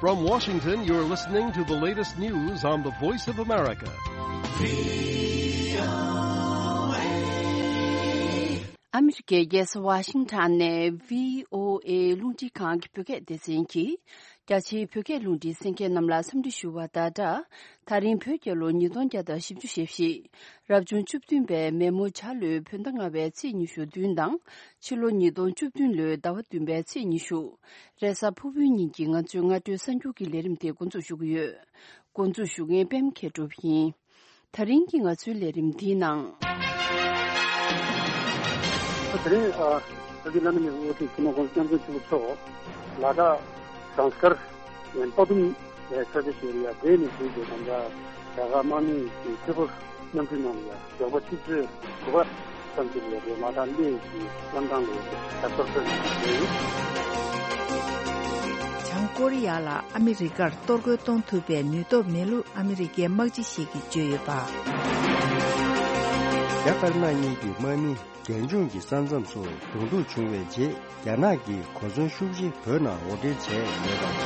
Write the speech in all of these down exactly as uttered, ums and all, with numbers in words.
From Washington, you're listening to the latest news on the Voice of America. ཨ་མི་རི་ཀའི་རྒྱལ་ས་ཝ་ཤིང་ཊོན་ནས་བྷི་ཨོ་ཨེ་རླུང་འཕྲིན་ཁང་གི་བོད་སྐད་སྡེ་ཚན་གྱིས། རྒྱ་ཆེའི་བོད་སྐད་རླུང་འཕྲིན་གསན་མཁན་རྣམས་ལ་འཚམས་འདྲི་ཞུ་བ་དང་སྦྲགས། ད་རིང་བོད་རྒྱལ་ལོ་ཉིས་སྟོང་བརྒྱ་དང་བཞི་བཅུ་ཞེ་བཞི། རབ་བྱུང་བཅུ་བདུན་པའི་མེ་མོ་བྱ་ལོའི་བོད་ཟླ་ལྔ་པའི་ཚེས་ཉི་ཤུ་བདུན་དང་། ཕྱི་ལོ་ཉིས་སྟོང་བཅུ་བདུན་ལོའི་ཟླ་བ་བདུན་པའི་ཚེས་ཉི་ཤུ། རེས་གཟའ་ཕུར་བུའི་ཉིན་གྱི་ང་ཚོའི་སྔ་དྲོའི་གསར་འགྱུར་གྱི་ལས་རིམ་དེ་འགོ་འཛུགས་ཞུ་གི་ཡོད། འགོ་འཛུགས་ཞུ་མཁན་པད་མ་མཁས་གྲུབ་ཡིན། ད་རིང་གི་ང་ཚོའི་ལས་རིམ་འདིའི་ནང་། དེ་རིང་ཨ་ཨ་ཁུ་བླ་ན་མེད་པའི་དབུ་ཁྲིད་སྤྱི་ནོར་༸གོང་ས་༸སྐྱབས་མགོན་ཆེན་པོ་མཆོག་ལ་དྭགས་ཟངས་དཀར་ཡན་པ་དུམ་ལ་ས་ཆ་ཞིག་ཡ་དེ་ནས་བྱུང་བའི་ནམ་ཟླ་རྒྱ་གར་དམག་མིའི་ཁེ་པོ་གནམ་གྲུའི་ནང་ལ་ཞོགས་པ་ཆུ་ཚོད་དགུ་པ་ཙམ་ཞིག་ལ་དེ་མ་ཐག་སླེ་ཞིག་གནམ་ཐང་ལ་ཞབས་ཏོག་ཕེབས་ནས་ཡོད། བྱང་ཀོ་རི་ཡ་ལ་ཨ་མི་རི་ཀར་གཏོར་རྒོལ་གཏོང་ཐུབ་པའི་ནུས་སྟོབས་མེད་ལུགས་ཨ་མི་རི་ཀའི་དམག་སྤྱི་ཞིག་གིས་བརྗོད་ཡོད་པ། རྒྱ་དཀར་ནག་གཉིས་ཀྱི་དམག་མི་རྒྱལ་འཇོང་གི་ས་མཚམས་སུ་གདོང་ཐུག་བྱུང་བའི་རྗེས། རྒྱ་ནག་གིས་གོ་མཚོན་ཤུགས་ཆེ་བོད་ནང་འོར་འདྲེན་བྱས་ཡོད་པ་རེད།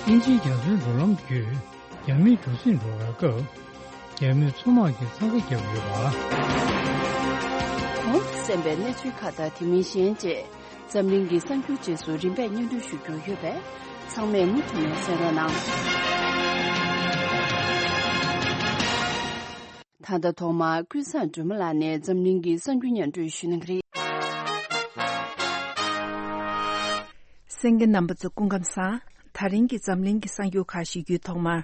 དབྱིན་ཇིའི་རྒྱ་མཚོའི་འགྲོ་ལམ་བརྒྱུད་རྒྱ་མིའི་གྲུ་གཟིངས་འགྲོ་བའི་སྐབས། རྒྱ་མིའི་མཚོ་དམག་གིས་འཚང་ཁ་བརྒྱབ་ཡོད་པ། གོང་དུ་གསན་པའི་གནས་ཚུལ་ཁག་དང་དེ་མིན་གཞན་བཅས་འཛམ་གླིང་གི་གསར་འགྱུར་རྗེས་སུ་རིམ་པས་སྙན་སྒྲོན་ཞུ་རྒྱུ་ཡོད་པས། ཚང་མས་མུ་མཐུད་ནས་གསན་རོགས་གནང་། ད་ལྟ་ཐོག་མར་ཀུན་བཟང་སྒྲོལ་མ་ལགས་ནས་འཛམ་གླིང་གི་གསར་འགྱུར་སྙན་སྒྲོན་ཞུ་གནང་གི་རེད། གསན་མཁན་རྣམ་པ་ཚོ་སྐུ་ཁམས་བཟང་། ད་རིང་གི་འཛམ་གླིང་གི་གསར་འགྱུར་ཁག་ཞུ་རྒྱུའི་ཐོག་མར།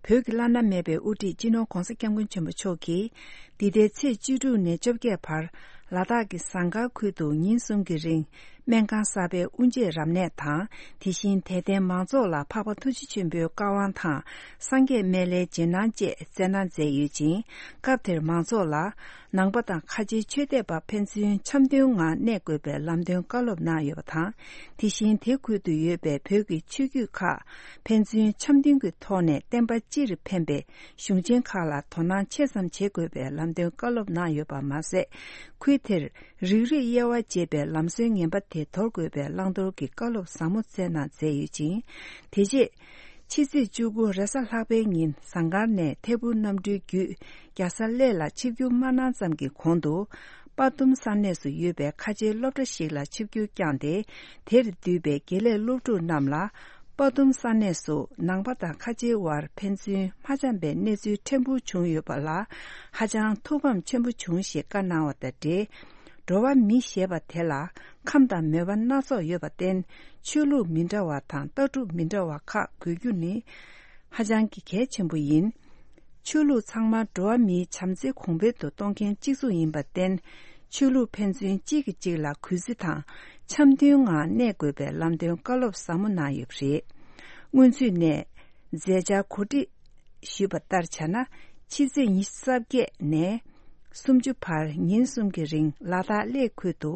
བོད་ཀྱི་བླ་ན་མེད་པའི་དབུ་ཁྲིད་སྤྱི་ནོར་༸གོང་ས་༸སྐྱབས་མགོན་ཆེན་པོ་མཆོག་གིས། འདི་ཟླའི་ཚེས་བཅུ་དྲུག་ནས་བཅོ་བརྒྱད་བར། ལ་དྭགས་ཀྱི་ཟངས་དཀར་ཁུལ་དུ་ཉིན་གསུམ་གྱི་རིང་། སྨན་ཁང་གསར་པའི་དབུ་འབྱེད་རབ་གནས་དང་། དེ་བཞིན་དད་ལྡན་མང་ཚོགས་ལ་འཕགས་པ་ཐུགས་རྗེ་ཆེན་པོའི་བཀའ་དབང་དང་། སངས་རྒྱས་སྨན་བླའི་རྗེས་གནང་བཅས་སྩལ་གནང་མཛད་ཡོད་ཅིང་། སྐབས་དེར་མང་ཚོགས་ལ། ནང་པ་དང་ཁ་ཆེའི་ཆོས་དད་པ་ཕན་ཚུན་འཆམ་མཐུན་ངང་གནས་དགོས་པའི་ལམ་སྟོན་བཀའ་སློབ་གནང་ཡོད་པ་དང་། དེ་བཞིན་དེ་ཁུལ་དུ་ཡོད་པའི་བོད་ཀྱི་ཆོས་བརྒྱུད་ཁག་ཕན་ཚུན་འཆམ་མཐུན་གྱི་ཐོག་ནས་བསྟན་པ་སྤྱིར་ཕན་པའི་གཞུང་ཆེན་ཁག་ལ་དོ་སྣང་ཆེ་ཙམ་བྱེད་དགོས་པའི་ལམ་སྟོན་བཀའ་སློབ་གནང་ཡོད་པ་མ་ཟད། ཁུལ་དེར་རིགས་རུས་དབྱེ་བ་འབྱེད་པའི་ལམ་སྲོལ་ངན་པ་དེ་དོར་དགོས་པའི་བླང་དོར་གྱི་བཀའ་སློབ་ཟབ་མོ་སྩལ་གནང་མཛད་ཡོད་ཅིང་། དེ་རྗེས། ཕྱི་ཚེས་བཅུ་དགུ་རེས་གཟའ་ལྷག་པའི་ཉིན་ཟངས་དཀར་ནས་ཐད་འཕུར་གནམ་གྲུའི་བརྒྱུད་རྒྱལ་ས་གླེ་ལ་ཆིབས་བསྒྱུར་མ་གནང་ཙམ་གྱི་གོང་དུ། དཔའ་གཏུམ་ས་གནས་སུ་ཡོད་པའི་ཁ་ཆེའི་སློབ་གྲྭ་ཞིག་ལ་ཆིབས་བསྒྱུར་བསྐྱངས་ཏེ། དེར་འདུས་པའི་དགེ་ལས་སློབ་ཕྲུག་རྣམས་ལ། དཔའ་གཏུམ་ས་གནས་སུ་ནང་པ་དང་ཁ་ཆེའི་དབར་ཕན་ཚུན་མ་འཆམ་པའི་གནས་ཚུལ་ཕྲན་བུ་བྱུང་ཡོད་པ་ལ། ཧ་ཅང་ཐུགས་ཕམ་ཆེན་པོ་བྱུང་ཞེས་བཀའ་གནང་བ་དང་འབྲེལ། འགྲོ་བ་མི་ཞེས་པ་དེ་ལ་ཁམས་དང་མོས་པ་སྣ་ཚོགས་ཡོད་པར་བརྟེན། ཆོས་ལུགས་མི་འདྲ་བ་དང་ལྟ་གྲུབ་མི་འདྲ་བ་ཁག་དགོས་རྒྱུ་ནི་ཧ་ཅང་གི་གལ་ཆེན་པོ་ཡིན། ཆོས་ལུགས་ཚང་མ་འགྲོ་བ་མིའི་བྱམས་བརྩེ་གོང་འཕེལ་དུ་གཏོང་མཁན་གཅིག་མཚུངས་ཡིན་པར་བརྟེན། ཆོས་ལུགས་ཕན་ཚུན་གཅིག་གིས་གཅིག་ལ་གུས་བརྩི་དང་འཆམ་མཐུན་ངང་གནས་དགོས་པའི་ལམ་སྟོན་བཀའ་སློབ་ཟབ་མོ་གནང་ཡོད་པ་རེད། སྔོན་ཚུད་ནས་མཛད་འཆར་གོ་སྒྲིག་ཞུས་པ་ལྟར་བྱས་ན། ཕྱི་ཚེས་ཉི་ཤུ་རྩ་བརྒྱད་ནས་སུམ་ཅུ་བར་ཉིན་གསུམ་གྱི་རིང་ལ་དྭགས་གླེ་ཁུལ་དུ་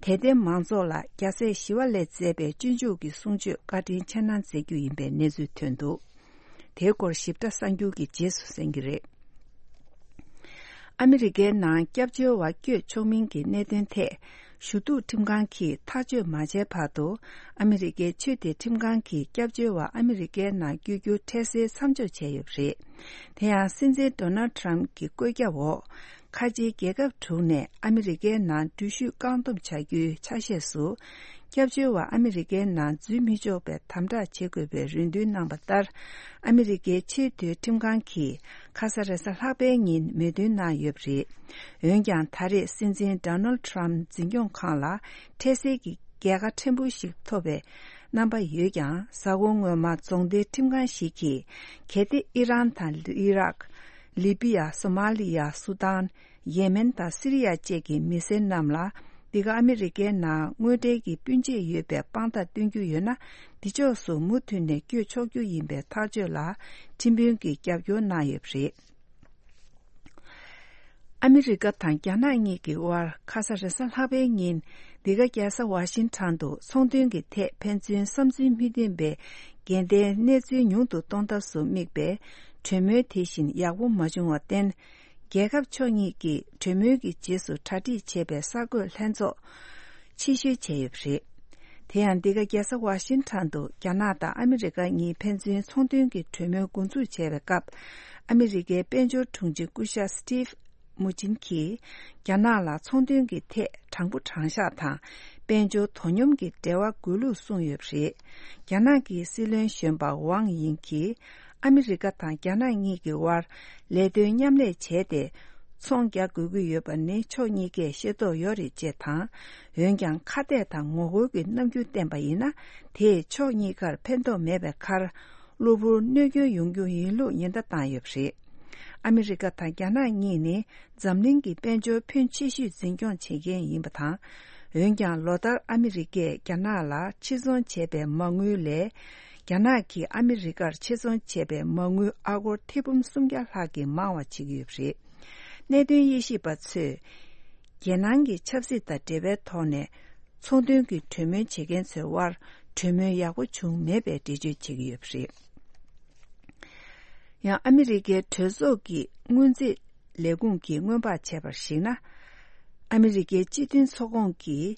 དད་ལྡན་མང་ཚོགས་ལ་རྒྱལ་སྲས་ཞི་བ་ལྷས་མཛད་པའི་སྤྱོད་འཇུག་གི་གསུང་ཆོས་བཀའ་དྲིན་ཆེ་གནང་མཛད་རྒྱུ་ཡིན་པའི་གནས་ཚུལ་ཐོན་འདུག་དེའི་སྐོར་ཞིབ་ཕྲ་གསར་འགྱུར་གྱི་རྗེས་སུ་གསན་གྱི་རེད། ཨ་མི་རི་ཀའི་ནང་སྐྱབས་བཅོལ་བ་བསྐྱོད་ཆོག་མིན་གྱི་གནད་དོན་ཐད། ཞུ་གཏུག་ཁྲིམས་ཁང་གིས་ཐག་གཅོད་མ་བྱས་བར་དུ། ཨ་མི་རི་ཀའི་ཆོས་དད་ཁྲིམས་ཁང་གིས་སྐྱབས་བཅོལ་བ་ཨ་མི་རི་ཀའི་ནང་བསྐྱོད་རྒྱུ་འཕྲལ་སེལ་མཚམས་འཇོག་བྱས་ཡོད་པ་རེད། དེ་ཡང་སྲིད་འཛིན་ཌོ་ནལ་ཌི་ཊརམ་གྱི་བཀོད་ཁྱབ་འོག་ཁ་ཆེའི་རྒྱལ་ཁབ་དྲུག་ནས་ཨ་མི་རི་ཀའི་ནང་འགྲུལ་བཞུད་བཀག་སྡོམ་བྱ་རྒྱུའི་ཆ་ཤས་སུ། སྐྱབས་བཅོལ་བ་ཨ་མི་རི་ཀའི་ནང་འཛུལ་མི་ཆོག་པའི་དམ་དྲག་བྱེད་དགོས་པའི་རེ་འདུན་གནང་བ་ལྟར། ཨ་མི་རི་ཀའི་ཆེས་མཐོའི་ཁྲིམས་ཁང་གིས་ཁ་ས་རེས་གཟའ་ལྷག་པའི་ཉིན་མོས་མཐུན་གནང་ཡོད་པ་རེད། འོན་ཀྱང་ད་རེས་སྲིད་འཛིན་ཌོ་ནལ་ཌི་ཊརམ་འཛིན་སྐྱོང་ཁང་ལ་འཕྲལ་སེལ་གྱི་རྒྱལ་ཁ་ཕྲན་བུ་ཞིག་ཐོབ་པའི་རྣམ་པ་ཡོད་ཀྱང་། གཟའ་འཁོར་སྔོན་མ་རྫོང་སྡེའི་ཁྲིམས་ཁང་ཞིག་གིས་གལ་ཏེ་ཨི་རན་དང་ཨི་རག་ལི་བི་ཡ། སོ་མ་ལི་ཡ། སུ་དཱན། ཡེ་མེན་དང་སི་རི་ཡ་བཅས་ཀྱི་མི་སེར་རྣམས་ལ། འདི་ག་ཨ་མི་རི་ཀའི་ནང་དངོས་འབྲེལ་གྱི་སྤུན་མཆེད་ཡོད་པའི་དཔང་རྟགས་སྟོན་རྒྱུ་ཡོད་ན། འདི་ཕྱོགས་སུ་མུ་མཐུད་ནས་བསྐྱོད་ཆོག་རྒྱུ་ཡིན་པའི་ཐག་གཅོད་ལ་ཁྲིམས་དཔོན་གྱིས་རྒྱབ་སྐྱོར་གནང་ཡོད་པ་རེད། ཨ་མི་རི་ཀ་དང་རྒྱ་ནག་གཉིས་ཀྱི་དབར་ཁ་ས་རེས་གཟའ་ལྷག་པའི་ཉིན། འདི་ག་རྒྱལ་ས་ཝ་ཤིང་ཊོན་དུ་ཚོང་དོན་གྱི་ཐད་ཕན་ཚུན་བསམ་ཚུལ་མི་མཐུན་པའི་འགལ་ཟླའི་གནས་ཚུལ་ཉུང་དུ་གཏོང་ཐབས་སུ་དམིགས་པའི་གྲོས་མོལ་དེ་བཞིན་ཡག་པོ་མ་བྱུང་བར་བརྟེན། རྒྱལ་ཁབ་ཕྱོགས་གཉིས་ཀྱིས་གྲོས་མོལ་གྱི་རྗེས་སུ་གྲ་སྒྲིག་བྱས་པའི་གསར་འགོད་ལྷན་ཚོགས་ཕྱིར་བཤོལ་བྱས་ཡོད་པ་རེད། དེ་ཡང་འདི་ག་རྒྱལ་ས་ཝ་ཤིང་ཊོན་དུ་རྒྱ་ནག་དང་ཨ་མི་རི་ཀ་གཉིས་ཕན་ཚུན་ཚོང་དོན་གྱི་གྲོས་མོལ་འགོ་འཛུགས་བྱས་པའི་སྐབས། ཨ་མི་རི་ཀའི་དཔལ་འབྱོར་དྲུང་ཆེ་སྐུ་ཞབས་སི་ཊིབ་མུ་ཅིན་གྱིས་རྒྱ་ནག་ལ་ཚོང་དོན་གྱི་ཐད་དྲང་པོ་དྲང་བཞག་དང་དཔལ་འབྱོར་དོ་སྙོམས་ཀྱི་འབྲེལ་བ་དགོས་ལུགས་གསུངས་ཡོད་པ་རེད། རྒྱ་ནག་གི་སྲིད་བློན་གཞོན་པ་ཝང་དབྱིང་གིས་ཨ་མི་རི་ཀ་དང་རྒྱ་ནག་གཉིས་ཀྱི་དབར་ལས་དོན་མཉམ་ལས་བྱས་ཏེ། ཚོང་རྒྱག་དགོས་ཀྱི་ཡོད་པ་ནི་ཕྱོགས་གཉིས་ཀས་ཤེས་རྟོགས་ཡོད་རེད་ཅེས་དང་། འོན་ཀྱང་ཁ་གཏད་དང་ངོ་རྒོལ་གྱི་རྣམ་འགྱུར་བསྟན་པ་ཡིན་ན། དེས་ཕྱོགས་གཉིས་ཀར་ཕན་ཐོགས་མེད་པའི་ཁར། གློ་བུར་གནོད་སྐྱོན་ཡོང་རྒྱུ་ཡིན་ལུགས་ཉེན་བརྡ་བཏང་ཡོད་པ་རེད། ཨ་མི་རི་ཀ་དང་རྒྱ་ནག་གཉིས་ནི་འཛམ་གླིང་གི་དཔལ་འབྱོར་ཕོན་ཆེ་ཤོས་འཛིན་སྐྱོང་བྱེད་མཁན་ཡིན་པ་དང་། འོན་ཀྱང་ལོ་ལྟར་ཨ་མི་རི་ཀས་རྒྱ་ནག་ལ་ཕྱིར་ཚོང་བྱས་པའི་མ་དངུལ་ལས། རྒྱ་ནག་གིས་ཨ་མི་རི་ཀར་ཕྱིར་ཚོང་བྱས་པའི་མ་དངུལ་ཨ་སྒོར་ཐེར་འབུམ་སུམ་བརྒྱ་ལྷག་གིས་མང་བ་བྱེད་ཀྱི་ཡོད་པ་རེད། གནད་དོན་དབྱེ་ཞིབ་པ་ཚོས། རྒྱལ་ནང་གི་ཆབ་སྲིད་དང་འབྲེལ་བའི་ཐོག་ནས། ཚོང་དོན་གྱི་གྲོས་མོལ་བྱེད་མཁན་ཚོའི་དབར་གྲོས་མོལ་ཡག་པོ་བྱུང་མེད་པའི་འགྲེལ་བརྗོད་བྱེད་ཀྱི་ཡོད་པ་རེད། ཡང་ཨ་མི་རི་ཀའི་གྲོས་ཚོགས་ཀྱི་སྔོན་རྩིས་ལས་ཁུངས་ཀྱིས་སྔོན་དཔག་བྱས་པར་གཞིགས་ན། ཨ་མི་རི་ཀའི་སྤྱི་མཐུན་ཚོགས་ཁོངས་ཀྱིས་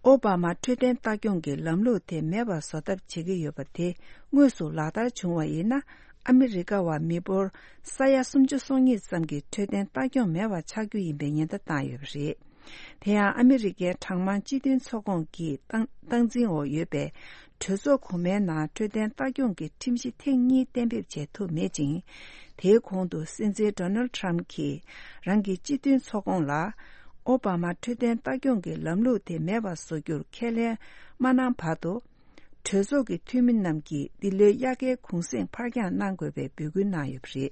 ཨོ་བྷ་མ་འཕྲོད་བསྟེན་ལྟ་སྐྱོང་གི་ལམ་ལུགས་དེ་མེད་པར་བཟོ་ཐབས་བྱེད་ཀྱི་ཡོད་པ་དེ་དངོས་སུ་ལག་བསྟར་བྱུང་བ་ཡིན་ན། ཨ་མི་རི་ཀ་བ་མི་འབོར་ས་ཡ་སུམ་ཅུ་སོ་གཉིས་ཙམ་གྱི་འཕྲོད་བསྟེན་ལྟ་སྐྱོང་མེད་པ་ཆགས་རྒྱུ་ཡིན་པའི་ཉེན་བརྡ་བཏང་ཡོད་པ་རེད། དེ་ཡང་ཨ་མི་རི་ཀའི་གྲངས་མང་སྤྱི་མཐུན་ཚོགས་ཁོངས་ཀྱི་སྟངས་སྟངས་འཛིན་འོག་ཡོད་པའི་གྲོས་ཚོགས་གོང་མའི་ནང་འཕྲོད་བསྟེན་ལྟ་སྐྱོང་གི་ཁྲིམས་གཞི་ཐེངས་གཉིས་གཏན་འབེབས་བྱས་ཐུབ་མེད་ཅིང་། དེའི་གོང་དུ་སྲིད་འཛིན་ཌོ་ནལ་ཊམ་གྱིས་རང་གི་སྤྱི་མཐུན་ཚོགས་ཁོངས་ལ་ཨོ་བྷ་མ་འཕྲོད་བསྟེན་ལྟ་སྐྱོང་གི་ལམ་ལུགས་དེ་མེད་པར་བཟོ་རྒྱུར་ཁས་ལེན་མ་གནང་བར་དུ། གྲོས་ཚོགས་ཀྱི་འཐུས་མི་རྣམས་ཀྱིས་འདི་ལོའི་དབྱར་ཁའི་གུང་གསེང་ཕར་འགྱངས་གནང་དགོས་པའི་འབོད་སྐུལ་གནང་ཡོད་པ་རེད།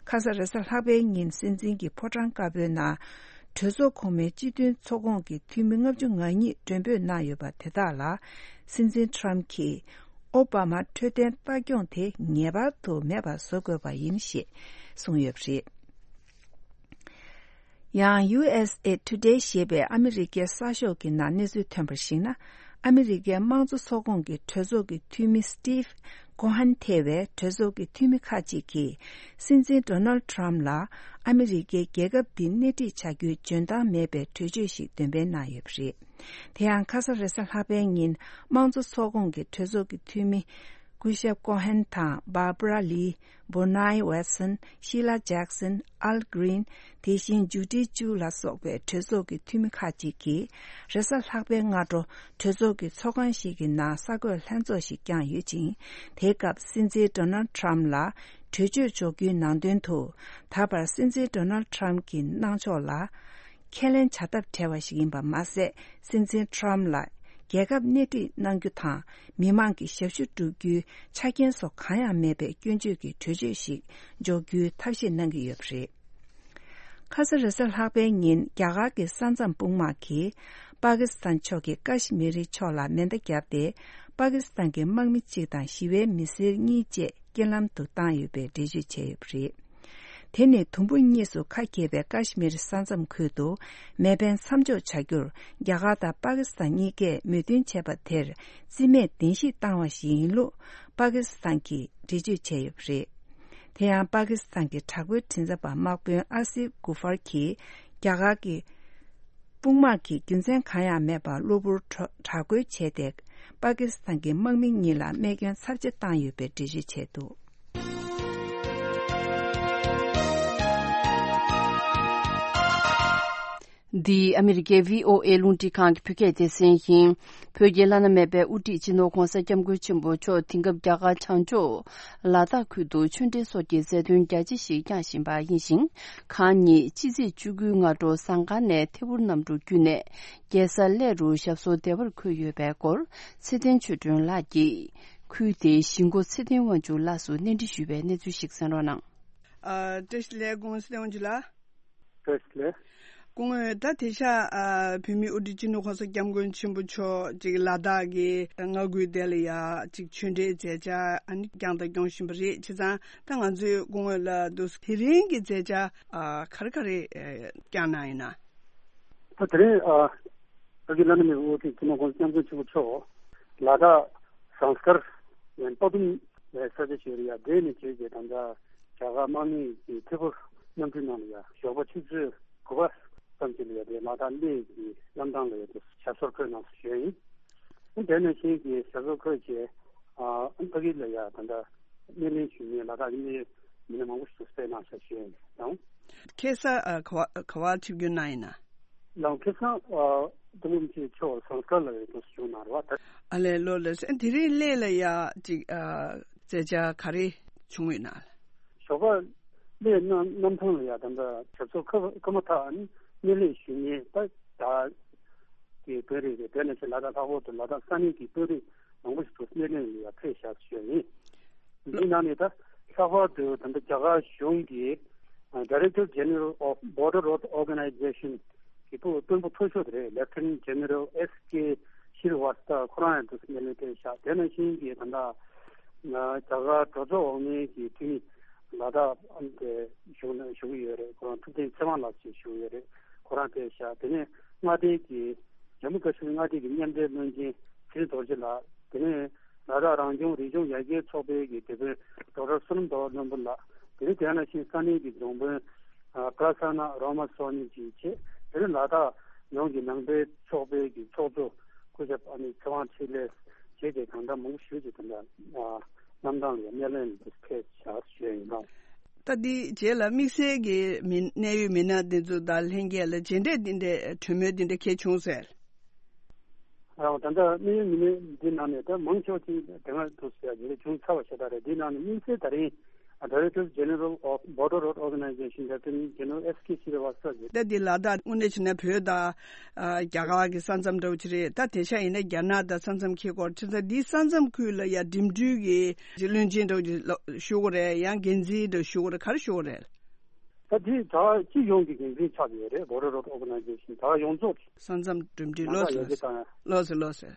ཁ་ས་རེས་གཟའ་ལྷག་པའི་ཉིན་སྲིད་འཛིན་གྱི་ཕོ་བྲང་དཀར་པོའི་ནང་། གྲོས་ཚོགས་གོང་མའི་སྤྱི་མཐུན་ཚོགས་ཁོངས་ཀྱི་འཐུས་མི་ལྔ་བཅུ་ང་གཉིས་མགྲོན་འབོད་གནང་ཡོད་པ་དེ་དག་ལ། སྲིད་འཛིན་ཊམ་གྱིས་ཨོ་བྷ་མ་འཕྲོད་བསྟེན་ལྟ་སྐྱོང་དེ་ངེས་པར་དུ་མེད་པར་བཟོ་དགོས་པ་ཡིན་ཞེས་གསུངས་ཡོད་པ་རེད། ཡང་ཡུ་ཨེས་ཨེ་ཊུ་ཌེ་ཞེས་པའི་ཨ་མི་རི་ཀའི་གསར་ཤོག་གི་ནང་གནས་ཚུལ་ཐོན་པར་གཞིགས་ན། ཨ་མི་རི་ཀའི་དམངས་གཙོ་ཚོགས་ཁོངས་ཀྱི་གྲོས་ཚོགས་ཀྱི་འཐུས་མི་སི་ཊིབ་ཀོ་ཧན་ཐེ་བས་གྲོས་ཚོགས་ཀྱི་འཐུས་མི་ཁག་ཅིག་གིས་སྲིད་འཛིན་ཌོ་ནལ་ཊམ་ལ་ཨ་མི་རི་ཀའི་རྒྱལ་ཁབ་འདི་སྣེ་ཁྲིད་བྱ་རྒྱུའི་འཇོན་ཐང་མེད་པའི་གྲོས་ཆོད་ཞིག་འདོན་སྤེལ་གནང་ཡོད་པ་རེད། དེ་ཡང་ཁ་ས་རེས་གཟའ་ལྷག་པའི་ཉིན་དམངས་གཙོ་ཚོགས་ཁོངས་ཀྱི་གྲོས་ཚོགས་ཀྱི་འཐུས་མི། སྐུ་ཞབས་ཀོ་ཧན་དང་། བྷར་བྷ་ར་ལི། བྷོ་ནའི་ཝེ་སན། ཤི་ལ་ཇེག་སན། ཨལ་གྷི་རིན། དེ་བཞིན་ཇུ་ཌི་ཅུ་ལ་སོགས་པའི་གྲོས་ཚོགས་ཀྱི་འཐུས་མི་ཁག་ཅིག་གིས། རེས་གཟའ་ལྷག་པའི་སྔ་དྲོ། གྲོས་ཚོགས་ཀྱི་ཚོགས་ཁང་ཞིག་གི་ནང་གསར་འགོད་ལྷན་ཚོགས་ཤིག་བསྐྱངས་ཡོད་ཅིང་། དེའི་སྐབས་སྲིད་འཛིན་ཌོ་ནལ་ཊམ་ལ་གྲོས་ཆོད་འཇོག་རྒྱུའི་ནང་དོན་དུ། ད་བར་སྲིད་འཛིན་ཌོ་ནལ་ཊམ་གྱི་གནང་ཕྱོགས་ལ། ཁས་ལེན་བྱ་ཐབས་བྲལ་བ་ཞིག་ཡིན་པ་མ་ཟད། སྲིད་འཛིན་ཊམ་ལ་རྒྱལ་ཁབ་སྣེ་ཁྲིད་གནང་རྒྱུ་དང་། མི་མང་གི་ཞབས་ཞུ་བསྒྲུབ་རྒྱུའི་ཆ་རྐྱེན་སོགས་གང་ཡང་མེད་པའི་སྐྱོན་བརྗོད་ཀྱི་གྲོས་ཆོད་ཞིག་འཇོག་རྒྱུའི་ཐབས་ཤེས་གནང་གི་ཡོད་པ་རེད། ཁ་ས་རེས་གཟའ་ལྷག་པའི་ཉིན་རྒྱ་གར་གྱི་ས་མཚམས་དཔུང་དམག་གིས་པ་ཀི་སི་ཐན་ཕྱོགས་ཀྱི་ཀ་ཤི་མི་རི་ཕྱོགས་ལ་མེ་མདའ་བརྒྱབ་སྟེ། པ་ཀི་སི་ཐན་གྱི་དམག་མི་གཅིག་དང་ཞི་བའི་མི་སེར་གཉིས་བཅས། རྐྱེན་ལམ་དུ་བཏང་ཡོད་པའི་འགྲེལ་བརྗོད་བྱས་ཡོད་པ་རེད། དེ་ནི་དུམ་བུ་གཉིས་སུ་ཁ་གྱེས་པའི་ཀ་ཤི་མིར་ས་མཚམས་ཁུལ་དུ་མེ་འཕེན་མཚམས་འཇོག་བྱ་རྒྱུར་རྒྱ་གར་དང་པ་ཀི་སི་ཐན་གཉིས་ཀས་མོས་མཐུན་བྱས་པ་དེར་རྩིས་མེད་བདེན་བཞི་བཏང་བ་ཞིག་ཡིན་ལུགས་པ་ཀི་སི་ཐན་གྱིས་འགྲེལ་བརྗོད་བྱས་ཡོད་པ་རེད། དེ་ཡང་པ་ཀི་སི་ཐན་གྱི་དྲག་པོའི་མགྲིན་ཚབ་པ་དམག་དཔོན་ཨ་སིབ་གུ་ཧར་གྱིས་རྒྱ་གར་གྱི། དཔུང་དམག་གིས་རྒྱུ་མཚན་གང་ཡང་མེད་པར་གློ་བུར་དྲག་རྒོལ་བྱས་ཏེ། པ་ཀི་སི་ཐན་གྱི་དམག་མི་གཉིས་ལ་རྨས་སྐྱོན་ཚབས་ཆེ་བཏང་ཡོད་པའི་འགྲེལ་བརྗོད་བྱས་འདུག། འདི་ཨ་མི་རི་ཀའི་བྷི་ཨོ་ཨེ་རླུང་འཕྲིན་ཁང་གི་བོད་སྐད་སྡེ་ཚན་ཡིན། བོད་ཀྱི་བླ་ན་མེད་པའི་དབུ་ཁྲིད་སྤྱི་ནོར་༧གོང་ས་༧སྐྱབས་མགོན་ཆེན་པོ་མཆོག་དེང་སྐབས་རྒྱ་གར་བྱང་ཕྱོགས་ལ་དྭགས་ཁུལ་དུ་ཆོས་འབྲེལ་སོགས་ཀྱི་མཛད་དོན་རྒྱ་ཆེ་ཞིག་བསྐྱངས་བཞིན་པ་ཡིན་ཞིང་། གང་ཉིད་ཕྱི་ཚེས་བཅུ་དགུའི་སྔ་དྲོ་ཟངས་དཀར་ནས་ཐད་འཕུར་གནམ་གྲུ་བརྒྱུད་ནས་རྒྱལ་ས་གླེ་རུ་ཞབས་སོར་བདེ་བར་འཁོད་ཡོད་པའི་སྐོར་ཚེ་བརྟན་ཆོས་སྒྲོན་ལགས་ཀྱིས་ཁུལ་དེའི་གཞིས་འགོ་ཚེ་བརྟན་དབང་ཕྱུག་ལགས་སུ་གནས་འདྲི་ཞུས་པའི་གནས་ཚུལ་ཞིག་གསན་རོགས་གནང་། ཨ། བཀྲ་ཤིས་བདེ་ལེགས། སྐུ་ངོ་ཚེ་བརྟན་དབང་ཕྱུག་ལགས། བཀྲ་ཤིས་བདེ་ལེགས། སྐུ་ངོ། ད་དེང་སང་ཨ་བོད་མིའི་དབུ་ཁྲིད་སྤྱི་ནོར་༧གོང་ས་༧སྐྱབས་མགོན་ཆེན་པོ་མཆོག་ཅིག་ལ་དྭགས་ཀྱི་མངའ་ཁུལ་དེ་ལ་ཡ་ཅིག་ཆོས་འབྲེལ་མཛད་འཆར་ཨ་ནི་བསྐྱངས་དང་སྐྱོང་བཞིན་པ་རེད། བྱས་ཙང་ད་ང་ཚོས་སྐུ་ངོ་ལ་འདུག་དེ་རིང་གི་མཛད་འཆར་ཨ་ག་རེ་ག་རེ་ཨ་བསྐྱངས་གནང་ཡིན་ན། ད་དེ་རིང་ཨ་བོད་ཀྱི་བླ་ན་མེད་པའི་དབུ་ཁྲིད་སྤྱི་ནོར་༧གོང་ས་༧སྐྱབས་མགོན་ཆེན་པོ་མཆོག་ལ་དྭགས་ཟངས་དཀར་ཡན་པ་དུམ་ལ་ས་ཆ་ཞིག་ཡོད་རེད་ཡ། དེ་ནས་བྱས་རྗེས་ད་ལྟ་རྒྱ་གར་དམག་མི་གི་ཐད་འཕུར་གནམ་གྲུའི་ནང་ལ་ཡ་ཞོགས་པ་ཆུ་ཚོད་དགུ་པ་ཙམ་ཞིག་ལ་ཡ་དེ་ལ་དྭགས་གླེ་གི་གནམ་ཐང་ལ་ཡ་དེ་ཞབས་སོར་འཁོད་གནང་སོང་ཞུ་ཡ་ཡིན། དེ་ནང་བཞིན་གྱི་ཞབས་བྲོ་འཁོད་བྱས། ཨ་ཕ་གི་ལ་ཡ་ད་ལྟ་སྣེ་ལེན་ཞུ་མཁན་ལ་དྭགས་ཀྱི་མི་སྣ་མང་པོ་ཞིག་ཏུ་སྤེལ་གནང་ཤག་ཞུ་ཡ་ཡིན་དང་། ཁ་སང་ཨ་ག་བ་ག་བ་ཆིབས་བསྒྱུར་གནང་ཡིན་ན། ལའང་ཁ་སང་ཨ་ཐུ་མུམ་ཆེ་མཆོག་ཟངས་དཀར་ལ་ཡོད་དུ་བྱུང་གནང་རེད་བ། ཨ་ལས་ལོ་ལས་དེ་རིང་སླེ་ལ་ཡ་ཅིག་ཨ་མཛད་འཆར་ག་རེ་བྱུང་ཡོད་ན། ཞོགས་པ་སླེ་གནམ་གནམ་ཐང་ལ་ཡ་ད་ལྟ་ཞབས་བྲོ་འཁོད་འཁོད་མ་ཐག་ནི་སྣེ་ལེན་ཞུ་མཁན་ད་ད་གི་བོད་རིགས་རེད། དེ་ནས་ཚེ་ལ་དྭགས་ལྷག་པར་དུ་ལ་དྭགས་ས་གནས་ཀྱི་དཔོན་རིགས་མང་པོ་ཞིག་ཏུ་སྣེ་ལེན་ལ་ཡ་ཕེབས་བཞག་ཞུ་ཡ་ཡིན། འདི་ནང་ནས་ད་ལྷག་པར་དུ་ད་ལྟ་རྒྱ་གར་གཞུང་གི་Director General of Border Road Organization གི་དཔོན་དཔོན་པོ་མཐོ་ཤོས་དེ་རེད། Lieutenant General S K Srivastava ཁོ་རང་ཡང་དུ་སྣེ་ལེན་ཕེབས་ཤག་དེ་ནང་བཞིན་གྱི་ད་ལྟ་རྒྱ་གར་གྲོས་ཚོགས་འོག་མའི་གི་འཐུས་མི་ལ་དྭགས་ཨམ་དེ་བཞུགས་ན་བཞུགས་ཡོད་རེད། ཁོ་རང་ཐུབ་བསྟན་ཚེ་དབང་ལགས་ཞེས་བཞུགས་ཡོད་རེད། ཁོ་རང་ཕེབས་ཤག་དེ་ནས་མངའ་སྡེ་གི་ཇམ་མུ་ཀ་ཤི་མིར་མངའ་སྡེ་གི་མཉམ་འབྲེལ་བློན་ཆེན་ཚེ་རིང་རྡོ་རྗེ་ལགས། དེ་ནས་ལ་དྭགས་རང་སྐྱོང་རིག་གཞུང་ཡར་རྒྱས་ཚོགས་པའི་གི་དེ་དཔོན་ཌོག་ཊར་བསོད་ནམས་རྡོ་བློན་པོ་ལགས། དེ་ནས་དེ་ནང་བཞིན་ས་གནས་ཀྱི་རྫོང་དཔོན་ཨ་པྲ་སན་ན་རོ་མ་སོ་ནི་བཅས་བྱས། དེ་ནས་ལ་དྭགས་ཡོངས་ཀྱི་ནང་པའི་ཚོགས་པའི་གི་ཚོགས་གཙོ་སྐུ་ཞབས་ཨ་ནི་ཚེ་དབང་འཕྲིན་ལས་བཅས་ཀྱི་གང་འདྲ་མང་པོ་ཞིག་ཅིག་དེ་འདྲ་ཨ་གནམ་ཐང་ལ་སྣེ་ལེན་དུ་ཕེབས་བཞག་ཞུ་ཡ་ཡིན་ལགས། ད་འདི་རྗེས་ལ་དམིགས་བསལ་གྱི་མི་གནད་ཡོད་མི་སྣ་འདི་ཚོ་དང་ལྷན་རྒྱས་ལ་མཇལ་འཕྲད་འདི་འདྲའི་གྲོས་མོལ་འདི་འདྲ་གལ་བྱུང་ཟེར། ཨ་ད་ལྟ་གནད་ཡོད་མི་སྣ་འདི་ནང་ནས་ད་མང་ཆེ་བ་ཅིག་དེ་སྔ་དུ་ཟེར་ཡ་འདི་འདྲ་བྱུང་ཚར་བ་ཞེ་དྲག་རེད། འདི་ནང་ནས་དམིགས་བསལ་ད་རིང་Director General of Border Road Organization Lieutenant General S K Srivastava ཟེར། ད་འདི་ལ་དྭགས་དངོས་གནས་བྱས་ན་བོད་དང་ཨ་རྒྱ་གར་གྱི་ས་མཚམས་འདྲ་བོ་ཅིག་རེད། ད་དེང་སང་ཡིན་ན་རྒྱ་ནག་དང་ས་མཚམས་འཁེལ་སྐོར་བྱས་ཙང་འདིའི་ས་མཚམས་ཁུལ་ལ་ཡ་འགྲིམ་འགྲུལ་གྱི་བློན་ཆེན་འདྲ་བོ་ཅིག་ལ་ཞུ་དགོས་རེད། ཡང་འགན་འཛིན་འདྲ་ཞུ་དགོས་རེད། ག་རེ་ཞུ་དགོས་རེད། ད་དེ་ད་སྤྱི་ཡོངས་ཀྱི་འགན་འཛིན་ཆགས་ཡོད་རེད། Border Road Organization ད་ཡོངས་རྫོགས་ས་མཚམས་འགྲིམ་འགྲུལ་ལོ་ཟེར་ལོ་ཟེར་ལོ་ཟེར་ལོ་ཟེར།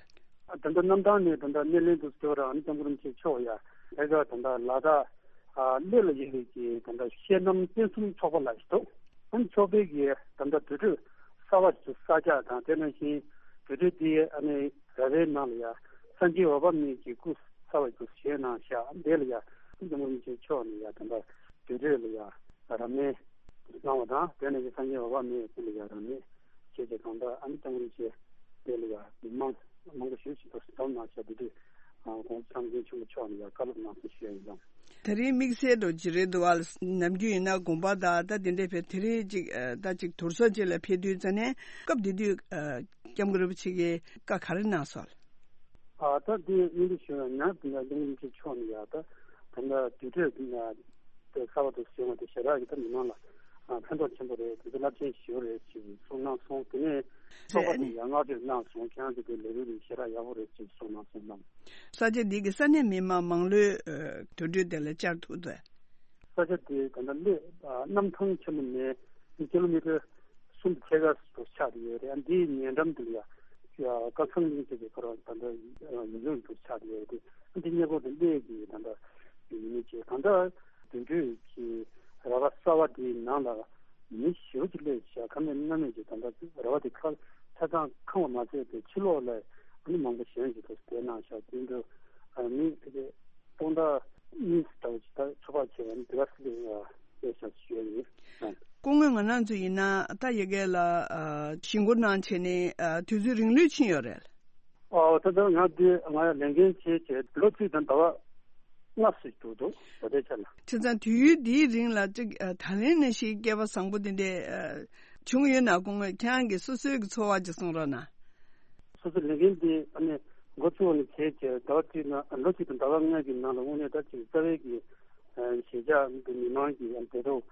ད་ལྟ་གནམ་ཐང་ནས་ད་ལྟ་སྣེ་ལེན་དུ་སྐྱོར་ར་ཨ་ནི་སྐྱབས་མགོན་རིན་པོ་ཆེ་མཆོག་ཡ་ཨེ་ཀ་ད་ལྟ་ལ་དྭགས་ཨ་སླེ་ལ་ཡོད་པའི་གི་ད་ལྟ་བཤད་ནམ་བསྟན་སྲུང་ཚོགས་པ་ལ་ཞིག་འདུག་ཨ་ནི་ཚོགས་པའི་གི་ད་ལྟ་དུར་ཁྲོད་གསར་པ་ཞིག་གསར་རྒྱག་དང་དེ་ནང་བཞིན་དུར་ཁྲོད་དེ་ཨ་ནི་ར་བའི་ནང་ལ་ཡ་སངས་རྒྱས་འོད་དཔག་མེད་ཀྱི་སྐུ་གསར་པ་ཞིག་བཞེངས་གནང་ཤག་ཨ་ནི་དེ་ལ་ཡ་ཨ་ནི་སྐྱབས་མགོན་རིན་པོ་ཆེ་མཆོག་ནས་ཡ་ད་ལྟ་དུར་ཁྲོད་ལ་ཡ་རབ་གནས་གནང་བ་དང་དེ་ནང་བཞིན་སངས་རྒྱས་འོད་དཔག་མེད་སྐུ་ལ་ཡ་རབ་གནས་བྱས་ཏེ་གང་ལྟར་ཨ་ནི་སྐྱབས་མགོན་རིན་པོ་ཆེ་དེ་ལ་ཡ་མི་མང་མང་པོ་ཞེ་པོ་ཅིག་ཏུ་འཛོམས་གནང་ཤག་དེ་དུས་༸གོང་ས་༸སྐྱབས་མགོན་ཆེན་པོ་མཆོག་ནས་ཡང་བཀའ་སློབ་གནང་སོང་ཞུ་ཡ་ཡིན་ལགས། དེ་རིང་དམིགས་བསལ་དུ་ཇི་རེད་འདུག་བ། ནམ་རྒྱུན་ཡིན་ན་དགོངས་པ་དང་ད་དེ་འདྲའི་བས་དེ་རིང་ཅིག་ད་ཅིག་དུར་ཚོགས་ཅིག་ལ་ཕེབས་དུས་ཙ་ནས་སྐབས་དེ་དུས་སྐྱབས་མགོན་རིན་པོ་ཆེ་གིས་བཀའ་ག་རེ་གནང་སོང་། ཨ་ད་དེ་སྙིང་རྗེ་ཞུ་ཡ་ཡང་དེ་འདྲ་སྐྱབས་མགོན་རིན་པོ་ཆེ་མཆོག་ནས་ཡ་ད་ད་ལྟ་དུར་ཁྲོད་དེ་གསར་པ་དུ་བཟོས་པ་དེ་ཞེ་དྲག་གི་ད་མི་མང་ལ་ཕན་ཐོགས་ཆེན་པོ་རེད། དེ་ཚོ་རླབས་ཆེན་ཞེ་པོ་རེད་ཅེས་གསུངས་གནང་སོང་། དེ་ནས་ཚོགས་པ་དེ་ཡང་བསྔགས་བརྗོད་གནང་སོང་། ཁྱེད་རང་ཚོ་དེ་ལས་རིམ་ཞེ་དྲག་ཡག་པོ་རེད་ཅེས་གསུངས་གནང་སོང་ལགས། ས་ཆ་འདི་གི་ས་གནས་མི་མང་མང་ལོས་དུར་ཁྲོད་དེ་ལ་བཅར་ཐུབ་ཚེ། ས་ཆ་དེ་ད་ལྟ་སླེ་གནམ་ཐང་ཆེན་མོ་ནས་ཀི་ལོ་མི་ཊར་གསུམ་ཕྱེད་ཀ་དུ་ཆགས་ཡོད་རེད། ཨ་འདིའི་ཉེ་འགྲམ་དུ་ཡ་ཀ་ཚང་གླིང་ཟེར་གྱི་ཁོ་རང་ད་ལྟ་ཡུལ་ལྗོངས་དུ་ཆགས་ཡོད་རེད། ཨ་འདི་གནས་སྐོར་དུ་སླེ་གི་ད་ལྟ་ཡུལ་མི་བཅས་གང་ལྟར་དུར་ཁྲོད་ཀྱི་ར་བ་གསར་བ་དེའི་ནང་ལ་མི་ཞེ་པོ་ཅིག་སླེབས་ཤག་ཁ་སྣོན་སྣ་སྣོན་གྱི་ད་ལྟ་ར་བ་དེ་ཁ་ཆ་ཚང་ཁེངས་པ་མ་ཟད་དེ་ཕྱི་ལོགས་ལ་ཨ་ནི་མང་པོ་གཞན་ཞིག་ཏུ་བསྡད་གནང་ཤག་དེ་འདྲ་མི་དེ་གའི་སྟོང་ཕྲག་གཉིས་ལྟ་བུ་ཅིག་ད་ཚོགས་པ་བྱས་ནས་དེ་ག་སི་ལ་སླེབས་ཤག་ཞུ་ཡ་ཡིན། སྐུ་ངོ་ང་རང་ཚོ་ཡིན་ན་ད་ཡ་གི་ལ་ཞི་འགོ་གནང་བྱས་ནས་དུས་ཚོད་རིང་ལོས་ཕྱིན་ཡོད་རེད། ཨོ་ད་ལྟ་ང་འདི་ང་ལས་འགན་བྱས་བྱས་ལོ་གཅིག་དང་ཟླ་བ་ལྔ་ཙམ་འགྲོ་འདུག་ད་ལྟའི་ཆ་ལ། བྱས་ཙང་དུས་ཡུན་འདིའི་རིང་ལ་ཅིག་ད་ལན་ནང་བཞིན་སྐལ་པ་བཟང་པོ་འདི་འདྲ་བྱུང་ཡོད་ན་སྐུ་ངོ་ཁྱེད་རང་གི་སོ་སོའི་གི་ཚོར་བ་ཅིག་གསུང་རོགས་གནང་། སོ་སོ་ལས་འགན་འདི་ཨ་ནི་འགོ་བཙུགས་ནས་བྱས་བྱས་ཟླ་བ་གཅིག་ནང་ལོ་གཅིག་དང་ཟླ་བ་ལྔ་གི་ནང་ལ་དངོས་གནས་ད་ཅིག་རྩ་བའི་གི་གཞིས་ཆགས་འདི་མི་མང་གི་ཨ་ནི་བདེ་སྡུག་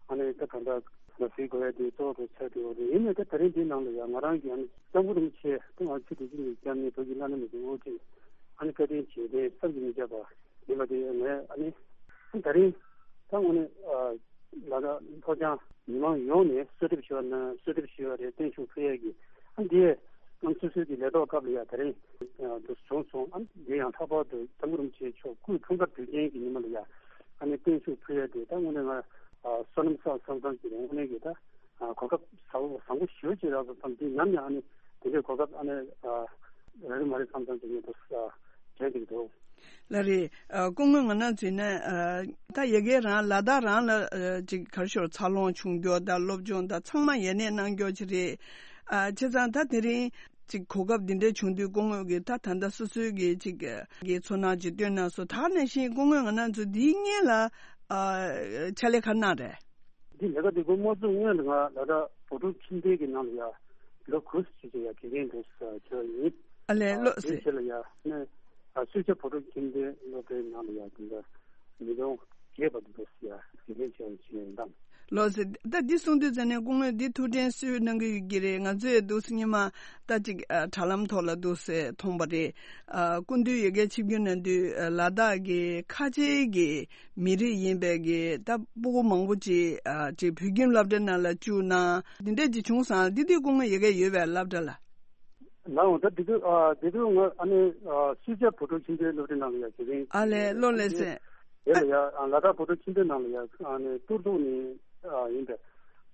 ཨ་ནི་ད་གང་འདྲ་ལ་གཟིགས་དགོས་ཡ་དེ་གཙོ་བོ་ཆགས་འགྲོ་གི་རེད། ཡིན་ནའི་ད་ད་རིང་འདིའི་ནང་ལ་ཡང་ང་རང་གི་ཨ་ནི་སྐྱབས་མགོན་རིན་པོ་ཆེ་ད་ང་ཆུ་དེ་ཅི་ནས་བསྐྱབས་ནས་བོད་ཀྱི་བླ་ན་མེད་པའི་དབུ་ཁྲིད་ཨ་ནི་བཀའ་དྲིན་རྗེས་དྲན་བསམ་གྱིས་མི་ཁྱབ་པ་ཡིན་པ་དེ་ངས་ཨ་ནི་ད་རིང་ད་དངོས་གནས་ལ་ད་མཐོ་རྒྱང་མི་མང་ཡོངས་ནས་གསོལ་འདེབས་ཞུ་བ་ན་གསོལ་འདེབས་ཞུ་བ་རེད། བརྟན་བཞུགས་ཕུལ་ཡས་ཀྱི་ཨ་འདི་ང་སོ་སོའི་གི་ལས་ཐོག་སྐབས་ལ་ཡ་ད་རིང་དུ་བྱུང་སོང་། ཨ་འདི་ཡང་ལྷག་པར་དུ་སྐྱབས་མགོན་རིན་པོ་ཆེ་མཆོག་སྐུའི་འཁྲུངས་སྐར་དུས་ཆེན་གྱི་ཉིན་མོ་ལ་ཡ་ཨ་ནི་བརྟན་བཞུགས་ཕུལ་ཡས་དེ་ད་དངོས་གནས་ང་བསོད་ནམས་བསགས་བསམ་བསམ་གྱི་རེད། དངོས་གནས་ཀྱི་ད་གོ་སྐབས་བཟང་བཟང་པོ་ཞེ་པོ་ཅིག་རག་སོང་བསམ། དེ་ནམ་ཡང་ཨ་ནི་དེ་འདྲའི་གོ་སྐབས་ཨ་ནི་རག་གི་མ་རེད་བསམ་བསམ་གྱི་ངས་དུ་དྲན་གྱི་འདུག་ལགས་རེད། ཨ་སྐུ་ངོ་ང་རང་ཚོས་ནི་ཨ་ད་ཡ་གི་རང་ལ་དྭགས་རང་ལ་ཨ་ཅིག་ག་རེ་ཞུ་འཚར་ལོངས་བྱུང་རྒྱུ་དང་སློབ་སྦྱོང་དང་ཚང་མ་ཡ་ནས་གནང་རྒྱུ་ཅིག་རེད། ཨ་བྱས་ཙང་ད་དེ་རིང་ ཅིག་གོ་སྐབས་འདི་འདྲ་བྱུང་དུས་སྐུ་ངོ་གིས་ད་ད་ལྟ་སོ་སོའི་གི་ཅིག་གི་ཚོར་སྣང་ཅིག་བཏོན་གནང་སོང་། ད་ག་ནང་བཞིན་སྐུ་ངོ་ང་རང་ཚོ་འདིའི་སྔོན་ལ་ཨ་ཕྱག་ལས་ག་རེ་གནང་རེད། འདི་ལས་ཀ་འདི་སྒོ་མ་བཙུགས་སྔོན་ལ་ང་ལ་དྭགས་བོད་ཕྲུག་ཁྱིམ་སྡེ་གི་ནང་ལ་ཡ་ལོ་དགུ་ཙམ་ཅིག་ཡ་དགེ་རྒན་དུ་བྱས་ཡིན། ཨ་ལས། ཨ་ལོ་དེའི་ཟེར། རྗེས་ལ་ཡ་ནས་ཨ་སུད་སི་བོད་ཕྲུག་ཁྱིམ་སྡེ་སློབ་གྲྭའི་ནང་ལ་ཡ་འདི་འདྲ་མི་ལོ་བརྒྱད་པ་འདི་འདྲ་ཡ་དགེ་རྒན་བྱས་ཡོང་བྱས་ཡོད་དམ། ལོ་ཟེར། ད་འདི་གསུང་དུས་ཙ་ནས་སྐུ་ངོས་འདི་ཐུགས་དྲན་གསོས་གནང་གི་ཡོད་ཀྱི་རེད། ང་ཚོས་འདུག་སེ་སྔོན་མ་ད་ཅིག་ཨ་དྲ་ལམ་ཐོག་ལ་འདུག་སེ་མཐོང་པ་རེད། ཨ་སྐུ་མདུན་ཡ་གིར་ཆིབས་བསྒྱུར་གནང་དུས་ཨ་ལ་དྭགས་ཀྱི་ཁ་ཆེའི་གི་མི་རིགས་ཡིན་པའི་གི་ད་སྤུ་གུ་མང་པོ་ཅིག་ཨ་ཅིག་བོད་ཁྱིམ་སློབ་གྲྭའི་ནང་ལ་བཅུག་གནང་། འདི་འདྲ་ཅིག་བྱུང་སོང་། འདི་དུས་སྐུ་ངོ་ཡ་གིར་ཡོད་པའི་སློབ་གྲྭ་ལ། ལའང་ད་དེ་དུས་ཨ་དེ་དུས་ང་ཨ་ནི་ཨ་སུད་སི་བོད་ཕྲུག་ཁྱིམ་སྡེའི་སློབ་གྲྭའི་ནང་ལ་ཡ་དགེ་རྒན་ཨ་ལས། བྱས་ལོ་ལས་ཡོད། ཟེར། དེ་ལ་ཡ་ཨ་ལ་དྭགས་བོད་ཕྲུག་ཁྱིམ་སྡེའི་ནང་ལ་ཡ་ཨ་ནི་ཏུར་ཏུག་ནས་ཨ་ཡིན་པའི་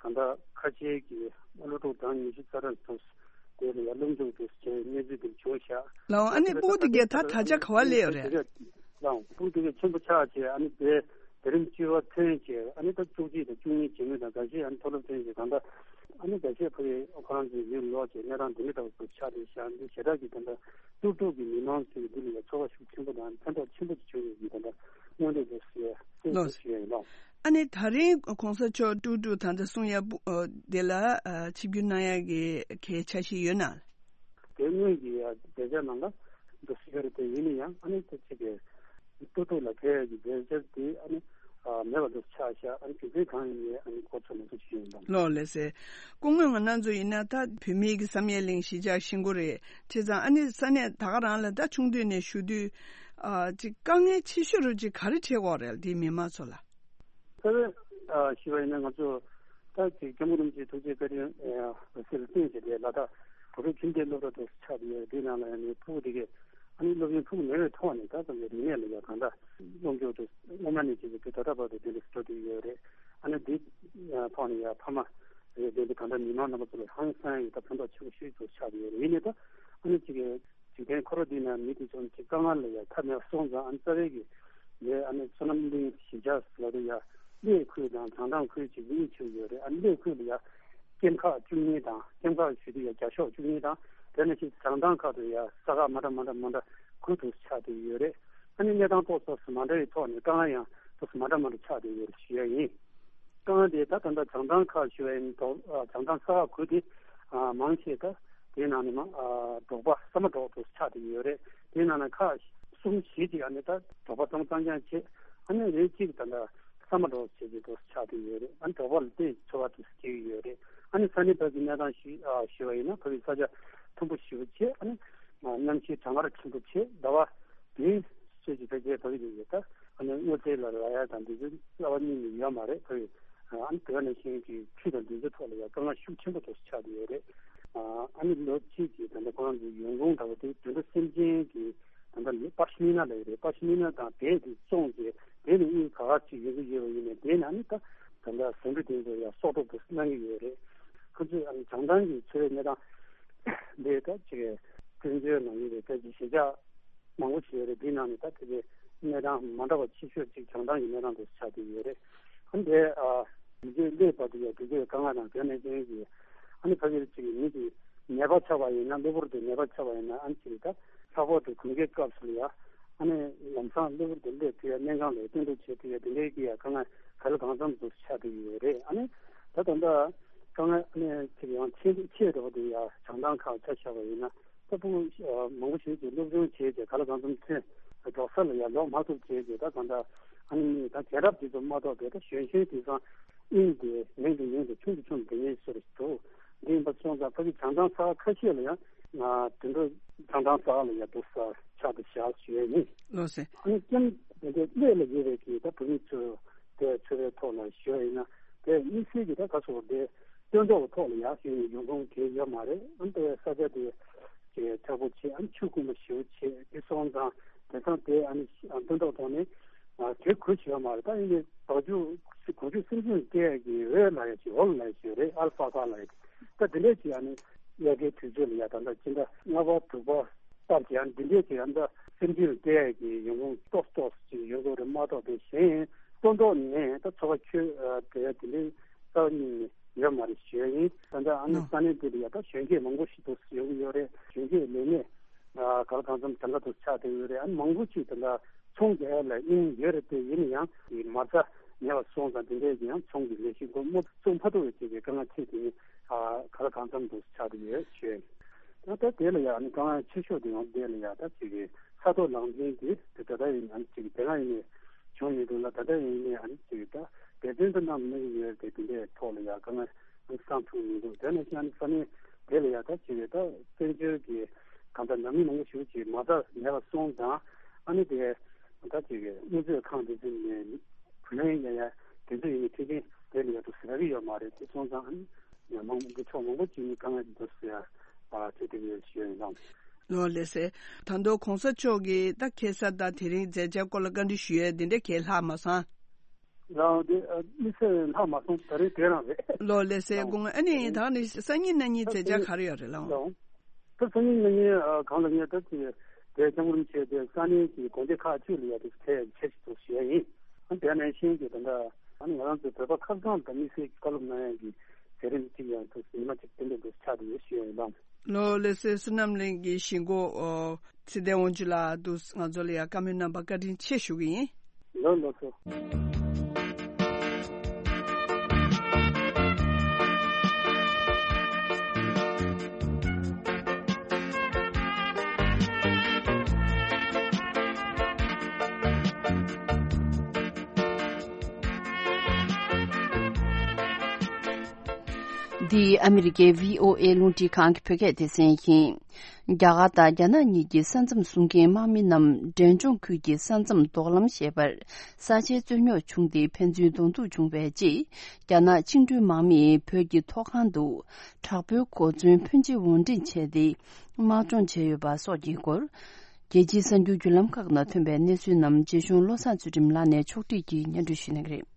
གང་ལྟར་ཁ་ཆེའི་གི་སློབ་ཕྲུག་གྲངས་ཉི་ཤུ་རྩ་གྲངས་འདུག། དེ་ལ་ཡ་སློབ་འཇུག་འདུག་བྱས་གནས་ཚུལ་དེ་བྱུང་ཤག། ལའང་ཨ་ནི་སྤུ་གུ་དེ་གས་ད་ད་ཆ་ག་པར་སླེབས་ཡོད་རེད། ལའང་སྤུ་གུ་དེ་གས་ཆེན་པོ་ཆགས་བྱས་ཨ་ནི་དེ་དེ་རིང་བཅུ་པ་ཐོན་བྱས་ཨ་ནི་ད་བཅུ་གཅིག་དང་བཅུ་གཉིས་བྱེད་མུས་དང་འགའ་ཤས་ཨ་ནི་མཐོ་སློབ་ཐོན་བྱས་གང་ལྟར་ཨ་ནི་འགའ་ཤས་ཕ་གི་ཁོ་རང་ཚོའི་ཡུལ་ལོག་བྱས་གནས་སྟངས་འདི་འདྲ་འདྲ་བོ་ཆགས་བསྡད་ཤག། འདི་ཞེ་དྲག་གི་ད་ལྟ་ཏུག་ཏུག་གི་མི་མང་ཚོས་འདི་ལ་ཡ་ཚོར་བ་ཤུགས་ཆེན་པོ་དང་ཕན་ཐོགས་ཆེན་པོ་ཅིག་བྱུང་ཡོད་ཀྱི་ད་ལྟ་མངོན་འདོད་དུ་ཞུ་ཡ་སེམས་ལོ། སུ་ཞུ་ཡ་ཡིན་ལོ། ཨ་ནི་ད་རིང་གོང་ས་མཆོག་ཀྲུག་ཀྲུག་ད་ལྟ་གསུང་ཡ་སྤུ་ཨ་དེ་ལ་ཨ་ཆིབས་བསྒྱུར་གནང་ཡ་གི་གལ་ཆ་ཤས་ཡོད་ན། དེ་སྔོན་གྱི་ཡ་མཛད་འཆར་ནང་ལ་འདུག་སེ་ཡོད་རེད། དེ་ཡིན་ན་ཡང་ཨ་ནི་དེ་ཅིག་གི་ཏུག་ཏུག་ལ་ཕེབས་ཡ་གི་མཛད་འཆར་དེ་ཨ་ནི་ཨ་མེད་པ་འདུག་ཆགས་ཤག། ཨ་ནི་རྒྱུ་མཚན་གང་ཡིན་ནའི་ཨ་ནི་གོ་ཚོད་མ་ཐུབ་ཞུ་ཡིན་དང་། ལོ་ལས་ཟེར། སྐུ་ངོ་ང་རང་ཚོ་ཡིན་ན་ད་བོད་མིའི་གི་བསམ་ཡས་གླིང་གཞིས་ཆགས་གཞིས་འགོ་རེད། བྱས་ཙང་ཨ་ནི་ས་གནས་ད་ག་རང་ལ་ད་ཆུང་དུས་ནས་བཞུགས་དུས་ཨ་ཅིག་དཀའ་ངལ་ཆེ་ཤོས་རུ་ཅིག་ག་རེ་འཕྲད་ཀྱི་ཡོད་རེད། དེའི་མི་མང་ཚོ་ལ། ཁ་བའི་ཨ་ཞུ་བ་ཡིན་ན་ང་ཚོ་ད་ཅིག་སྐྱབས་མགོན་རིན་པོ་ཆེའི་ཐུགས་རྗེ་བཀའ་དྲིན་ཨ་འོད་ཟེར་བརྟེན་བྱས་ཏེ་ལ་དྭགས་བོད་ཕྲུག་ཁྱིམ་སྡེའི་སློབ་གྲྭ་དུ་ཆགས་ཏེ་ཡོད། དེའི་ནང་ལ་ཡང་ནི་ཕྲུ་གུ་དེ་གས་ཨ་ནི་སློབ་ཡོན་ཕྲུ་གུ་མེད་པའི་ཐོག་ནས་ད་ཙམ་གྱི་རིག་གནས་ལ་ཡང་གང་འདྲ་སློབ་སྦྱོང་དུ་སྔོན་མ་ནས་བྱས་ཏེ་ད་ལྟ་བར་དུ་དེ་འདྲ་སྤྲོ་བསྡད་ཡོད་རེད། ཨ་ནི་འདི་ཐོག་ནས་ཡང་ཕ་མ་རེད་དེ་འདི་གང་འདྲ་མི་མང་རྣམ་པ་ཚོ་ལ་ཧང་སང་ཡོད། ད་ཕན་ཐོགས་ཆེ་བོ་ཞིག་ཏུ་ཆགས་ཡོད་རེད། ཡིན་ནའི་ད་ཨ་ནི་ཅིག་གི་འཇིག་རྟེན་འཁོར་བ་འདི་ན་མི་དེ་ཚོ་ཅིག་དཀའ་ངལ་ལ་ཡང་ཐ་མལ་སོང་ཙང་ཨ་ནི་རྩ་བའི་གི་ལས་ཨ་ནི་བསོད་ནམས་གླིང་གཞིས་ཆགས་ལ་དེ་ཡང་གླེ་ཁུལ་དང་བྱང་ཐང་ཁུལ་ཅིག་གཉིས་ཆགས་ཡོད་རེད། ཨ་ནི་གླེ་ཁུལ་ལ་ཡང་ཀེམ་ཁག་བཅུ་གཉིས་དང་ཀེམ་ཁག་ཞུ་དུས་ཡང་བརྒྱ་ཤོག་བཅུ་གཉིས་དང་དེ་ནང་བཞིན་བྱང་ཐང་ཁག་ཏུ་ཡང་ས་ཁག་མ་འདྲ་མ་འདྲ་མ་འདྲ་དགུ་དུ་ཆགས་བསྡད་ཡོད་རེད། ཨ་ནི་གནས་སྟངས་ཏོག་ཙམ་མ་འདྲ་བའི་ཐོག་ནས་དཀའ་ངལ་ཡང་ཏོག་ཙམ་མ་འདྲ་མ་འདྲ་ཆགས་བསྡད་ཡོད་རེད་ཞུ་ཡ་ཡིན། དཀའ་ངལ་དེ་ད་ད་ལྟ་བྱང་ཐང་ཁག་ཞུ་བ་ཡིན་དོ། བྱང་ཐང་ས་ཁག་དགུ་དེ་མང་ཆེ་ད་དེའི་ནང་ནས་མ་འབྲོག་པ་ས་མ་འབྲོག་ཏུ་ཆགས་བསྡད་ཡོད་རེད། དེའི་ནང་ནས་ཁག་གསུམ་བཞི་ཅིག་ཨ་ནི་ད་འབྲོག་པ་ཚང་མ་གཙང་རྐྱང་བྱས། ཨ་ནི་རེ་གཅིག་ད་ལྟ་ས་མ་འབྲོག་བྱས་ཏེ་ཏུ་ཆགས་བསྡད་ཡོད་རེད། ཨ་ནི་འབྲོག་པ་ལ་བལྟས་འཚོ་བ་དུ་སྐྱེལ་གྱི་ཡོད་རེད། ཨ་ནི་ས་གནས་བར་གྱི་གནས་སྟངས་ཞུ་ཞུ་བ་ཡིན་ན་ཕ་གི་ས་ཆ་མཐོན་པོ་ཞེ་པོ་བྱས། ཨ་ནི་གནམ་གཤིས་གྲང་ངར་ཆེན་པོ་བྱས། ཟླ་བ་དེའི་ཚོད་ཀྱི་ཕལ་ཆེར་བབས་ཀྱི་ཡོད། ད་ཨ་ནི་སྔོ་ཚལ་ལ་རག་ཡ་དང་འདི་ཚོ་རྩ་བ་ཉིད་ནས་ཡོད་མ་རེད། ཁོས་ཨ་ནི་དེ་ག་ནང་བཞིན་གྱི་ཆུ་དང་འདི་ཚོའི་ཐོག་ལ་ཡང་དཀའ་ངལ་ཤུགས་ཆེན་པོ་ཐོག་ཆགས་ཀྱི་ཡོད་རེད། ཨ་ནི་ལོ་གཅིག་གི་ད་ལྟ་ཁོ་རང་ཚོའི་ཡོང་ཁུངས་འདྲ་བོ་དེ་དུད་འགྲོ་སེམས་ཅན་གྱི་ད་ལྟ་པ་ཤི་མི་ན་ལབ་ཡོད་རེད། པ་ཤི་མི་ན་དང་བལ་དེ་བཙོངས་ཏེ་དེ་ནས་དངུལ་ག་ག་ཅིག་ཡོང་གི་ཡོད་པ་ཡིན་ནའི་དེ་ནས་ཨ་ནི་ད་ད་ལྟ་ཟ་འབྲུ་དེ་ཚོ་ཡང་གསོག་འདྲ་བོ་གནང་གི་ཡོད་རེད། ཁོ་ཚོས་ཨ་ནི་བྱང་ཐང་གི་འཚོ་བའི་གནས་སྟངས་འདི་ད་ཅིག་བཙན་བྱོལ་ནང་ཡོད་པའི་ཕལ་ཆེར་གཞིས་ཆགས་མང་པོ་ཞིག་ཡོད་རེད། འདིའི་ནང་ནས་ད་དེ་གའི་གནས་སྟངས་མ་འདྲ་བ་ཆེ་ཤོས་ཅིག་བྱང་ཐང་གི་གནས་སྟངས་དེ་ཆགས་བསྡད་ཡོད་རེད། ཨ་ནི་དེ་ཨ་མི་རྗེས་སླེབས་བར་དུ་ཡང་དེ་གའི་དཀའ་ངལ་དང་དེ་ནས་ཅན་གྱི་ཨ་ནི་ཕ་གིར་ཅིག་མི་གི་ནད་པ་ཆགས་པ་ཡིན་ན་གློ་བུར་དུ་ནད་པ་ཆགས་པ་ཡིན་ན་ཨ་ནི་ཅིག་ད་ལྷག་པར་དུ་དགུན་ཁའི་སྐབས་སུ་ལ་ཡ་ཨ་ནི་ལམ་སང་གློ་བུར་དུ་སླེབས་ཐུབ་ཡ་གནས་གང་ལ་སྟོན་གྲབས་བྱེད་ཐུབ་ཡ་དེ་འདྲའི་གི་ཡ་དཀའ་ངལ་ག་ལ་གང་འཚམ་དུ་ཆགས་བསྡད་ཡོད་རེད། ཨ་ནི་ད་ད་ལྟ་དཀའ་ངལ་ཨ་ནི་ཅིག་ཡང་ཆེ་ཆེ་འགྲོ་བ་དེ་ཡ་བྱང་ཐང་ཁག་ཆ་བཞག་པ་ཡིན་ན། ད་ཕྲུ་གུ་མང་པོ་ཞིག་གིས་སློབ་སྦྱོང་བྱས་རྗེས་ག་ལ་གང་འཚམ་ཐོན་འགྲོ་ས་ལ་ཡང་ལོག་མ་ཐུབ་བྱས་རྗེས་ད་གང་ལྟར་ཨ་ནི་ད་རྒྱལ་རབས་དེ་ཚོ་མ་གཏོགས་པའི་ད་གཞོན་གཞོན་དེང་སང་དབྱིངས་དེ་མིང་དེ་ཡིན་དེ་ཆུང་དུ་ཆུང་དུ་ངེས་སུ་འདུག། འདི་ཡིན་པ་སོང་ཙང་ཕ་གི་བྱང་ཐང་ས་ཁ་ཤས་ལ་ཡང་དུད་འགྲོ་བྱང་ཐང་ས་ལ་ཡང་འདུག་ས་ཆགས་དུ་བཞག་ཞུ་ཡས་ཡིན། ལགས་སེ། ཨ་ནི་ཀྱང་དེ་འདྲའི་གནས་ལ་ཡོད་པའི་གི་ད་བོད་མི་ཚོ་དེ་ཚོ་བའི་ཐོག་ལ་ཞུ་ཡས་ཡིན་ན་དེ་དམིགས་བསལ་གྱི་ད་ག་སོགས་དེ། སྟོན་ཐོག་ཐོག་ལ་ཡག་ཤོས་ནས་ཡོང་ཁུངས་དེ་ཡོད་མ་རེད། ཨ་ནི་ས་ཆ་དེ་ཀྱི་མཁྲེགས་པོ་བྱས། ཨ་ནི་ཆུ་དཀོན་པོ་ཞེ་པོ་བྱས་དེ་སོང་ཙང་དེང་སང་དེ་ཨ་ནི་སྟོན་ཐོག་ཐོག་ནས་དེ་གོ་ཞིག་ཡོད་མ་རེད། ད་ཡིན་ནའི་བ་ཕྱུགས་གོ་ཕྱུགས་སེམས་ཅན་སྐྱེ་ཡག་གི་འོད་ལབ་ཡག་ཅིག་འོད་ལབ་ཡག་ཅིག་ཡོད་རེད། ཨལ་ཕ་ཀ་ལབ་ཡག་ད་དེ་འདྲས་ཅིག་ཨ་ནི་དབྱར་ཁའི་དུས་ཚོད་ལ་ཡ་ད་ལྟ་སྤྱི་ཟླ་ལྔ་པ་དྲུག་པ་ལྟར་གྱི་ཨ་ནི་དེ་འདྲས་ཅིག་ཨ་ནི་ད་སེམས་ཅན་ལ་སྐྱེ་ཡག་གི་ཡོང་ཁུངས་ཏོག་ཏོག་ཅིག་ཡོང་གི་རེད་མ་གཏོགས་དེ་གཞན་སྟོན་ཐོག་ནས་ད་འཚོ་བ་འཁྱོལ་དེ་དེ་འདྲའི་རྩ་བ་ཉིད་ནས་ཡོད་མ་རེད་ཞུ་ཡ་ཡིན། ད་ལྟ་ཨ་ནི་ནོ། ས་གནས་འདི་ལ་ཡ་ད་གཞོན་སྐྱེས་མང་པོ་ཞིག་འདུག་ཡོང་གི་ཡོད་རེད། ལས་གནས་ག་ལ་གང་འཚམ་གྲངས་ཀ་དུ་ཆགས་བསྡད་ཡོད་རེད། ཨ་ནི་མང་པོ་ཅིག་ད་ལྟ་ཚོང་རྒྱག་ཡ་ལ་དབྱིངས་ཡོད་རེད་དེ། ཡིན་ན་ཡང་དེ་མ་རྩ་ཉེ་བར་སོང་ཙང་དེ་འདྲས་ཀྱི་ཡང་ཚོང་གི་ལས་གཞི་འགོ་དམོད་བཙུགས་མ་ཐུབ་པའི་ཅིག་གི་དཀའ་ངལ་ཆེ་དེ་ནི་ག་ལ་གང་འཚམ་དུ་ཆགས་བསྡད་ཡོད་ཞུ་ཡ་ཡིན། ད་ལྟ་དེ་ལ་ཡང་ཨ་ནི་དཀའ་ངལ་ཆེ་ཤོས་དེ་ཡང་དེ་ལ་ཡང་ད་ཅིག་གི་ས་ཐོག་ལངས་ཕྱིན་དེ་དེ་ད་ལྟ་ཡིན་ཨ་ནི་ཅིག་གི་དེ་སྔ་ཡིན་ནའི་བྱུང་མི་འདུག་ལ། ད་ལྟ་ཡིན་ནའི་ཨ་ནི་ཅིག་གི་ད་འབད་བརྩོན་དུ་གནང་མི་ཡོད་དེ་དེ་འདྲའི་ཐོག་ལ་ཡང་དཀའ་ངལ་སང་ཐུག་མི་འདུག་དེ་ནང་བཞིན་ས་གནས་དེ་ལ་ཡང་ད་ཅིག་ད་བཙན་བྱོལ་གྱི་གང་ལྟར་ནང་མི་མང་པོ་ཞིག་ཅིག་མ་རྩ་མེད་པ་སོང་ཙང་ཨ་ནི་དེ་ད་ཅིག་དངུལ་རྩིས་ཁང་དེ་ཚོ་ནས་བུ་ལོན་ཡང་ཡང་དེ་ཚོ་ཡིན་ནའི་མཐུན་རྐྱེན་དེ་ལ་ཡང་དུ་ཟེར་གི་ཡོད་མ་རེད། དེ་སོང་ཙང་ཨ་ནི་ཡང་མང་པོ་ཕྱོགས་མང་པོ་ཅིག་ནས་དཀའ་ངལ་འདུག་ཟེར་ཡ་ཨ་ཐེ་དེ་ཡོད་ཞུ་ཡ་ཡིན་ལགས། ལགས་ལགས་སེ། ད་དུང་གོང་ས་མཆོག་གིས་ད་ཁ་སང་དང་དེ་རིང་མཛད་འཆར་སྐོར་ལ་བཀའ་འདྲི་ཞུ་ཡས་དེ་འདྲ་གང་ཡང་ལྷག་མ་སོང་། ལགས་དེ་ཨ་དམིགས་བསལ་ལྷག་མ་སོང་། ད་རེས་དེ་རང་རེད། ལགས་ལགས་སེ། ལགས་དགོངས། ཨ་ནི་ད་ནི་སང་ཉིན་གནངས་ཉིན་མཛད་འཆར་ག་རེ་ཡོད་རེད་ལགས། ལགས། ད་སང་ཉིན་གནངས་ཉིན་ཨ་གང་ལ་ངས་ད་ཅིག་དེ་སྐྱབས་མགོན་རིན་པོ་ཆེ་དེ་ས་གནས་ཀྱི་དགོན་སྡེ་ཁག་ཅིག་ལ་ཡ་དེ་ཕེབས་ཕེབས་ཤིག་ཏུ་ཞུ་ཡ་ཡིན། ཨ་དེ་ནང་བཞིན་གྱི་ད་ལྟ་ཨ་ནི་ང་རང་ཚོའི་བོད་པ་ཁ་སང་དང་དམིགས་བསལ་གྱི་བཀའ་སློབ་གནང་ཡ་གི་མཛད་རིམ་གཅིག་ཡང་དུ་ཉི་མ་གཅིག་ཏན་ཏན་དུ་ཆགས་བསྡད་ཡོད་ཞུ་ཡ་ཡིན་ལགས། ལགས་ལགས་སེ། བསོད་ནམས་གླིང་གི་གཞིས་འགོ་ཨོ་ཚེ་བརྟན་དབང་ཕྱུག་ལགས་འདུག་ང་ཚོ་ལ་ཡང་བཀའ་མོལ་གནང་བར་བཀའ་དྲིན་ཆེ་ཞུ་གི་ཡིན། ལགས་ལགས་སོ། འདི་ཨ་མི་རི་ཀའི་བྷི་ཨོ་ཨེ་རླུང་འཕྲིན་ཁང་གི་བོད་སྐད་སྡེ་ཚན་ཡིན། རྒྱ་གར་དང་རྒྱ་ནག་གཉིས་ཀྱི་ས་མཚམས་སྲུང་མཁན་དམག་མི་རྣམས་འབྲས་ལྗོངས་ཁུལ་གྱི་ས་མཚམས་རྡོག་ལམ་ཞེས་པར་ས་ཆའི་རྩོད་རྙོག་བྱུང་སྟེ་ཕན་ཚུན་གདོང་ཐུག་བྱུང་བའི་རྗེས། རྒྱ་ནག་བཅིངས་འགྲོལ་དམག་མིས་བོད་ཀྱི་མཐོ་སྒང་དུ་དྲག་པོའི་གོ་མཚོན་ཕོན་ཆེ་དབོར་འདྲེན་བྱས་ཏེ། དམག་སྦྱོང་བྱས་ཡོད་པ་སོགས་ཀྱི་སྐོར། རྒྱལ་སྤྱིའི་གསར་འགྱུར་བརྒྱུད་ལམ་ཁག་ནང་ཐོན་པའི་གནས་ཚུལ་རྣམས་རྗེ་གཞུང་བློ་བཟང་ཚུལ་ཁྲིམས་ལགས་ནས་ཕྱོགས་སྒྲིག་གིས་སྙན་སྒྲོན་ཞུ་གནང་གི་རེད།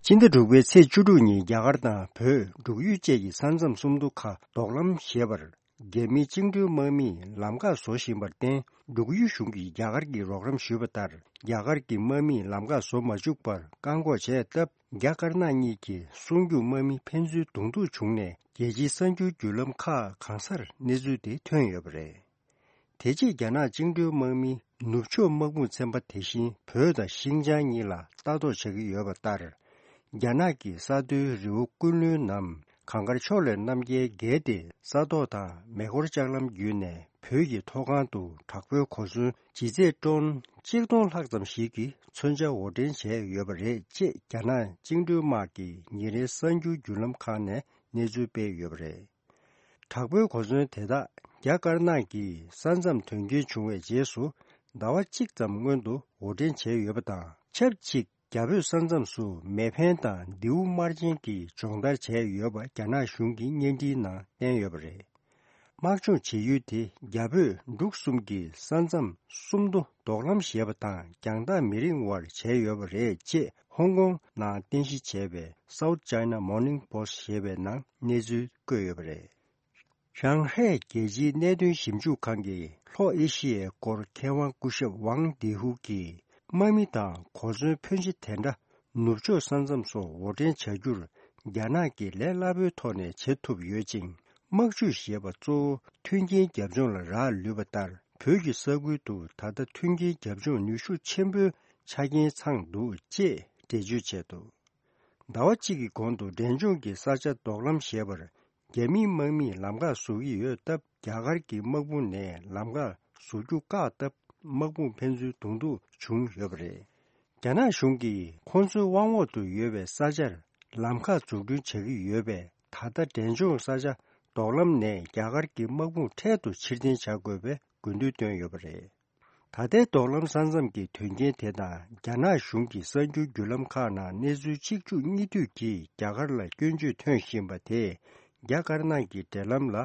སྤྱི་ཟླ་དྲུག་པའི་ཚེས་བཅུ་དྲུག་ཉིན་རྒྱ་གར་དང་བོད་འབྲུག་ཡུལ་བཅས་ཀྱི་ས་མཚམས་སུམ་མདོ་ཁ་རྡོག་ལམ་ཞེས་པར། རྒྱ་མིའི་བཅིངས་འགྲོལ་དམག་མིས་ལམ་ཁ་བཟོ་བཞིན་པར་བརྟེན། འབྲུག་ཡུལ་གཞུང་གིས་རྒྱ་གར་གྱི་རོགས་རམ་ཞུས་པ་ལྟར། རྒྱ་གར་གྱི་དམག་མིས་ལམ་ཁ་བཟོ་མ་བཅུག་པར་བཀག་འགོག་བྱས་སྟབས། རྒྱ་དཀར་ནག་གཉིས་ཀྱི་སྲུང་སྐྱོབ་དམག་མི་ཕན་ཚུན་གདོང་ཐུག་བྱུང་ནས། རྒྱལ་སྤྱིའི་གསར་འགྱུར་བརྒྱུད་ལམ་ཁག་གང་སར་གནས་ཚུལ་དེ་ཐོན་ཡོད་པ་རེད། དེ་རྗེས་རྒྱ་ནག་བཅིངས་འགྲོལ་དམག་མིས་ནུབ་ཕྱོགས་དམག་དཔུང་ཚན་པ་དེ་བཞིན་བོད་དང་ཤིན་ཅང་གཉིས་ལ་ལྟ་རྟོག་བྱ་གི་ཡོད་པ་ལྟར། རྒྱ་ནག་གི་ས་མཐོའི་རི་བོ་ཀུན་ལུན་ནམ་གངས་དཀར་ཕྱོགས་ལས་རྣམ་རྒྱལ་བརྒལ་ཏེ། ས་ཐོག་དང་མེ་འཁོར་ལྕགས་ལམ་བརྒྱུད་ནས་བོད་ཀྱི་མཐོ་སྒང་དུ་དྲག་པོའི་གོ་མཚོན་ལྗིད་ཚད་ཊོན་གཅིག་སྟོང་ལྷག་ཙམ་ཞིག་གི་མཚོན་ཆ་དབོར་འདྲེན་བྱས་ཡོད་པ་རེད་ཅེས། རྒྱ་ནག་བཅིངས་འགྲོལ་དམག་གི་ཉིན་རེའི་གསར་འགྱུར་བརྒྱུད་ལམ་ཁག་ནས་གནས་ཚུལ་སྤེལ་ཡོད་པ་རེད། དྲག་པོའི་གོ་མཚོན་དེ་དག་རྒྱ་དཀར་ནག་གི་ས་མཚམས་དོན་རྐྱེན་བྱུང་བའི་རྗེས་སུ། ཟླ་བ་གཅིག་ཙམ་སྔོན་དུ་དབོར་འདྲེན་བྱས་ཡོད་པ་དང་། ཆབས་ཅིག་རྒྱ་བོད་ས་མཚམས་སུ་མེ་འཕེན་དང་མདེའུ་དམར་ཆེན་གྱིས་སྦྱོང་བརྡར་བྱས་ཡོད་པ་རྒྱ་ནག་གཞུང་གི་བརྙན་འཕྲིན་ནང་བསྟན་ཡོད་པ་རེད། དམག་སྦྱོང་བྱེད་ཡུལ་དེ་རྒྱ་བོད་འབྲུག་གསུམ་གྱི་ས་མཚམས་སུམ་མདོ་རྡོག་ལམ་ཞེས་པ་དང་། རྒྱང་ཐག་མི་རིང་བར་བྱས་ཡོད་པ་རེད་ཅེས། ཧོང་ཀོང་ནང་རྟེན་གཞི་བྱས་པའི་South China Morning Post ཞེས་པའི་ནང་གནས་ཚུལ་བཀོད་ཡོད་པ་རེད། ཧྲང་ཧའེ་རྒྱལ་སྤྱིའི་གནད་དོན་ཞིབ་འཇུག་ཁང་གི་ལྷོ་ཨེ་ཤི་ཡའི་སྐོར་མཁས་དབང་སྐུ་ཞབས་ཝང་ཏི་ཧུ་གྱིས། དམག་མི་དང་གོ་མཚོན་ཕོན་ཆེ་དེ་འདྲ་ནུབ་ཕྱོགས་ས་མཚམས་སུ་དབོར་འདྲེན་བྱ་རྒྱུར། རྒྱ་ནག་གིས་ལས་སླ་པོའི་ཐོག་ནས་བྱེད་ཐུབ་ཡོད་ཅིང་། དམག་ཇུས་ཞེས་པ་གཙོ་བོ་མཐུན་རྐྱེན་རྒྱབ་ལྗོངས་ལ་རག་ལུས་པ་ལྟར། བོད་ཀྱི་ས་ཁུལ་དུ་ད་ལྟ་མཐུན་རྐྱེན་རྒྱབ་ལྗོངས་ནུས་ཤུགས་ཆེན་པོའི་ཆ་རྐྱེན་ཚང་འདུག་ཅེས་འགྲེལ་བརྗོད་བྱས་འདུག་ཟླ་བ་གཅིག་གི་གོང་དུ་འབྲས་ལྗོངས་ཀྱི་ས་ཆ་རྡོག་ལམ་ཞེས་པར་རྒྱ་མིའི་དམག་མིས་ལམ་ཁ་བཟོ་གི་ཡོད་སྟབས། རྒྱ་གར་གྱི་དམག་དཔུང་ནས་ལམ་ཁ་བཟོ་རྒྱུ་བཀག་སྟབས། དམག་དཔུང་ཕན་ཚུན་གདོང་ཐུག་བྱུང་ཡོད་པ་རེད། རྒྱ་ནག་གཞུང་གིས་ཁོང་ཚོའི་དབང་འོག་ཏུ་ཡོད་པའི་ས་ཆར་ལམ་ཁ་འཛུགས་སྐྲུན་བྱ་གི་ཡོད་པས། ད་ལྟ་འབྲས་ལྗོངས་ས་ཆ་རྡོག་ལམ་ནས་རྒྱ་གར་གྱི་དམག་དཔུང་འཕྲལ་དུ་ཕྱིར་འཐེན་བྱ་དགོས་པའི་དགོས་འདུན་བཏོན་ཡོད་པ་རེད། ད་ལྟའི་རྡོག་ལམ་ས་མཚམས་ཀྱི་དོན་རྐྱེན་དེ་དང་། རྒྱ་ནག་གཞུང་གི་གསར་འགྱུར་བརྒྱུད་ལམ་ཁག་ནང་གནས་ཚུལ་གཅིག་མཇུག་གཉིས་མཐུད་ཀྱིས་རྒྱ་གར་ལ་སྐྱོན་བརྗོད་ཐོན་བཞིན་པ་དེས། རྒྱ་དཀར་ནག་གི་འབྲེལ་ལམ་ལ་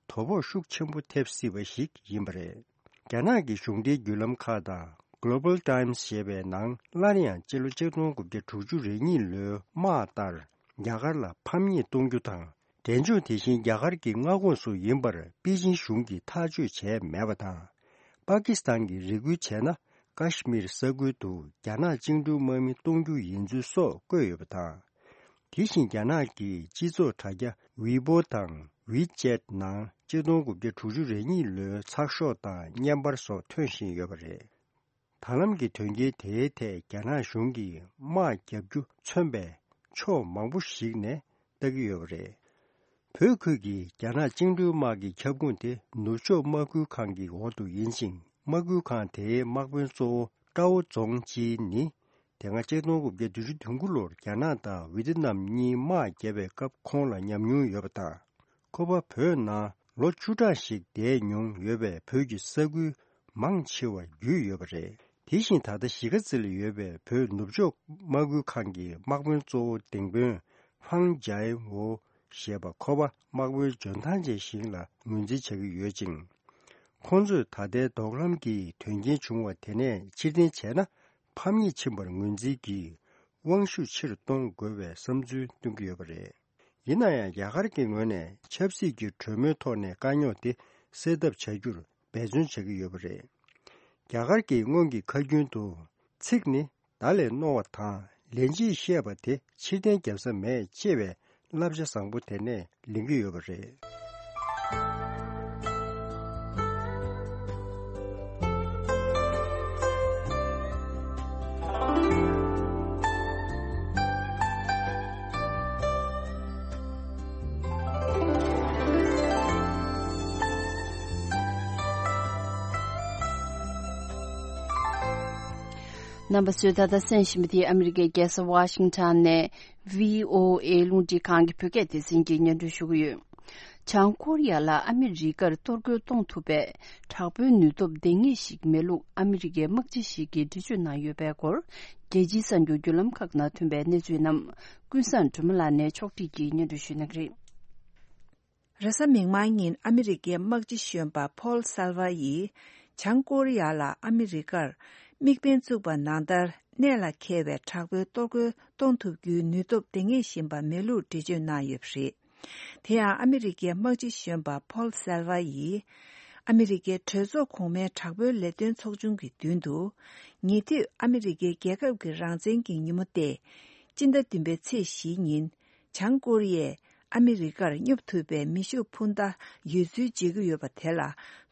དོ་ཕོག་ཤུགས་ཆེན་པོ་ཐེབས་སྲིད་པ་ཞིག་ཡིན་པ་རེད། རྒྱ་ནག་གི་གཞུང་འབྲེལ་བརྒྱུད་ལམ་ཁག་དང་། Global Times ཞེས་པའི་ནང་སླར་ཡང་སྤྱི་ལོ་ཆིག་སྟོང་དགུ་བརྒྱ་དྲུག་ཅུ་རེ་གཉིས་ལོའི་དམག་ལྟར། རྒྱ་གར་ལ་ཕམ་ཉེས་གཏོང་རྒྱུ་དང་། འབྲས་ལྗོངས་དེ་བཞིན་རྒྱ་གར་གྱི་མངའ་ཁོངས་སུ་ཡིན་པར་པེ་ཅིན་གཞུང་གིས་ཐག་གཅོད་བྱས་མེད་པ་དང་། པ་ཀི་སི་ཐན་གྱིས་རེ་སྐུལ་བྱས་ན། ཀ་ཤི་མིར་ས་ཁུལ་དུ་རྒྱ་ནག་བཅིངས་འགྲོལ་དམག་མི་གཏོང་རྒྱུ་ཡིན་ཚུལ་སོགས་བཀོད་ཡོད་པ་དང་། དེ་བཞིན་རྒྱ་ནག་གི་སྤྱི་ཚོགས་དྲ་རྒྱ་ཝི་པོ་དང་ ཝི་ཅེད་ནང་གཅིག་སྟོང་དགུ་བརྒྱ་དྲུག་ཅུ་རེ་གཉིས་ལོའི་ཚགས་ཤོག་དང་བརྙན་པར་སོགས་ཐོན་བཞིན་ཡོད་པ་རེད། ད་ལམ་གྱི་དོན་རྐྱེན་དེའི་ཐད་རྒྱ་ནག་གཞུང་གིས་དམག་བརྒྱབ་རྒྱུ་མཚོན་པའི་ཕྱོགས་མང་པོ་ཞིག་ནས་ལྟ་གི་ཡོད་པ་རེད། བོད་ཁུལ་གྱི་རྒྱ་ནག་བཅིངས་འགྲོལ་དམག་གི་ཁྱབ་ཁོངས་དེ་ནུབ་ཕྱོགས་དམག་ཁུལ་ཁང་གི་འོག་ཏུ་ཡིན་ཅིང་། དམག་ཁུལ་ཁང་དེའི་དམག་དཔོན་གཙོ་བོ་ཀྲའོ་ཛོང་ཅི་ནི། དེ་སྔ་གཅིག་སྟོང་དགུ་བརྒྱ་བདུན་ཅུ་དོན་དགུ་ལོར་རྒྱ་ནག་དང་ཝི་ཏི་ནམ་གཉིས་དམག་བརྒྱབ་པའི་སྐབས་ཁོང་ལ་ཉམས་མྱོང་ཡོད་པ་དང་། ཁོ་པ་བོད་ནང་ལོ་བཅུ་ཕྲག་ཞིག་བསྡད་མྱོང་ཡོད་པས་བོད་ཀྱི་ས་ཁུལ་མང་ཆེ་བ་བརྒྱུད་ཡོད་པ་རེད། དེ་བཞིན་ད་ལྟ་གཞིས་ཀ་རྩེ་ལ་ཡོད་པའི་བོད་ནུབ་ཕྱོགས་དམག་ཁུལ་ཁང་གི་དམག་དཔོན་གཙོ་བོ་ལྡིང་དཔོན་ཧྥང་ཇའེ་ཝོ་ཞེས་པ་ཁོ་པ་དམག་དཔོན་འཇོན་ཐང་ཅན་ཞིག་ལ་ངོས་འཛིན་བྱ་གི་ཡོད་ཅིང་། ཁོང་ཚོས་ད་ལྟའི་དོགས་ལམ་གྱི་དོན་རྐྱེན་བྱུང་བ་དེ་ནས་ཕྱིར་འཐེན་བྱས་ན། ཕམ་ཉེས་ཕྱིན་པར་ངོས་འཛིན་གྱིས་དབང་ཤུགས་ཆེ་རུ་གཏོང་དགོས་པའི་བསམ་ཚུལ་བཏོན་གྱི་ཡོད་པ་རེད། ཡིན་ན་ཡང་རྒྱ་གར་གྱི་ངོས་ནས་ཆབ་སྲིད་ཀྱི་གྲོས་མོལ་ཐོག་ནས་དཀའ་རྙོག་དེ་སེལ་ཐབས་བྱ་རྒྱུར་འབད་བརྩོན་བྱ་གི་ཡོད་པ་རེད། རྒྱ་གར་གྱིས་སྔོན་གྱི་ཁ་རྒྱུན་དུ། ཚིག་ནི་མདའ་ལས་རྣོ་བ་དང་ལན་གཅིག་བཤད་པ་དེ་ཕྱིར་འཐེན་རྒྱབ་ས་མེད་ཅེས་པའི་བསླབ་བྱ་བཟང་པོ་དེ་ནས་ལེན་གྱི་ཡོད་པ་རེད། རྣམ་པ་ཚོས་ད་ལྟ་གསན་བཞིན་པ་དེ་ཨ་མི་རི་ཀའི་རྒྱལ་ས་ཝ་ཤིང་ཊོན་ནས་བྷི་ཨོ་ཨེ་རླུང་འཕྲིན་ཁང་གི་བོད་སྐད་སྡེ་ཚན་གྱིས་སྙན་སྒྲོན་ཞུ་གི་ཡོད། བྱང་ཀོ་རི་ཡ་ལ་ཨ་མི་རི་ཀར་གཏོར་རྒོལ་གཏོང་ཐུབ་པའི་དྲག་པོའི་ནུས་སྟོབས་ལྡང་ངེས་ཤིག་མེད་ལུགས་ཨ་མི་རི་ཀའི་དམག་སྤྱི་ཞིག་གིས་འགྲེལ་བརྗོད་གནང་ཡོད་པའི་སྐོར། རྒྱལ་སྤྱིའི་གསར་འགྱུར་བརྒྱུད་ལམ་ཁག་ནང་ཐོན་པའི་གནས་ཚུལ་རྣམས་ཀུན་བཟང་སྒྲོལ་མ་ལགས་ནས་ཕྱོགས་སྒྲིག་གིས་སྙན་སྒྲོན་ཞུ་གནང་གི་རེད། རེས་གཟའ་མིག་དམར་ཉིན་ཨ་མི་རི་ཀའི་དམག་སྤྱི་གཞོན་པ་ཕོལ་སལ་ཝ་ཡིས་བྱང་ཀོ་རི་ཡ་ལ་ཨ་མི་རི་ཀར་དམིགས་འབེན་བཙུགས་པ་ནང་ལྟར་གནད་ལ་འཁེལ་བའི་དྲག་པོའི་གཏོར་རྒོལ་གཏོང་ཐུབ་རྒྱུའི་ནུས་སྟོབས་ལྡང་ངེས་བཞིན་པ་མེད་ལུགས་འགྲེལ་བརྗོད་གནང་ཡོད་པ་རེད། དེ་ཡང་ཨ་མི་རི་ཀའི་དམག་སྤྱི་གཞོན་པ་ཕོལ་སལ་ཝ་ཡིས་ཨ་མི་རི་ཀའི་གྲོས་ཚོགས་གོང་མའི་དྲག་པོའི་ལས་དོན་ཚོགས་ཆུང་གི་མདུན་དུ། ཉེ་དུས་ཨ་མི་རི་ཀའི་རྒྱལ་ཁབ་ཀྱི་རང་བཙན་གྱི་ཉིན་མོ་སྟེ། སྤྱི་ཟླ་བདུན་པའི་ཚེས་བཞིའི་ཉིན། བྱང་ཀོ་རི་ཡས་ཨ་མི་རི་ཀར་སྙོབ་ཐུབ་པའི་མེ་ཤུགས་འཕུར་མདའ་ཡོད་ཚུལ་བརྗོད་ཀྱི་ཡོད་པ་དེ་ལ་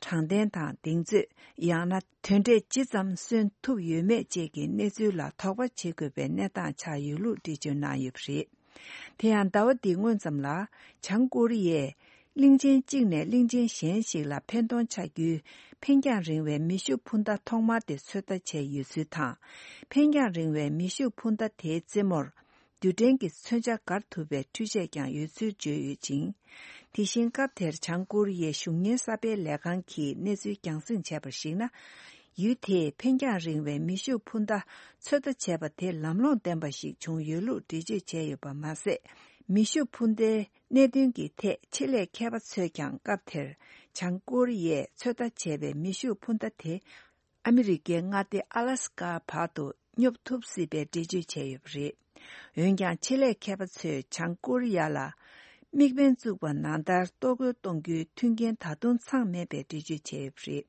དྲང་བདེན་དང་གདེང་ཚོད། ཡང་ན་དོན་འབྲས་ཇི་ཙམ་སོན་ཐུབ་ཡོད་མེད་བཅས་ཀྱི་གནས་ཚུལ་ལ་དོགས་པ་བྱེད་དགོས་པའི་གནས་སྟངས་ཆགས་ཡོད་ལུགས་འགྲེལ་བརྗོད་གནང་ཡོད་པ་རེད། དེ་ཡང་ཟླ་བ་འདིའི་སྔོན་ཙམ་ལ་བྱང་ཀོ་རི་ཡས་གླིང་ཆེན་གཅིག་ནས་གླིང་ཆེན་གཞན་ཞིག་ལ་འཕེན་གཏོང་བྱ་རྒྱུའི་འཕེན་རྒྱང་རིང་བའི་མེ་ཤུགས་འཕུར་མདའ་ཐོག་མར་དེ་ཚོད་ལྟ་བྱས་ཡོད་ཚུལ་དང་། འཕེན་རྒྱང་རིང་བའི་མེ་ཤུགས་འཕུར་མདའ་དེའི་རྩེ་མོར་རྡུལ་ཕྲན་གྱི་མཚོན་ཆ་བསྒར་ཐུབ་པའི་འཕྲུལ་ཆས་ཀྱང་ཡོད་ཚུལ་བརྗོད་ཡོད་ཅིང་། དེ་བཞིན་སྐབས་དེར་བྱང་ཀོ་རི་ཡའི་གཞུང་གཉེར་གསར་སྤེལ་ལས་ཁང་གིས་གནས་ཚུལ་རྒྱང་སྲིང་བྱས་པར་གཞིགས་ན། ཡུལ་དེས་འཕེན་རྒྱང་རིང་བའི་མེ་ཤུགས་འཕུར་མདའ་ཚོད་ལྟ་བྱས་པ་དེ་ལམ་ལྷོང་ལྡན་པ་ཞིག་བྱུང་ཡོད་ལུགས་འགྲེལ་བརྗོད་བྱས་ཡོད་པ་མ་ཟད། མེ་ཤུགས་འཕུར་མདའི་གནད་དོན་གྱི་ཐད་ཆེད་ལས་མཁས་པ་ཚོས་ཀྱང་སྐབས་དེར་བྱང་ཀོ་རི་ཡས་ཚོད་ལྟ་བྱས་པའི་མེ་ཤུགས་འཕུར་མདའ་དེ་ཨ་མི་རི་ཀའི་མངའ་སྡེ་ཨ་ལ་སི་ཀ་བར་དུ་སྙོབ་ཐུབ་སྲིད་པའི་འགྲེལ་བརྗོད་བྱས་ཡོད་པ་རེད། འོན་ཀྱང་ཆེད་ལས་མཁས་པ་ཚོས་བྱང་ཀོ་རི་ཡ་ལ་དམིགས་འབེན་བཙུགས་པ་ནང་ལྟར་གཏོར་རྒོལ་གཏོང་རྒྱུའི་མཐུན་རྐྱེན་ད་དུང་ཚང་མེད་པའི་འགྲེལ་བརྗོད་བྱས་ཡོད་པ་རེད།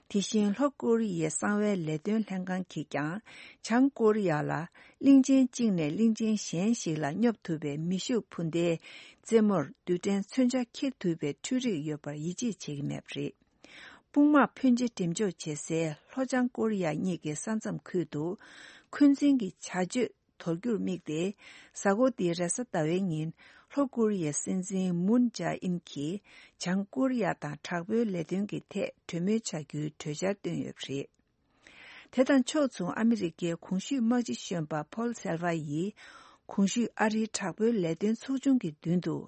དེ་བཞིན་ལྷོ་ཀོ་རི་ཡའི་གསང་བའི་ལས་དོན་ལྷན་ཁང་གིས་ཀྱང་བྱང་ཀོ་རི་ཡ་ལ་གླིང་ཆེན་གཅིག་ནས་གླིང་ཆེན་གཞན་ཞིག་ལ་སྙོབ་ཐུབ་པའི་མེ་ཤུགས་འཕུར་མདའི་རྩེ་མོར་རྡུལ་ཕྲན་མཚོན་ཆ་འཁྱེར་ཐུབ་པའི་འཕྲུལ་རིག་ཡོད་པར་ཡིད་ཆེས་བྱེད་ཀྱི་མེད་པ་རེད། དཔུང་དམག་ཕོན་ཆེ་འགྲེམས་འཇོག་བྱེད་སའི་ལྷོ་བྱང་ཀོ་རི་ཡ་གཉིས་ཀྱི་ས་མཚམས་ཁུལ་དུ་འཁོན་འཛིན་གྱི་བྱ་སྤྱོད་དོར་རྒྱུར་དམིགས་ཏེ། གཟའ་འཁོར་འདིའི་རེས་གཟའ་ཟླ་བའི་ཉིན་ལྷོ་ཀོ་རི་ཡའི་སྲིད་འཛིན་མུན་ཇཱ་ཨིན་གྱིས་བྱང་ཀོ་རི་ཡ་དང་དྲག་པོའི་ལས་དོན་གྱི་ཐད་གྲོས་མོལ་བྱ་རྒྱུའི་གྲོས་འཆར་བཏོན་ཡོད་པ་རེད། དེ་དང་ཕྱོགས་མཚུངས་ཨ་མི་རི་ཀའི་གོང་ཞུས་དམག་སྤྱི་གཞོན་པ་ཕོལ་སེལ་ཝ་ཡིས་གོང་ཞུས་ཨ་རིའི་དྲག་པོའི་ལས་དོན་ཚོགས་ཆུང་གི་མདུན་དུ།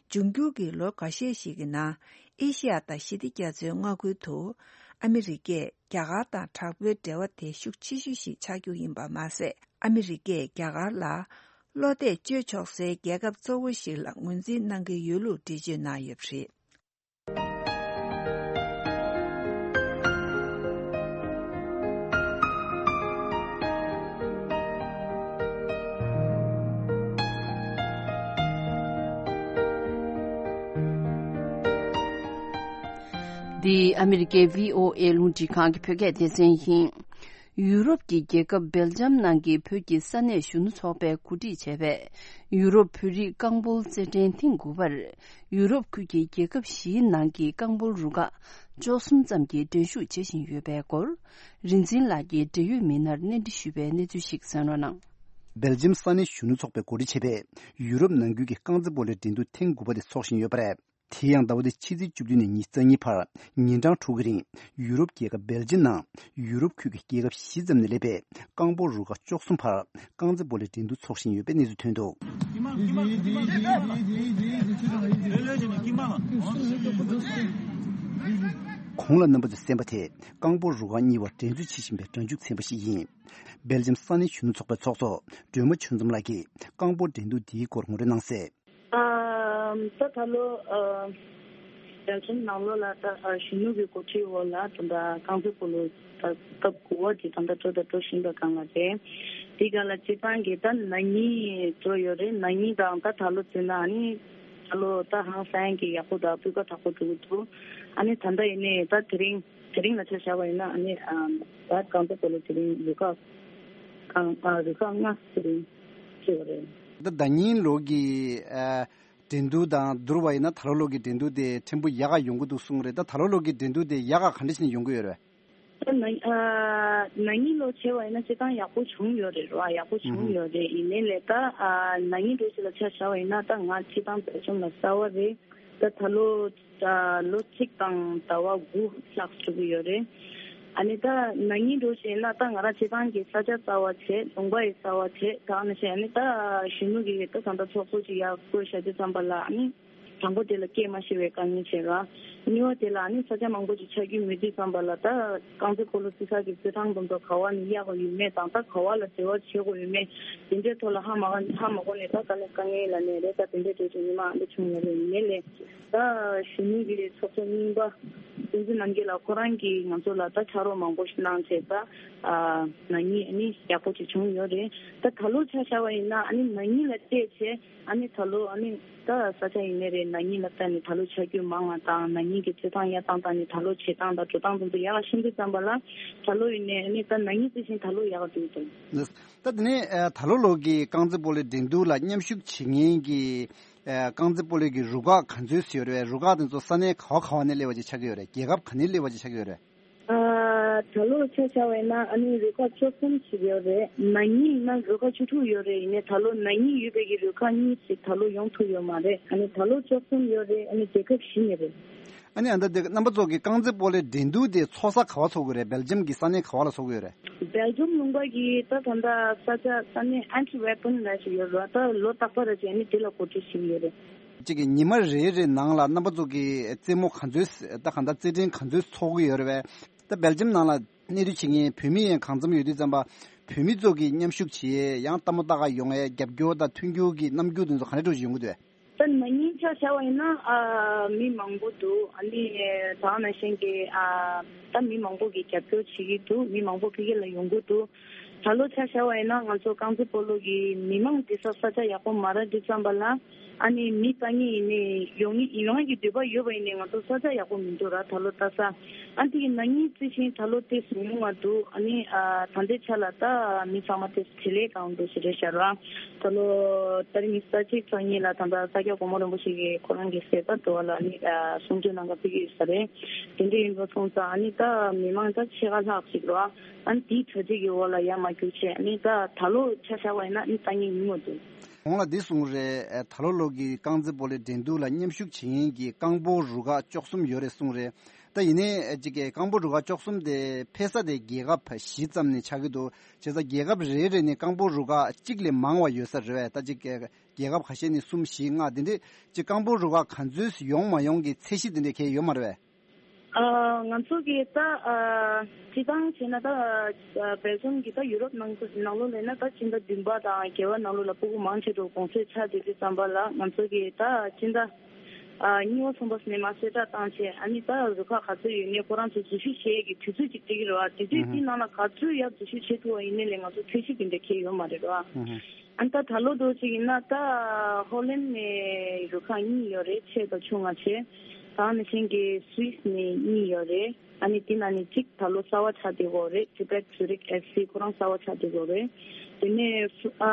འབྱུང་འགྱུར་གྱི་ལོ་འགའ་ཤས་ཤིག་གི་ནང་ཨེ་ཤི་ཡ་དང་ཞི་བདེ་རྒྱ་མཚོའི་མངའ་ཁུལ་དུ་ཨ་མི་རི་ཀས་རྒྱ་གར་དང་དྲག་པོའི་འབྲེལ་བ་དེ་ཤུགས་ཆེ་ཤོས་ཤིག་ཆགས་རྒྱུ་ཡིན་པ་མ་ཟད། ཨ་མི་རི་ཀས་རྒྱ་གར་ལ་བློ་གཏད་བཅོལ་ཆོག་སའི་རྒྱལ་ཁབ་གཙོ་བོ་ཞིག་ལ་ངོས་འཛིན་གནང་གི་ཡོད་ལུགས་འགྲེལ་བརྗོད་གནང་ཡོད་པ་རེད། འདི་ཨ་མི་རི་ཀའི་བྷི་ཨོ་ཨེ་རླུང་འཕྲིན་ཁང་གི་བོད་སྐད་སྡེ་ཚན་ཡིན། ཡུ་རོབ་ཀྱི་རྒྱལ་ཁབ་སྦེལ་ཇམ་ནང་གི་བོད་ཀྱི་ས་གནས་གཞོན་ནུ་ཚོགས་པས་གོ་སྒྲིག་བྱས་པའི་ཡུ་རོབ་བོད་རིགས་རྐང་སྤོལ་རྩེད་འགྲན་ཐེངས་དགུ་པར་ཡུ་རོབ་ཁུལ་གྱི་རྒྱལ་ཁབ་བཞིའི་ནང་གི་རྐང་སྤོལ་རུ་ཁག་བཅུ་གསུམ་ཙམ་གྱིས་འགྲན་ཞུགས་བྱེད་བཞིན་ཡོད་པའི་སྐོར། རིན་འཛིན་ལགས་ཀྱིས་འབྲེལ་ཡོད་མི་སྣར་གནས་འདྲི་ཞུས་པའི་གནས་ཚུལ་ཞིག་གསན་རོགས་གནང་། སྦེལ་ཇམ་ས་གནས་གཞོན་ནུ་ཚོགས་པས་གོ་སྒྲིག་བྱས་པའི་ཡུ་རོབ་ནང་ཁུལ་གྱི་རྐང་རྩེད་སྤོ་ལོའི་འགྲན་བསྡུར་ཐེངས་དགུ་པ་དེ་འཚོགས་བཞིན་ཡོད་པ་རེད། དེ་ཡང་ཟླ་བ་འདིའི་ཕྱི་ཚེས་བཅུ་བདུན་ནས་ཉི་ཤུ་རྩ་གཉིས་བར་ཉིན་གྲངས་དྲུག་གི་རིང་ཡུ་རོབ་རྒྱལ་ཁབ་སྦེལ་ཇམ་ནང་ཡུ་རོབ་ཁུལ་གྱི་རྒྱལ་ཁབ་བཞི་ཙམ་ནས་སླེབས་པའི་རྐང་སྤོལ་རུ་ཁག་བཅུ་གསུམ་བར་རྐང་རྩེད་སྤོ་ལོའི་འགྲན་བསྡུར་འཚོགས་བཞིན་ཡོད་པའི་གནས་ཚུལ་ཐོན་འདུག་གོང་ལ་རྣམ་པ་ཚོས་གསན་པ་དེ་རྐང་སྤོལ་རུ་ཁག་གཉིས་བར་འགྲན་རྩོད་བྱེད་བཞིན་པའི་སྒྲ་འཇུག་ཚན་པ་ཞིག་ཡིན། སྦེལ་ཇམ་ས་གནས་གཞོན་ནུ་ཚོགས་པའི་ཚོགས་གཙོ་སྒྲོལ་མ་ཆོས་འཛོམས་ལགས་ཀྱིས་རྐང་སྤོལ་འགྲན་བསྡུར་འདིའི་སྐོར་ངོ་སྤྲོད་གནང་གསལ། ཨ། ད་ད་ལོ་ཨ་སྦེལ་ཇམ་ནང་ལོགས་ལ་ད་ཨ་གཞོན་ནུ་གི་འགོ་ཁྲིད་འོག་ལ་ད་ད་རྐང་རྩེད་སྤོ་ལོ་ད་སྐབས་དགུ་པ་དེ་ད་ད་འགྲོ་ད་འགྲོ་བཞིན་པའི་སྒང་ལ་རེད། དེ་སྒང་ལ་སྤྱིར་བཏང་གི་ད་ན་ནིང་འགྲོ་ཡོད་རེད། ན་ནིང་དང་ད་ད་ལོ་བརྩིས་ན་ཨ་ནི་ད་ལོ་ད་ཧང་སང་གི་ཡག་པོ་དང་སྤུས་ཀ་དག་པོ་འགྲོ་གི་འདུག་ཨ་ནི་ད་ལྟ་ཡིན་ནའི་ད་དེ་རིང་དེ་རིང་ལ་ཆ་བཞག་པ་ཡིན་ན་ཨ་ནི་ཨ་ད་རྐང་རྩེད་སྤོ་ལོ་དེ་རིང་རུ་ཁག་ཨ་རུ་ཁག་ལྔ་དེ་རིང་བྱས་པ་རེད། ད་ཟླ་ཉིན་ལོ་གི་ཨ་འགྲན་བསྡུར་དང་བསྡུར་བ་ཡིན་ན་ད་ལོ་ལོ་གི་འགྲན་བསྡུར་དེ་ཕྲན་བུ་ཡག་ག་ཡོང་གི་འདུག་གསུངས་རེད། ད་ད་ལོ་ལོ་གི་འགྲན་བསྡུར་དེ་ཡག་ག་ག་འདྲ་ཞིག་ནས་ཡོང་གི་ཡོད་རེད། ད་ན་ཨ་ན་ནིང་ལོ་བྱས་པ་ཡིན་ན་སྤྱིར་བཏང་ཡག་པོ་བྱུང་ཡོད་རེད་ར། ཡག་པོ་བྱུང་ཡོད་རེད། ཡིན་ནའི་ལས་ད་ཨ་ན་ནིང་འགྲོ་ཞིག་ལ་ཆ་བཞག་པ་ཡིན་ན་ད་ང་སྤྱིར་བཏང་སྦེལ་ཇམ་ལ་གསར་བ་རེད། ད་ད་ལོ་ད་ལོ་གཅིག་དང་ཟླ་བ་དགུ་ལྷག་འགྲོ་གི་ཡོད་རེད། ཨ་ནི་ད་ན་ནིང་འགྲོ་བྱས་ན་ད་ང་རང་སྤྱིར་བཏང་གི་ས་ཆ་གསར་བ་བྱས། ལུང་པ་ཡི་གསར་བ་བྱས། ད་ནི་བྱས་ཨ་ནི་ད་གཞོན་ནུ་གི་ད་ད་ལྟ་ཚོགས་གཙོ་ཅིག་ཡར་བསྐོས་བཞག་དུས་ཙམ་པ་ལ་ཨ་ནི། དང་པོ་དེ་ལ་སྐད་མ་ཤེས་པའི་དཀའ་ངལ་བྱས་ར། གཉིས་པ་དེ་ལ་ཨ་ནི་ས་ཆ་མང་པོ་ཅིག་ཆགས་རྒྱུ་མེད་དུས་ཙམ་པ་ལ་ད་རྐང་རྩེད་སྤོ་ལོ་རྩེ་ས་གི་རྩེད་ཐང་དེ་ཚོ་ག་བ་ནས་གཡར་དགོས་ཡོད་མེད་དང་ད་ག་བ་ལ་འབྲེལ་བ་བྱེད་དགོས་ཡོད་མེད་དེ་འདྲའི་ཐོག་ལ་ཧ་མ་གོ་ཧ་མ་གོ་ནས་ད་དཀའ་ལས་དཀའ་ངལ་ལ་ནས་རེད། ད་དེ་འདྲའི་གྲོས་ཆོད་ཉི་མ་ཨ་འདྲ་བྱུང་ཡོད་རེད། ཡིན་ནའི་ལས་ད་གཞོན་ནུ་གི་ཚོགས་གཙོ་རྙིང་པ་བསྟན་འཛིན་རྣམ་རྒྱལ་ལགས་ཁོ་རང་གིས་ང་ཚོ་ལ་ད་ཕྱག་རོགས་མང་པོ་ཞིག་གནང་བྱས་ད་ན་ནིང་ཨ་ནི་ཡག་པོ་ཅིག་བྱུང་ཡོད་རེད། ད་ད་ལོ་ཆ་བཞག་པ་ཡིན་ན་ཨ་ནི་ན་ནིང་ལ་བལྟས་བྱས། ཨ་ནི་ད་ལོ་ཨ་ནི་ད་ས་ཆ་ཡིན་ནའི་རེད། ན་ནིང་ལ་བལྟས་ནས་ད་ལོ་ཆ་རྒྱུས་མང་བ་དང་ན་ནིང་གི་རྩེད་ཐང་གཡར་སྟངས་དང་ནི་ད་ལོ་བྱེད་སྟངས་དང་འགྲོ་སྟངས་དེ་ཚོ་ཡག་ཤིན་ཏུ་ཙམ་པ་ལ་ད་ལོ་ཡིན་ནའི་ཨ་ནི་ད་ན་ནིང་རྩི་ཤིང་ད་ལོ་ཡག་འགྲོ་གི་འདུག་ད་དེ་ནས་ཨ་ད་ལོ་ལོ་གི་རྐང་རྩེད་སྤོ་ལོའི་འགྲན་བསྡུར་ལ་མཉམ་ཞུགས་བྱེད་མཁན་གྱི་ཨ་རྐང་རྩེད་སྤོ་ལོ་གི་རུ་ཁག་ག་ཚོད་ཡོད་རེད། རུ་ཁག་དེ་ཚོ་ས་གནས་ག་བ་ག་བ་ནས་སླེབས་པ་ཅིག་ཆགས་ཀྱི་ཡོད་རེད། རྒྱལ་ཁབ་ག་ནས་སླེབས་པ་ཅིག་ཆགས་ཀྱི་ཡོད་རེད། ཨ་ད་ལོ་ཆ་བཞག་པ་ཡིན་ན་ཨ་ནི་རུ་ཁག་བཅུ་གསུམ་ཞིག་ཡོད་རེད། ན་ནིང་ཡིན་ན་རུ་ཁག་བཅུ་དྲུག་ཡོད་རེད། ཡིན་ནའི་ད་ལོ་ན་ནིང་ཡོད་པའི་གི་རུ་ཁག་གཉིས་ཤིག་ད་ལོ་ཡོང་ཐུབ་ཡོད་མ་རེད། ཨ་ནི་ད་ལོ་བཅུ་གསུམ་ཡོད་རེད། ཨ་ནི་རྒྱལ་ཁབ་བཞི་ནས་རེད། ཨ་ནི་ཨ་ད་དེ་རྣམ་པ་ཚོ་གི་རྐང་རྩེད་སྤོ་ལོའི་འགྲན་བསྡུར་དེ་ཚོགས་ས་ག་བ་ཚོགས་ཀྱི་རེད། སྦེལ་ཇམ་གྱི་ས་གནས་ག་བ་ལ་ཚོགས་ཀྱི་ཡོད་རེད། སྦེལ་ཇམ་ལུང་པ་གི་ད་ད་ལྟ་ས་ཆ་ས་གནས་ཨན་ཊི་ཝེར་པན་ལ་ཞིག་ཡོད་རེད། ད་ལོ་རྟག་པར་རེ་བྱས་ནས་དེ་ལ་གོ་སྒྲིག་བྱེད་ཀྱི་ཡོད་རེད། གཅིག་གི་ཉི་མ་རེ་རེ་ནང་ལ་རྣམ་པ་ཚོ་གི་རྩེད་མོ་ག་ཚོད་ད་གང་ལྟར་རྩེད་འགྲན་ག་ཚོད་ཚོགས་ཀྱི་ཡོད་རེད་བས། ད་སྦེལ་ཇམ་ནང་ལ་གནས་སྡོད་བྱེད་མཁན་བོད་མི་ཡང་གང་འཚམ་ཡོད་དུས་ཙམ་པ་བོད་མི་ཚོ་གི་མཉམ་ཞུགས་བྱེད་ཡང་ལྟད་མོ་ལྟ་ག་ཡོང་ཡས་རྒྱབ་སྐྱོར་དང་མཐུན་འགྱུར་གྱི་རྣམ་འགྱུར་དེ་ཚོ་ག་འདྲ་འདྲ་ཞིག་ཡོང་གི་འདུག་བས། ད་ན་ནིང་ཆ་བཞག་པ་ཡིན་ན་ཨ་མི་མང་པོ་འདུག་ཨ་ནི་ད་ག་ནང་བཞིན་གྱི་ཨ་ད་མི་མང་པོ་གི་རྒྱབ་སྐྱོར་བྱེད་ཀྱི་འདུག་མི་མང་པོ་ཕ་གི་ལ་ཡོང་གི་འདུག་ད་ལོ་ཆ་བཞག་པ་ཡིན་ན་ང་ཚོ་རྐང་རྩེད་སྤོ་ལོ་གི་མི་མང་འདི་ས་ས་ཆ་ཡག་པོ་མ་རག་དུས་ཙམ་པ་ལ་ཨ་ནི་མི་ལྟ་མཁན་ཡིན་ནའི་ཡོང་ཡོང་གི་འདོད་པ་ཡོད་པ་ཡིན་ནའི་ང་ཚོ་ས་ཆ་ཡག་པོ་མི་འདུག་ར། ད་ལོ་ལྟ་ས་ཨ་འདི་གི་ན་ནིང་རྩི་ཤིང་ད་ལོ་ཏོག་ཙམ་ཉུང་བ་འདུག་ཨ་ནི་ཨ་ད་ལྟའི་ཆ་ལ་ད་མི་ཚང་མ་ཏོག་ཙམ་བྲེལ་ལས་གང་འདུག་ཞེས་རེད་ཤག་ར། ད་ལོ་ཏ་རིག་ཉི་ཤུ་རྩ་གཅིག་ཚེས་གཉིས་ལ་ད་ལྟ་ས་སྐྱ་གོང་མ་རིན་པོ་ཆེ་གིས་ཁོ་རང་གི་གསལ་བརྡ་འདྲ་བ་ལ་ནི་གསུང་ཆོས་གནང་ག་ཕེབས་ཀྱི་ཡོད་ས་རེད། དེ་འདྲ་ཡིན་པ་སོང་ཙང་ཨ་ནི་ད་མི་མང་ད་ཕྱེད་ཀ་ལྷག་ཅིག་རེད་བ། ཨ་ནི་དེའི་གྲ་སྒྲིག་གི་འོག་ལ་ཡར་མར་རྒྱུག་བྱས་ཨ་ནི་ད་ད་ལོ་ཆ་བཞག་པ་ཡིན་ན་ཨ་ནི་ལྟ་མཁན་ཉུང་བ་འདུག་གོང་ལ་འདི་གསུངས་རེད། ད་ལོ་ལོ་གི་རྐང་རྩེད་སྤོ་ལོའི་འགྲན་བསྡུར་ལ་མཉམ་ཞུགས་བྱེད་མཁན་གྱི་རྐང་སྤོལ་རུ་ཁག་བཅུ་གསུམ་ཡོད་རེད་གསུངས་རེད། ད་ཡིན་ནའི་ཅིག་གི་རྐང་སྤོལ་རུ་ཁག་བཅུ་གསུམ་དེ་ཕེབས་ས་དེ་རྒྱལ་ཁབ་བཞི་ཙམ་ནས་ཆགས་ཀྱི་འདུག་བྱས་ཙང་རྒྱལ་ཁབ་རེ་རེ་ནས་རྐང་སྤོལ་རུ་ཁག་གཅིག་ལས་མང་བ་ཡོད་ས་རེད་བས། ད་ཅིག་རྒྱལ་ཁབ་ཁ་ཤས་ནས་གསུམ་བཞི་ལྔ་དེ་འདྲས་ཅིག་རྐང་སྤོལ་རུ་ཁག་ག་ཚོད་ཡོང་མ་ཡོང་གི་ཚད་གཞི་དེ་འདྲས་གང་ཡང་ཡོད་མ་རེད་བས། ཨ་ང་ཚོ་གི་ད་ཨ་སྤྱིར་བཏང་བྱས་ན་ད་ཨ་སྦེལ་ཇམ་གི་ད་ཡུ་རོབ་ནང་ནང་ལོགས་ལ་ཡིན་ན་ད་སྤྱི་ཟླ་བདུན་པ་དང་བརྒྱད་པ་ནང་ལོགས་ལ་སྤུ་གུ་མང་ཆེ་འགྲོ་གུང་སེང་ཆགས་བསྡད་དུས་ཙམ་པ་ལ་ང་ཚོ་གི་ད་སྤྱི་ཟླ་ཨ་གཉིས་པ་གསུམ་པ་ནས་མར་གསལ་བསྒྲགས་བཏང་བྱས་ཨ་ནི་ད་རུ་ཁག་ག་ཚོད་ཡོད་ནའི་ཁོ་རང་ཚོ་འཛུལ་ཞུགས་བྱེད་ཡས་ཀྱི་དུས་ཚོད་ཅིག་སྤྲད་ཀྱི་རེད་བ། དུས་ཚོད་དེའི་ནང་ལ་ག་ཚོད་ཡར་འཛུལ་ཞུགས་བྱེད་ཐུབ་པ་ཡིན་ནའི་ལས་ང་ཚོ་ཚད་གཞི་དེ་འདྲ་གང་ཡང་ཡོད་མ་རེད་བ། ཨ་ནི་ད་ད་ལོ་འདྲ་ཅིག་ཡིན་ན་ད་ཧོ་ལན་ནས་རུ་ཁག་གཉིས་ཡོད་རེད། ཆེ་དང་ཆུང་ང་བྱས། ད་ནང་བཞིན་གྱི་སུད་སི་ནས་གཉིས་ཡོད་རེད། ཨ་ནི་དེ་ནང་ནས་གཅིག་ད་ལོ་གསར་བ་ཆགས་བསྡད་ཡོད་རེད། Tibet Zurich F C ཁོ་རང་གསར་བ་ཆགས་བསྡད་ཡོད་རེད། དེ་ནས་ཨ་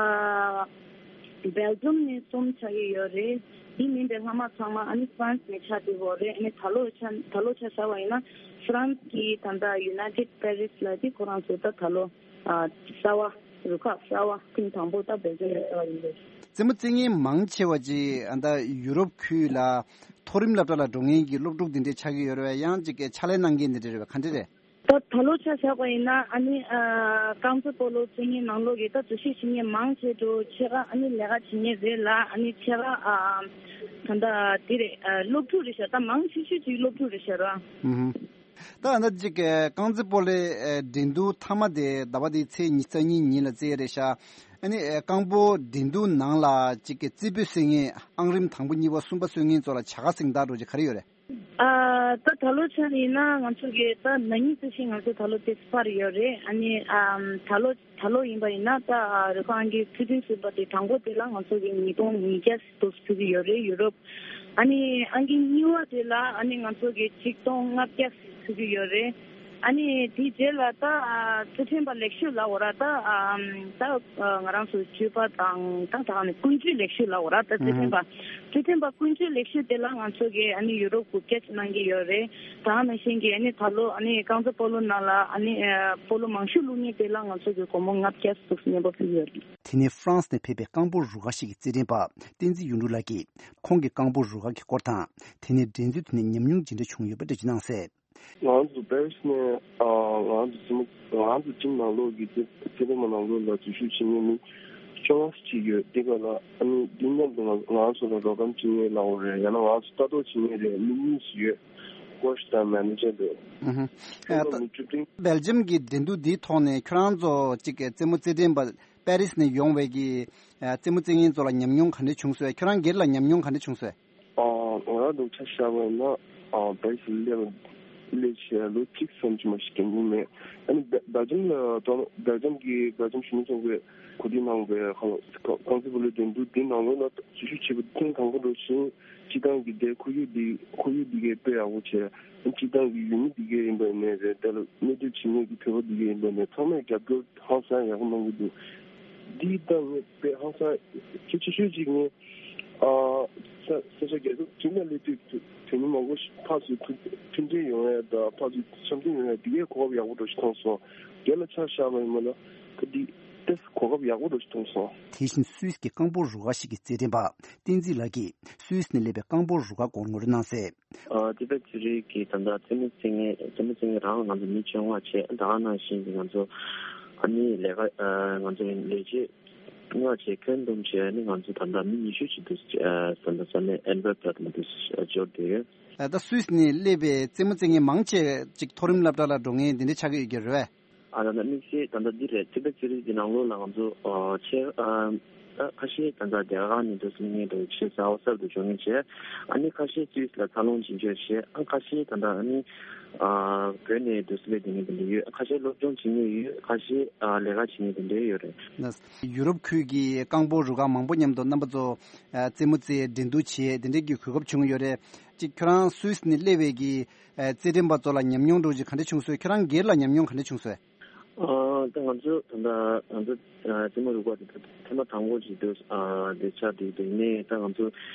སྦེལ་ཇམ་ནས་གསུམ་ཆགས་ཀྱི་ཡོད་རེད། དེ་མིན་པའི་ལྷག་མ་ཚང་མ་ཨ་ནི་ཧྥ་རན་སི་ནས་ཆགས་བསྡད་ཡོད་རེད། ཨ་ནི་ད་ལོ་ཆ་ད་ལོ་ཆ་བཞག་པ་ཡིན་ན་ཧྥ་རན་སི་གི་ད་ལྟ་United Paris ལ་དེ་ཁོ་རང་ཚོ་ད་ད་ལོ་ཨ་གསར་བ་རུ་ཁག་གསར་བ་ཐེངས་དང་པོ་ད་སྦེལ་ཇམ་ནས་གསར་བ་ཡིན་པས། རྩེད་མོ་རྩེ་མཁན་མང་ཆེ་བ་ཅིག་ཨ་ད་ཡུ་རོབ་ཁུལ་ལ་མཐོ་རིམ་སློབ་གྲྭ་ལ་འགྲོ་མཁན་གྱི་སློབ་ཕྲུག་འདི་འདྲས་ཆགས་ཀྱི་ཡོད་རེད་བས། ཡང་ཅིག་གི་ཕྱག་ལས་གནང་མཁན་འདི་འདྲས་རེད་བས། ག་འདྲས་རེད། ད་ད་ལོ་ཆ་བཞག་པ་ཡིན་ན་ཨ་ནི་ཨ་རྐང་རྩེད་སྤོ་ལོ་རྩེ་མཁན་ནང་ལོགས་ཀྱི་ད་འཛུལ་ཞུགས་བྱེད་མཁན་མང་ཆེ་འགྲོ་ཆེ་ག་ཨ་ནི་ལས་ཀ་བྱེད་མཁན་རེད་ལ། ཨ་ནི་ཆེ་ག་ཨ་ད་ད་དེ་རེད། ཨ་སློབ་ཕྲུག་རེད་ཤག་ད་མང་ཆེ་ཤོས་ཅིག་སློབ་ཕྲུག་རེད་ཤག་ར། ཨུ་ཧུམ། ད་ཨ་ནི་ཅིག་གི་རྐང་རྩེད་སྤོ་ལོའི་ཨ་འགྲན་བསྡུར་མཐའ་མ་དེ་ཟླ་བ་འདིའི་ཚེས་ཉི་ཤུ་རྩ་གཉིས་ཉིན་ལ་རྩེ་ཡ་རེད་ཤག་ཨ་ནི་ཨ་རྐང་སྤོལ་འགྲན་བསྡུར་ནང་ལ་ཅིག་གི་རྩེ་ཕུད་སོན་མཁན་ཨང་རིམ་དང་པོ་གཉིས་པ་གསུམ་པ་སོན་མཁན་ཚོ་ལ་བྱ་དགའ་གཟེངས་རྟགས་འདྲ་ཅིག་ག་རེ་ཡོད་རེད། ཨ་ད་ད་ལོ་ཆ་ཡིན་ན་ང་ཚོ་གི་ད་ན་ནིང་ཙམ་ཞིག་ང་ཚོ་ད་ལོ་དེ་སྤར་ཡོད་རེད། ཨ་ནི་ཨམ་ད་ལོ་ད་ལོ་ཡིན་པ་ཡིན་ན་ད་ཨ་རུ་ཁག་ཨང་ཀི་ཚུལ་ཁྲིམས་ཟུར་པ་དེ་དང་པོ་དེ་ལ་ང་ཚོ་གི་ཉིས་སྟོང་ཉིས་བརྒྱ་ཙམ་ཕུལ་གྱི་ཡོད་རེད་ཡུ་རོབ། ཨ་ནི་ཨང་ཀི་གཉིས་པ་དེ་ལ་ཨ་ནི་ང་ཚོ་གི་ཆིག་སྟོང་ལྔ་བརྒྱ་ཙམ་ཕུལ་གྱི་ཡོད་རེད། ཨ་ནི་དེའི་རྗེས་ལ་ད་ཨ་ཚུལ་ཁྲིམས་པ་ལེགས་ཤོས་ལབ་དགོས་ར། ད་ཨམ་ད་ཨ་ང་རང་ཚོ་སྤྱོད་པ་དང་ད་ད་ནི་ཀུན་སྤྱོད་ལེགས་ཤོས་ལབ་དགོས་ར། ད་ཚུལ་ཁྲིམས་པ་ཚུལ་ཁྲིམས་པ་ཀུན་སྤྱོད་ལེགས་ཤོས་དེ་ལ་ང་ཚོ་གི་ཨ་ནི་ཡུ་རོབ་དགུ་བརྒྱ་ཅིག་གནང་གི་ཡོད་རེད། ད་ནང་བཞིན་གྱི་ཨ་ནི་ད་ལོ་ཨ་ནི་རྐང་རྩེད་སྤོ་ལོ་ནང་ལ་ཨ་ནི་ཨ་སྤོ་ལོ་མང་ཤོས་བླུགས་མཁན་དེ་ལ་ང་ཚོ་གི་སྒོར་མོ་ལྔ་བརྒྱ་ཙམ་སྙན་པོ་ཕུལ་ཡོད་རེད། དེ་ནས་ཧྥ་རན་སི་ནས་ཕེབས་པའི་རྐང་སྤོལ་རུ་ཁག་ཞིག་གི་རྩེད་འགྲན་པ་བསྟན་འཛིན་གཡུ་འབྲུག་ལགས་ཀྱིས་ཁོང་གི་རྐང་སྤོལ་རུ་ཁག་གི་སྐོར་དང་། དེ་ནས་འགྲན་རྩོད་དེ་ནས་ཉམས་མྱོང་ཇི་འདྲ་བྱུང་ཡོད་པ་འགྲེལ་བརྗོད་གནང་གསལ། ང་ཚོ་པེ་རི་སི་ནས་ཨ་ང་ཚོ་ཚོ་ང་ཚོ་ཊིམ་ནང་ལོགས་ཀྱི་རྩེད་རྩེད་འགྲན་པ་ནང་ལོགས་ལ་འཛུལ་ཞུགས་བྱེད་མཁན་མི་བཅོ་ལྔ་ཅིག་ཡོད། དེ་ག་ལ་ཨ་ནི་འདི་མཉམ་དུ་ང་ང་ཚོ་ལ་རོགས་རམ་བྱེད་མཁན་ལབ་དགོས་རེད། ཡང་ན་ང་ཚོ་ལྟ་རྟོག་བྱེད་མཁན་རེད་མི་གཉིས་ཤིག་ཡོད། ཀོ་ཆི་དང་མེ་ནེ་ཇར་དེ། ཨུ་ཧུ། ཨ་ད་མི་བཅུ་བདུན། སྦེལ་ཇམ་གྱི་འགྲན་བསྡུར་འདིའི་ཐོག་ནས་ཁྱོད་རང་ཚོ་གཅིག་རྩེད་མོ་རྩེད་འགྲན་པ་པེ་རི་སི་ནས་ཡོང་བའི་གི་ཨ་རྩེད་མོ་རྩེད་མཁན་ཚོ་ལ་ཉམས་མྱོང་ག་འདྲ་བྱུང་སོང་། ཁྱོད་རང་སྒེར་ལ་ཉམས་མྱོང་ག་འདྲ་བྱུང་སོང་། ཨ་ང་རང་སྒྲུབ་ཆ་བཞག་པ་ཡིན་ན་ཨ་པེ་རི་སི་སླེབས་སླེབས་བྱས་ལོ་གཅིག་ཙམ་ཅིག་མ་གཞི་འགྲན་གྱི་མེད། ཨ་ནི་སྦེ་སྦེལ་ཇམ་ལ་སྦེལ་ཇམ་གྱི་སྦེལ་ཇམ་གཞོན་ནུ་ཚོགས་པས་གོ་སྒྲིག་གནང་བའི་རྐང་རྩེད་སྤོ་ལོའི་འགྲན་བསྡུར་འདི་ནང་ལོགས་ལ་འཛུལ་ཞུགས་བྱས་པ་ཐེངས་དང་པོ་འགྲོ་བཞིན། སྤྱིར་བཏང་གི་དེ་ཁོར་ཡུག་འདི་ཁོར་ཡུག་འདི་གའི་དཔེ་ཡག་པོ་བྱས། སྤྱིར་བཏང་གི་ཡུལ་མི་འདི་གའི་ཡིན་པ་ནས་རེད། དེ་ལ་གནས་སྡོད་བྱེད་མཁན་གྱི་བོད་པ་འདི་གའི་ཡིན་པ་ནས་ཚང་མས་རྒྱབ་སྐྱོར་ཧང་སང་ཡག་པོ་གནང་གི་འདུག་འདི་ལྟ་ངས་དཔེ་ཧང་སང་གལ་ཆེ་ཤོས་ཅིག་ངས་ཨ་ས་ས་ཆ་རྒྱལ་ཁབ་གཅིག་ལ་སླེབས་དུས་དོན་མི་མང་པོ་ཞིག་ཕར་ཚུར་མཐུན་མཐུན་སྒྲིལ་ཡོང་ཡ་དང་ཕར་ཚུར་འཆམ་མཐུན་ཡོང་ཡ་འདི་གའི་གོ་སྐབས་ཡག་པོ་འདྲ་ཞིག་མཐོང་སོང་། སྒེར་ལ་ཆ་བཞག་པ་ཡིན་ན་ད་འདི་ཏོག་ཙམ་གོ་སྐབས་ཡག་པོ་འདྲ་ཞིག་མཐོང་སོང་། དེ་བཞིན་སུད་སི་གི་རྐང་སྤོལ་རུ་ཁག་ཞིག་གི་རྩེད་འགྲན་པ་བསྟན་འཛིན་ལགས་ཀྱིས་སུད་སི་ནས་སླེབས་པའི་རྐང་སྤོལ་རུ་ཁག་སྐོར་ངོ་སྤྲོད་གནང་གསལ། ཨ་ཏི་པེ་ཙི་རི་གི་ད་ལྟ་རྩེད་མོ་རྩེ་མཁན་རྩེད་མོ་རྩེ་མཁན་རང་ང་ཚོ་མི་བཅོ་ལྔ་བྱས། ད་ག་ནང་བཞིན་གྱི་ང་ཚོ་ཨ་ནི་ལས་ཀ་ཨ་ང་ཚོ་ལས་བྱེད་ལྔ་བྱས། ཁྱོན་བསྡོམས་བྱས་ནི་ང་ཚོ་ད་ལྟ་མི་ཉི་ཤུ་ཅིག་འདུག་ཨ་ད་ལྟ་ས་གནས་ཨན་ཝེར་པ་ལ་འདུག་འབྱོར་བསྡད་ཡོད། ད་སུད་སི་ནས་སླེབས་པའི་རྩེད་མོ་རྩེ་མཁན་མང་ཆེ་ཅིག་མཐོ་རིམ་སློབ་གྲྭ་ལ་འགྲོ་མཁན་འདི་འདྲ་ཆགས་ཀྱི་ཡོད་ཀྱི་རེད་པས། ཨ་ད་ལྟ་དམིགས་བསལ་ད་ལྟ་འདི་རེད། ཏི་པེ་ཙི་རི་གི་ནང་ལོགས་ལ་ང་ཚོ་ཨ་ཆེ་ཨ་ཨ་ཁ་ཤས་ད་ལྟ་རྒྱ་གར་ནས་འདུག་སེ་སླེབས་མཁན་འདུག་ཆེ་གསར་པ་གསར་དུ་འབྱོར་མཁན་བྱས། ཨ་ནི་ཁ་ཤས་སུད་སི་ལ་འཚར་ལོངས་ཕྱིན་བྱས་བྱས། ཨ་ཁ་ཤས་ད་ལྟ་ཨ་ནི་ཨ་བོད་ནས་འདུག་སེ་སླེབས་བསྡད་མཁན་དེ་འདྲ་ཡོད། ཁ་ཤས་སློབ་སྦྱོང་བྱེད་མཁན་ཡོད། ཁ་ཤས་ཨ་ལས་ཀ་བྱེད་མཁན་དེ་འདྲ་ཡོད་རེད། ན་ཡུ་རོབ་ཁུལ་གྱི་རྐང་སྤོལ་རུ་ཁག་མང་པོ་མཉམ་དུ་རྣམ་པ་ཚོ་ཨ་རྩེད་མོ་རྩེ་འགྲན་བསྡུར་བྱས་དེ་འདྲའི་གི་གོ་སྐབས་བྱུང་ཡོད་རེད། ཅིག་ཁྱོད་རང་སུད་སི་ནས་སླེབས་པའི་གི་ཨ་རྩེད་འགྲན་པ་ཚོ་ལ་ཉམས་མྱོང་འདྲ་ཅིག་ག་འདྲ་བྱུང་སོང་། ཁྱོད་རང་སྒེར་ལ་ཉམས་མྱོང་ག་འདྲ་བྱུང་སོང་། ཨ་ད་ང་ཚོ་ད་ལྟ་ང་ཚོ་ཨ་རྩེད་མོ་རུ་ཁག་དེ་ཐེངས་མ་དང་པོ་ཞིག་འདུག་ཨ་དེ་ཆགས་བསྡད་འདུག་ཡིན་ནའི་ད་ང་ཚོ་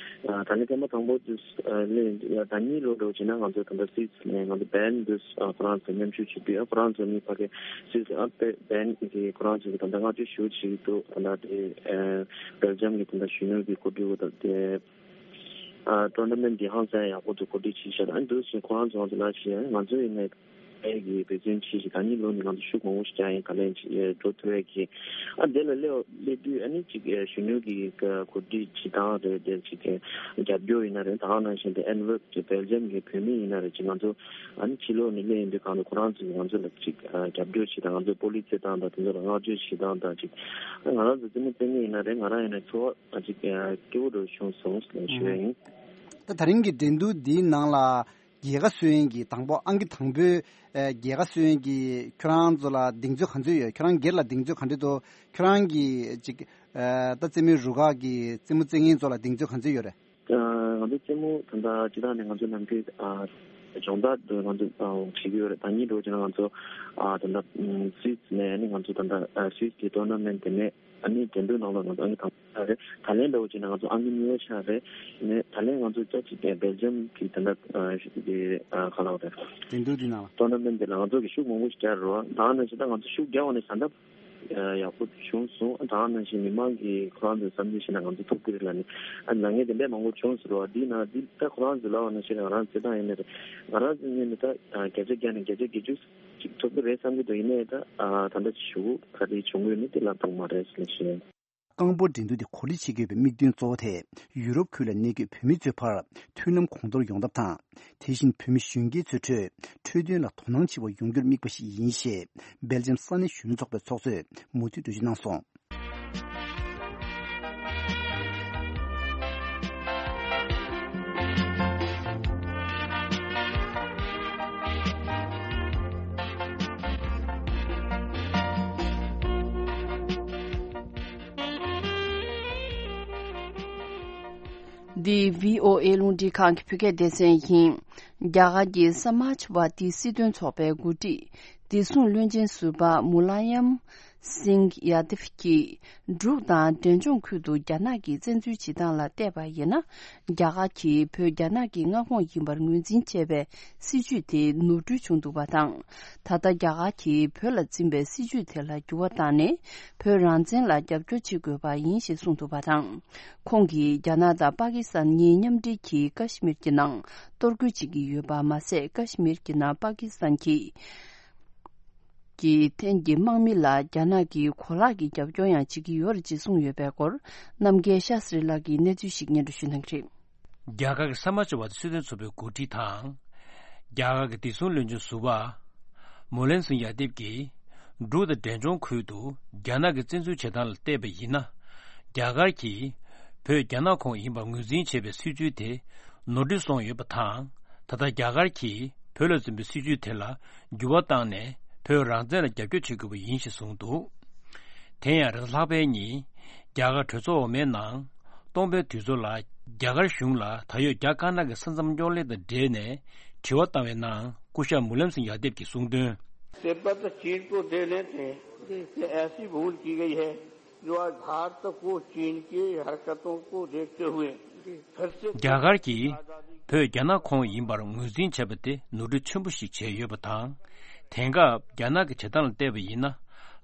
ཨ་ད་ནི་ཐེངས་མ་དང་པོ་འདུག་ཨ་ལས་ཡ་ཟླ་གཉིས་ལོ་འགྲོ་བྱས་ན་ང་ཚོ་ད་ལྟ་སུད་སི་ནས་ང་ཚོ་བན་འདུག་ཨ་ཁོ་རང་ཚོ་མཉམ་ཞུགས་བྱེད་དུས། ཨ་ཁོ་རང་ཚོ་ནི་ཕ་གི་སུད་སི་ཨ་བན་གི་ཁོ་རང་ཚོ་གི་ད་ལྟ་བསྔགས་བརྗོད་ཞུ་བྱེད་ཀྱི་འདུག་ད་ལྟ་དེ་ཨ་སྦེལ་ཇམ་གི་ད་ལྟ་གཞོན་ནུ་གི་གོ་སྒྲིག་འོག་ད་དེ། ཨ་ཊུར་ན་མེན་ཊི་འདི་ཧང་སང་ཡག་པོ་འདུག་གོ་སྒྲིག་བྱས་ཤག་ཨ་འདུག་སེ་ཁོ་རང་ཚོ་ང་ཚོ་ལ་བྱས། ང་ཚོ་ཡིན་ནའི་ཨེ་གི་འབད་བརྩོན་བྱས་ཤིག་ད་ནི་ལོ་ནི་ང་ཚོ་ཤུགས་མང་པོ་ཞིག་རྒྱག་ཡིན། ག་ལན་ཅིག་ཨེ་འགྲོ་ཐུབ་ཡས་ཀྱི། ཨ་འདི་ལ་སླེབས་སླེབས་དུས་ཨ་ནི་ཅིག་ཨེ་གཞོན་ནུ་གི་ག་གོ་སྒྲིག་བྱེད་སྟངས་རེད། དེ་ཅིག་གི་རྒྱབ་སྐྱོར་ཡིན་ན་རེད། ད་ག་ནང་བཞིན་དེ་ཨན་ཝེར་པ་གི་སྦེལ་ཇམ་གི་བོད་མི་ཡིན་ན་རེད། ཅིག་ང་ཚོ་ཨ་ནི་ཕྱི་ལོགས་ནས་སླེབས་ཡོང་དུས་གང་དུ་ཁོ་རང་ཚོ་གིས་ང་ཚོ་ལ་ཅིག་ཨ་རྒྱབ་སྐྱོར་བྱེད་སྟངས། ང་ཚོ་སྤོ་ལོ་རྩེད་སྟངས་དང་དེ་ཚོ་ལ་བསྔགས་བརྗོད་བྱེད་སྟངས་དང་ཅིག་ཨ་ང་རང་ཚོ་རྩེད་མོ་རྩེ་མཁན་ཡིན་ན་རེད། ང་རང་ཡིན་ན་ཚོར་བ་ཨ་ཅིག་ཨ་སྐྱིད་པོ་འདྲ་བྱུང་སོང་ཞེས་ཞུ་ཡ་ཡིན། ད་ད་རིང་གི་འགྲན་བསྡུར་འདིའི་ནང་ལ་རྒྱལ་ཁ་སོན་གྱི་དང་པོ་ཨང་ཀི་དང་པོའི་ཨ་རྒྱལ་ཁ་སོན་གྱི་ཁྱོད་རང་ཚོ་ལ་གདེང་ཚོད་ག་ཚོད་ཡོད། ཁྱོད་རང་སྒེར་ལ་གདེང་ཚོད་ག་འདྲ་འདུག་ཁྱོད་རང་གི་ཅིག་ཨ་ད་རྩེད་མོའི་རུ་ཁག་གི་རྩེད་མོ་རྩེ་མཁན་ཚོ་ལ་གདེང་ཚོད་ག་ཚོད་ཡོད་རེད། ཨ་ ང་ཚོ་རྩེད་མོ་ད་ལྟ་སྤྱི་བཏང་ནས་ང་ཚོ་ནམ་རྒྱུན་ཨ་སྦྱོང་བརྡར་དུ་ང་ཚོ་ཨ་བྱེད་ཀྱི་ཡོད་རེད། ད་ཉིན་འགྲོ་བྱས་ན་ང་ཚོ་ཨ་ད་ལྟ་སུད་སི་ནས་ནི་ང་ཚོ་ད་ལྟ་ཨ་སུད་སི་གི་ཊོར་ན་མེན་ཊི་དེ་ནས་ཨ་ནི་འགྲན་བསྡུར་ནང་ལ་ང་ཚོ་ཨང་ཀི་དང་པོ་ཆགས་རེད། ད་ལན་འདྲ་བོ་བྱས་ན་ང་ཚོ་ཨང་ཀི་གཉིས་པ་ཆགས་རེད། ནས་ད་ལན་ང་ཚོ་ཅག་ཅིག་སྦེལ་ཇམ་གི་ད་ལྟ་ཨ་གི་ཨ་ག་ལ་བ་རེད། འགྲན་བསྡུར་འདི་ནང་ལ་ཊོར་ན་མེན་ཊི་དེ་ལ་ང་ཚོ་གི་ཤུགས་མང་པོ་ཞིག་རྒྱག་རེད་བ། ད་ནང་བཞིན་ད་ང་ཚོ་ཤུགས་རྒྱག་པ་ནས་ད་ལྟ་ཡག་པོ་བྱུང་སོང་། ད་ནང་བཞིན་མི་མང་གི་ཁོ་རང་ཚོའི་བསམ་ཚུལ་བཤད་ན་ང་ཚོ་ཐུགས་ཁུར་ལ་ནི་ཨ་ནང་ངས་དེ་འདྲས་མང་པོ་བྱུང་ཟེར་བ་འདི་ན་འདི་ད་ཁོ་རང་ཚོ་ལབ་པ་ནང་བཞིན་ང་རང་ཚོ་ད་ཡིན་ནི་རེད། ང་རང་ཚོ་ངས་ནི་ད་བརྒྱ་ཆ་བརྒྱ་ནས་བརྒྱ་ཆ་བརྒྱད་ཅུ་ཅིག་ཐོབ་ཀྱི་རེད་བསམ་གྱི་འདུག་ཡིན་ནའི་ད་ད་ལྟ་ཅིག་ཞུ་ག་རེ་བྱུང་གི་ཡོད་མེད་དེ་ལབ་ཐུབ་མ་རེད་ཟེར་ནས་བཤད། རྐང་སྤོལ་འགྲན་བསྡུར་དེ་གོ་སྒྲིག་བྱེད་དགོས་པའི་དམིགས་དོན་གཙོ་བོ་དེ་ཡུ་རོབ་ཁུལ་ལ་གནས་འཁོད་བོད་མི་ཚོའི་བར་མཐུན་ལམ་གོང་མཐོར་ཡོང་ཐབས་དང་། དེ་བཞིན་བོད་མི་གཞོན་སྐྱེས་ཚོའི་ཁྲོད་འཕྲོད་བསྟེན་ལ་དོ་སྣང་ཆེ་བ་ཡོང་རྒྱུར་དམིགས་པ་ཞིག་ཡིན་ཞེས་སྦེལ་ཇམ་ས་གནས་གཞོན་ནུ་ཚོགས་པའི་ཚོགས་གཙོས་མུ་མཐུད་འགྲེལ་བརྗོད་གནང་སོང་། འདི་བྷི་ཨོ་ཨེ་རླུང་འཕྲིན་ཁང་གི་བོད་སྐད་སྡེ་ཚན་ཡིན། རྒྱ་གར་གྱི་ས་མཱཇ་ཝཱ་ཏི་སྲིད་དོན་ཚོགས་པའི་འགོ་ཁྲིད་བདེ་སྲུང་བློན་ཆེན་ཟུར་པ་མུ་ལ་ཡམ་སིང་ཡ་དིབ་ཀྱིས་འབྲུག་དང་འབྲས་ལྗོངས་ཁུལ་དུ་རྒྱ་ནག་གིས་བཙན་འཛུལ་བྱེད་སྟངས་ལ་བལྟས་པ་ཡིན་ན། རྒྱ་གར་གྱིས་བོད་རྒྱ་ནག་གི་མངའ་ཁོངས་ཡིན་པར་ངོས་འཛིན་བྱས་པའི་སྲིད་ཇུས་དེ་ནོར་འཁྲུལ་བྱུང་འདུག་པ་དང་། ད་ལྟ་རྒྱ་གར་གྱིས་བོད་ལ་འཛིན་པའི་སྲིད་ཇུས་དེ་ལ་འགྱུར་བ་བཏང་ནས། བོད་རང་བཙན་ལ་རྒྱབ་སྐྱོར་བྱེད་དགོས་པ་ཡིན་ཞེས་གསུངས་འདུག་པ་དང་། ཁོང་གིས་རྒྱ་ནག་དང་པ་ཀི་སི་ཐན་གཉིས་མཉམ་འབྲེལ་གྱིས་ཀ་ཤི་མིར་གྱི་ནང་གཏོར་རྒོལ་བྱེད་ཀྱི་ཡོད་པ་མ་ཟད། ཀ་ཤི་མིར་གྱི་ནང་པ་ཀི་སི་ཐན་གྱི་གི་ཐན་གྱི་དམག་མི་ལ་རྒྱ་ནག་གིས་གོ་ལག་གི་རྒྱབ་སྐྱོར་ཡང་བྱེད་ཀྱི་ཡོད་རེད་ཅེས་གསུངས་ཡོད་པའི་སྐོར། རྣམ་རྒྱལ་ཤཱ་སི་རི་ལགས་ཀྱིས་གནས་ཚུལ་ཞིག་སྙན་སྒྲོན་ཞུ་གནང་གི་རེད། རྒྱ་གར་གྱི་ས་མཱཇ་ཝཱ་དི་སྲིད་དོན་ཚོགས་པའི་འགོ་ཁྲིད་དང་། རྒྱ་གར་གྱི་བདེ་སྲུང་བློན་ཆེན་ཟུར་པ་མུ་ལན་སིང་ཡ་དེབ་ཀྱིས་འབྲུག་དང་འབྲས་ལྗོངས་ཁུལ་དུ་རྒྱ་ནག་གིས་བཙན་འཛུལ་བྱེད་སྟངས་ལ་བལྟས་པ་ཡིན་ན། རྒྱ་གར་གྱིས་བོད་རྒྱ་ནག་ཁོངས་ཡིན་པར་ངོས་འཛིན་བྱས་པའི་སྲིད་ཇུས་དེ་ནོར་འཁྲུལ་སོང་ཡོད་པ་དང་། ད་ལྟ་རྒྱ་གར་གྱིས་བོད་ལ་འཛིན་པའི་སྲིད་ཇུས་དེ་ལ་འགྱུར་བ་བཏང་ནས་བོད་རང་བཙན་ལ་རྒྱབ་སྐྱོར་བྱེད་དགོས་པ་ཡིན་ཞེས་གསུངས་འདུག་དེ་ཡང་རེས་གཟའ་ལྷག་པའི་ཉིན་རྒྱ་གར་གྲོས་ཚོགས་འོག་མའི་ནང་སྟོང་པའི་དུས་ཚོད་ལ་རྒྱ་གར་གཞུང་ལ་ད་ཡོད་རྒྱ་དཀར་ནག་གི་ས་མཚམས་རྙོག་གླེང་དང་འབྲེལ་ནས་དྲི་བ་བཏང་བའི་ནང་སྐུ་ཞབས་མུ་ལམ་སིང་ཡ་དེབ་ཀྱིས་གསུངས་དོན། तिब्बत चीन को दे लेते हैं, ये ऐसी भूल की गई है जो आज भारत को चीन की हरकतों को देखते हुए फिर से རྒྱ་གར་གྱིས་བོད་རྒྱ་ནག་ཁོངས་ཡིན་པར་ངོས་འཛིན་བྱས་པ་དེ་ནོར་འཁྲུལ་ཆེན་པོ་ཞིག་བྱས་ཡོད་པ་དང་། དེང་སྐབས་རྒྱ་ནག་གི་བྱེད་སྟངས་ལ་བལྟས་པ་ཡིན་ན།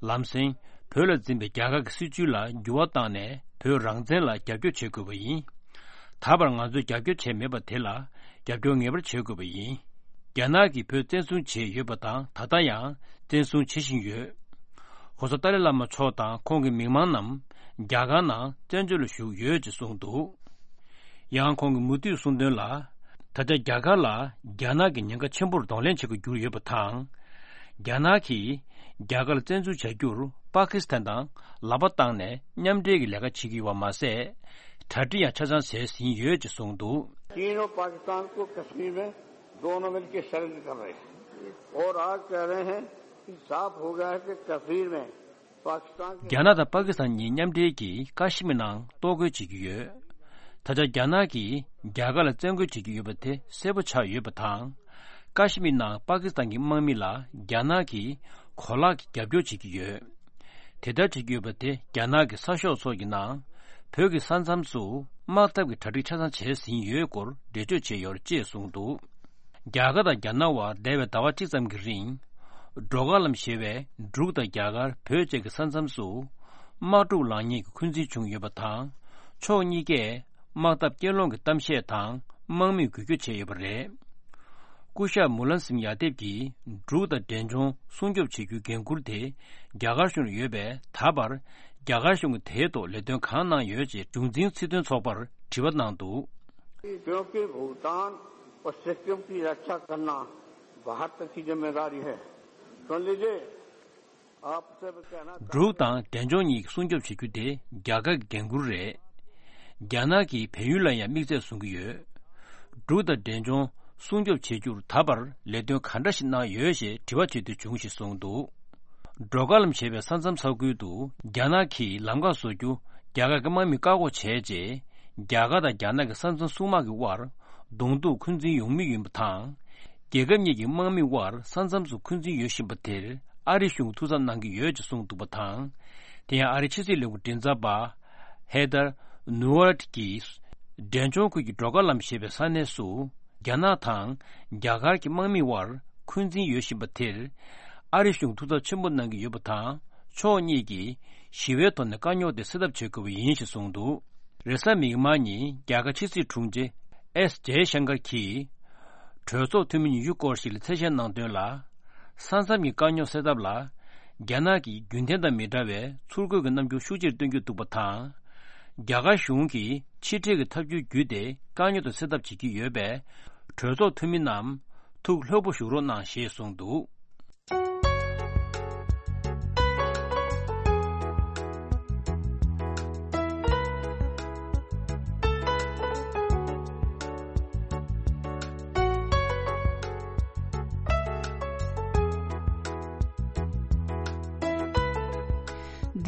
ལམ་སེང་བོད་ལ་འཛིན་པའི་རྒྱ་གར་གྱི་སྲིད་ཇུས་ལ་འགྱུར་བ་བཏང་ནས་བོད་རང་བཙན་ལ་རྒྱབ་སྐྱོར་བྱེད་དགོས་པ་ཡིན། ད་བར་ང་ཚོས་རྒྱབ་སྐྱོར་བྱས་མེད་པ་དེ་ལ་རྒྱབ་སྐྱོར་ངེས་པར་བྱེད་དགོས་པ་ཡིན། རྒྱ་ནག་གིས་བོད་བཙན་བཟུང་བྱས་ཡོད་པ་དང་ད་ལྟ་ཡང་བཙན་བཟུང་བྱེད་བཞིན་ཡོད། ྋགོང་ས་ཏཱ་ལའི་བླ་མ་མཆོག་དང་ཁོང་གི་མི་མང་རྣམས་རྒྱ་གར་ནང་བཙན་བྱོལ་ལ་བཞུགས་ཡོད་ཅེས་གསུངས་འདུག་ཡང་ཁོང་གིས་མུ་མཐུད་གསུངས་དོན་ལ། ད་ཆ་རྒྱ་གར་ལ་རྒྱ་ནག་གིས་ཉེན་ཁ་ཆེན་པོར་གདོང་ལེན་བྱེད་དགོས་གྱུར་ཡོད་པ་དང་། རྒྱ་ནག་གིས་རྒྱ་གར་ལ་བཙན་འཛུལ་བྱ་རྒྱུར་པ་ཀི་སི་ཐན་དང་ལག་པ་བཏང་ནས་མཉམ་འབྲེལ་གྱི་ལས་ཀ་བྱེད་ཀྱི་ཡོད་པ་མ་ཟད། གྲ་སྒྲིག་ཡང་ཆ་ཚང་བྱས་ཟིན་ཡོད་ཅེས་གསུངས་འདུག चीन और पाकिस्तान को कश्मीर में दोनों मिलकर षड्यंत्र कर रहे हैं और आज कह रहे हैं कि साफ हो गया है कि कश्मीर में पाकिस्तान के རྒྱ་ནག་དང་པ་ཀི་སི་ཐན་གཉིས་མཉམ་འབྲེལ་གྱིས་ཀ་ཤི་མིར་ནང་གཏོར་རྒོལ་བྱེད་ཀྱི་ཡོད། ད་ཆ་རྒྱ་ནག་གིས་རྒྱ་གར་ལ་བཙན་རྒོལ་བྱེད་ཀྱི་ཡོད་པ་དེ་གསལ་པོ་ཆགས་ཡོད་པ་དང་། ཀ་ཤི་མིར་ནང་པ་ཀི་སི་ཐན་གྱི་དམག་མི་ལ་རྒྱ་ནག་གིས་གོ་ལག་གི་རྒྱབ་སྐྱོར་བྱེད་ཀྱི་ཡོད། དེ་ལྟར་བྱེད་ཀྱི་ཡོད་པ་དེ་རྒྱ་ནག་གི་གསར་ཤོག་ཚོ་གི་ནང་བོད་ཀྱི་ས་མཚམས་སུ་དམག་འཐབ་ཀྱི་གྲ་སྒྲིག་ཆ་ཚང་བྱས་ཟིན་ཡོད་སྐོར་འགྲེལ་བརྗོད་བྱས་ཡོད་རེད་ཅེས་གསུངས་འདུག་རྒྱ་གར་དང་རྒྱ་ནག་དབར་འདས་པའི་ཟླ་བ་གཅིག་ཙམ་གྱི་རིང་། འགྲོ་མགོན་ལམ་ཞེས་པའི་འབྲུག་དང་རྒྱ་གར་བོད་བཅས་ཀྱི་ས་མཚམས་སུ། དམག་འཁྲུག་ལངས་ཉེན་གྱི་འཁོན་འཛིན་བྱུང་ཡོད་པ་དང་། ཕྱོགས་གཉིས་ཀས་དམག་འཐབ་རྐྱེན་སློང་གི་གཏམ་བཤད་དང་དམག་མིས་འགུལ་སྐྱོད་བྱས་ཡོད་པ་རེད། སྐུ་ཞབས་མུ་ལན་སིང་ཡ་དེབ་ཀྱིས་འབྲུག་དང་འབྲས་ལྗོངས་སྲུང་སྐྱོབ་བྱེད་རྒྱུའི་འགན་འཁུར་དེ་རྒྱ་གར་གཞུང་ལ་ཡོད་པས། ད་བར་རྒྱ་གར་གཞུང་གིས་དེའི་ཐོག་ལས་དོན་གང་གནང་ཡོད་ཅེས་གཞུང་འཛིན་སྲིད་དོན་ཚོགས་པར་དྲི་བ་གནང་འདུག क्योंकि भूटान और सिक्किम की रक्षा करना भारत की जिम्मेदारी है। सुन लीजिए, आपसे भी कहना चाहता हूं। འབྲུག་དང་འབྲས་ལྗོངས་གཉིས་ཀྱི་སྲུང་སྐྱོབ་བྱེད་རྒྱུ་དེ་རྒྱ་གར་གྱི་འགན་འཁུར་རེད། རྒྱ་ནག་གིས་བལ་ཡུལ་ལ་ཡང་དམིགས་བསལ་བཟུང་གི་ཡོད། འབྲུག་དང་འབྲས་ལྗོངས་སྲུང་སྐྱོབ་བྱེད་རྒྱུར་ད་བར་ལས་དོན་ག་འདྲ་ཞིག་གནང་ཡོད་ཞེས་དྲི་བ་བྱེད་དུས་བྱུང་ཞེས་གསུངས་འདུག་འགྲོ་མགོན་ལམ་ཞེས་པའི་ས་མཚམས་ས་ཁུལ་དུ་རྒྱ་ནག་གིས་ལམ་ཁ་བཟོ་རྒྱུ་རྒྱ་གར་གྱི་དམག་མིས་བཀག་འགོག་བྱས་རྗེས། རྒྱ་གར་དང་རྒྱ་ནག་གི་ས་མཚམས་སྲུང་དམག་གི་དབར་གདོང་ཐུག་འཁོན་འཛིན་ཡོང་མུས་ཡིན་པ་དང་། རྒྱལ་ཁབ་གཉིས་ཀྱི་དམག་མིའི་དབར་ས་མཚམས་སུ་འཁོན་འཛིན་ཡོད་བཞིན་པ་དེར་ཨ་རི་གཞུང་ཐུགས་འཚབ་གནང་གི་ཡོད་ཅེས་གསུངས་འདུག་པ་དང་། དེ་ཡང་ཨ་རིའི་ཕྱི་སྲིད་ལས་ཁུངས་མགྲིན་ཚབ་པ་ཧེ་དར་ནུ་ཝར་གྱིས། འབྲས་ལྗོངས་ཁུལ་གྱི་ཌོ་ཀ་ལམ་ཞེས་པའི་ས་གནས་སུ། རྒྱ་ནག་དང་རྒྱ་གར་གྱི་དམག་མིའི་དབར་འཁོན་འཛིན་ཡོད་བཞིན་པ་དེར། ཨ་རི་གཞུང་ཐུགས་འཚབ་ཆེན་པོ་གནང་གི་ཡོད་པ་དང་། ཕྱོགས་གཉིས་ཀྱིས་ཞི་བའི་ཐོག་ནས་དཀའ་རྙོག་དེ་སེལ་ཐབས་བྱེད་དགོས་པ་ཡིན་ཞེས་གསུངས་འདུག་རེས་གཟའ་མིག་དམར་ཉིན་རྒྱ་གར་ཕྱི་སྲིད་དྲུང་ཆེ་ཨེས་ཇེ་ཤང་ཀར་གྱིས། གྲོས་ཚོགས་འཐུས་མི་ཉི་ཤུ་སྐོར་ཞིག་ལ་གསལ་བཤད་གནང་དོན་ལ། ས་མཚམས་ཀྱི་དཀའ་རྙོག་སེལ་ཐབས་ལ། རྒྱ་ནག་གིས་རྒྱུན་ལྡན་དང་མི་འདྲ་བའི་ཚུར་རྒོལ་གྱི་རྣམ་འགྱུར་ཤུགས་ཆེར་སྟོན་གྱི་འདུག་པ་དང་། རྒྱ་གར་གཞུང་གིས་ཕྱི་འབྲེལ་གྱི་ཐབས་བྱུས་བརྒྱུད་དེ་དཀའ་རྙོག་དེ་སེལ་ཐབས་བྱེད་ཀྱི་ཡོད་པས། གྲོས་ཚོགས་འཐུས་མི་རྣམས་ཐུགས་ལྷོད་པོ་བཞུགས་རོགས་གནང་ཞེས་གསུངས་འདུག་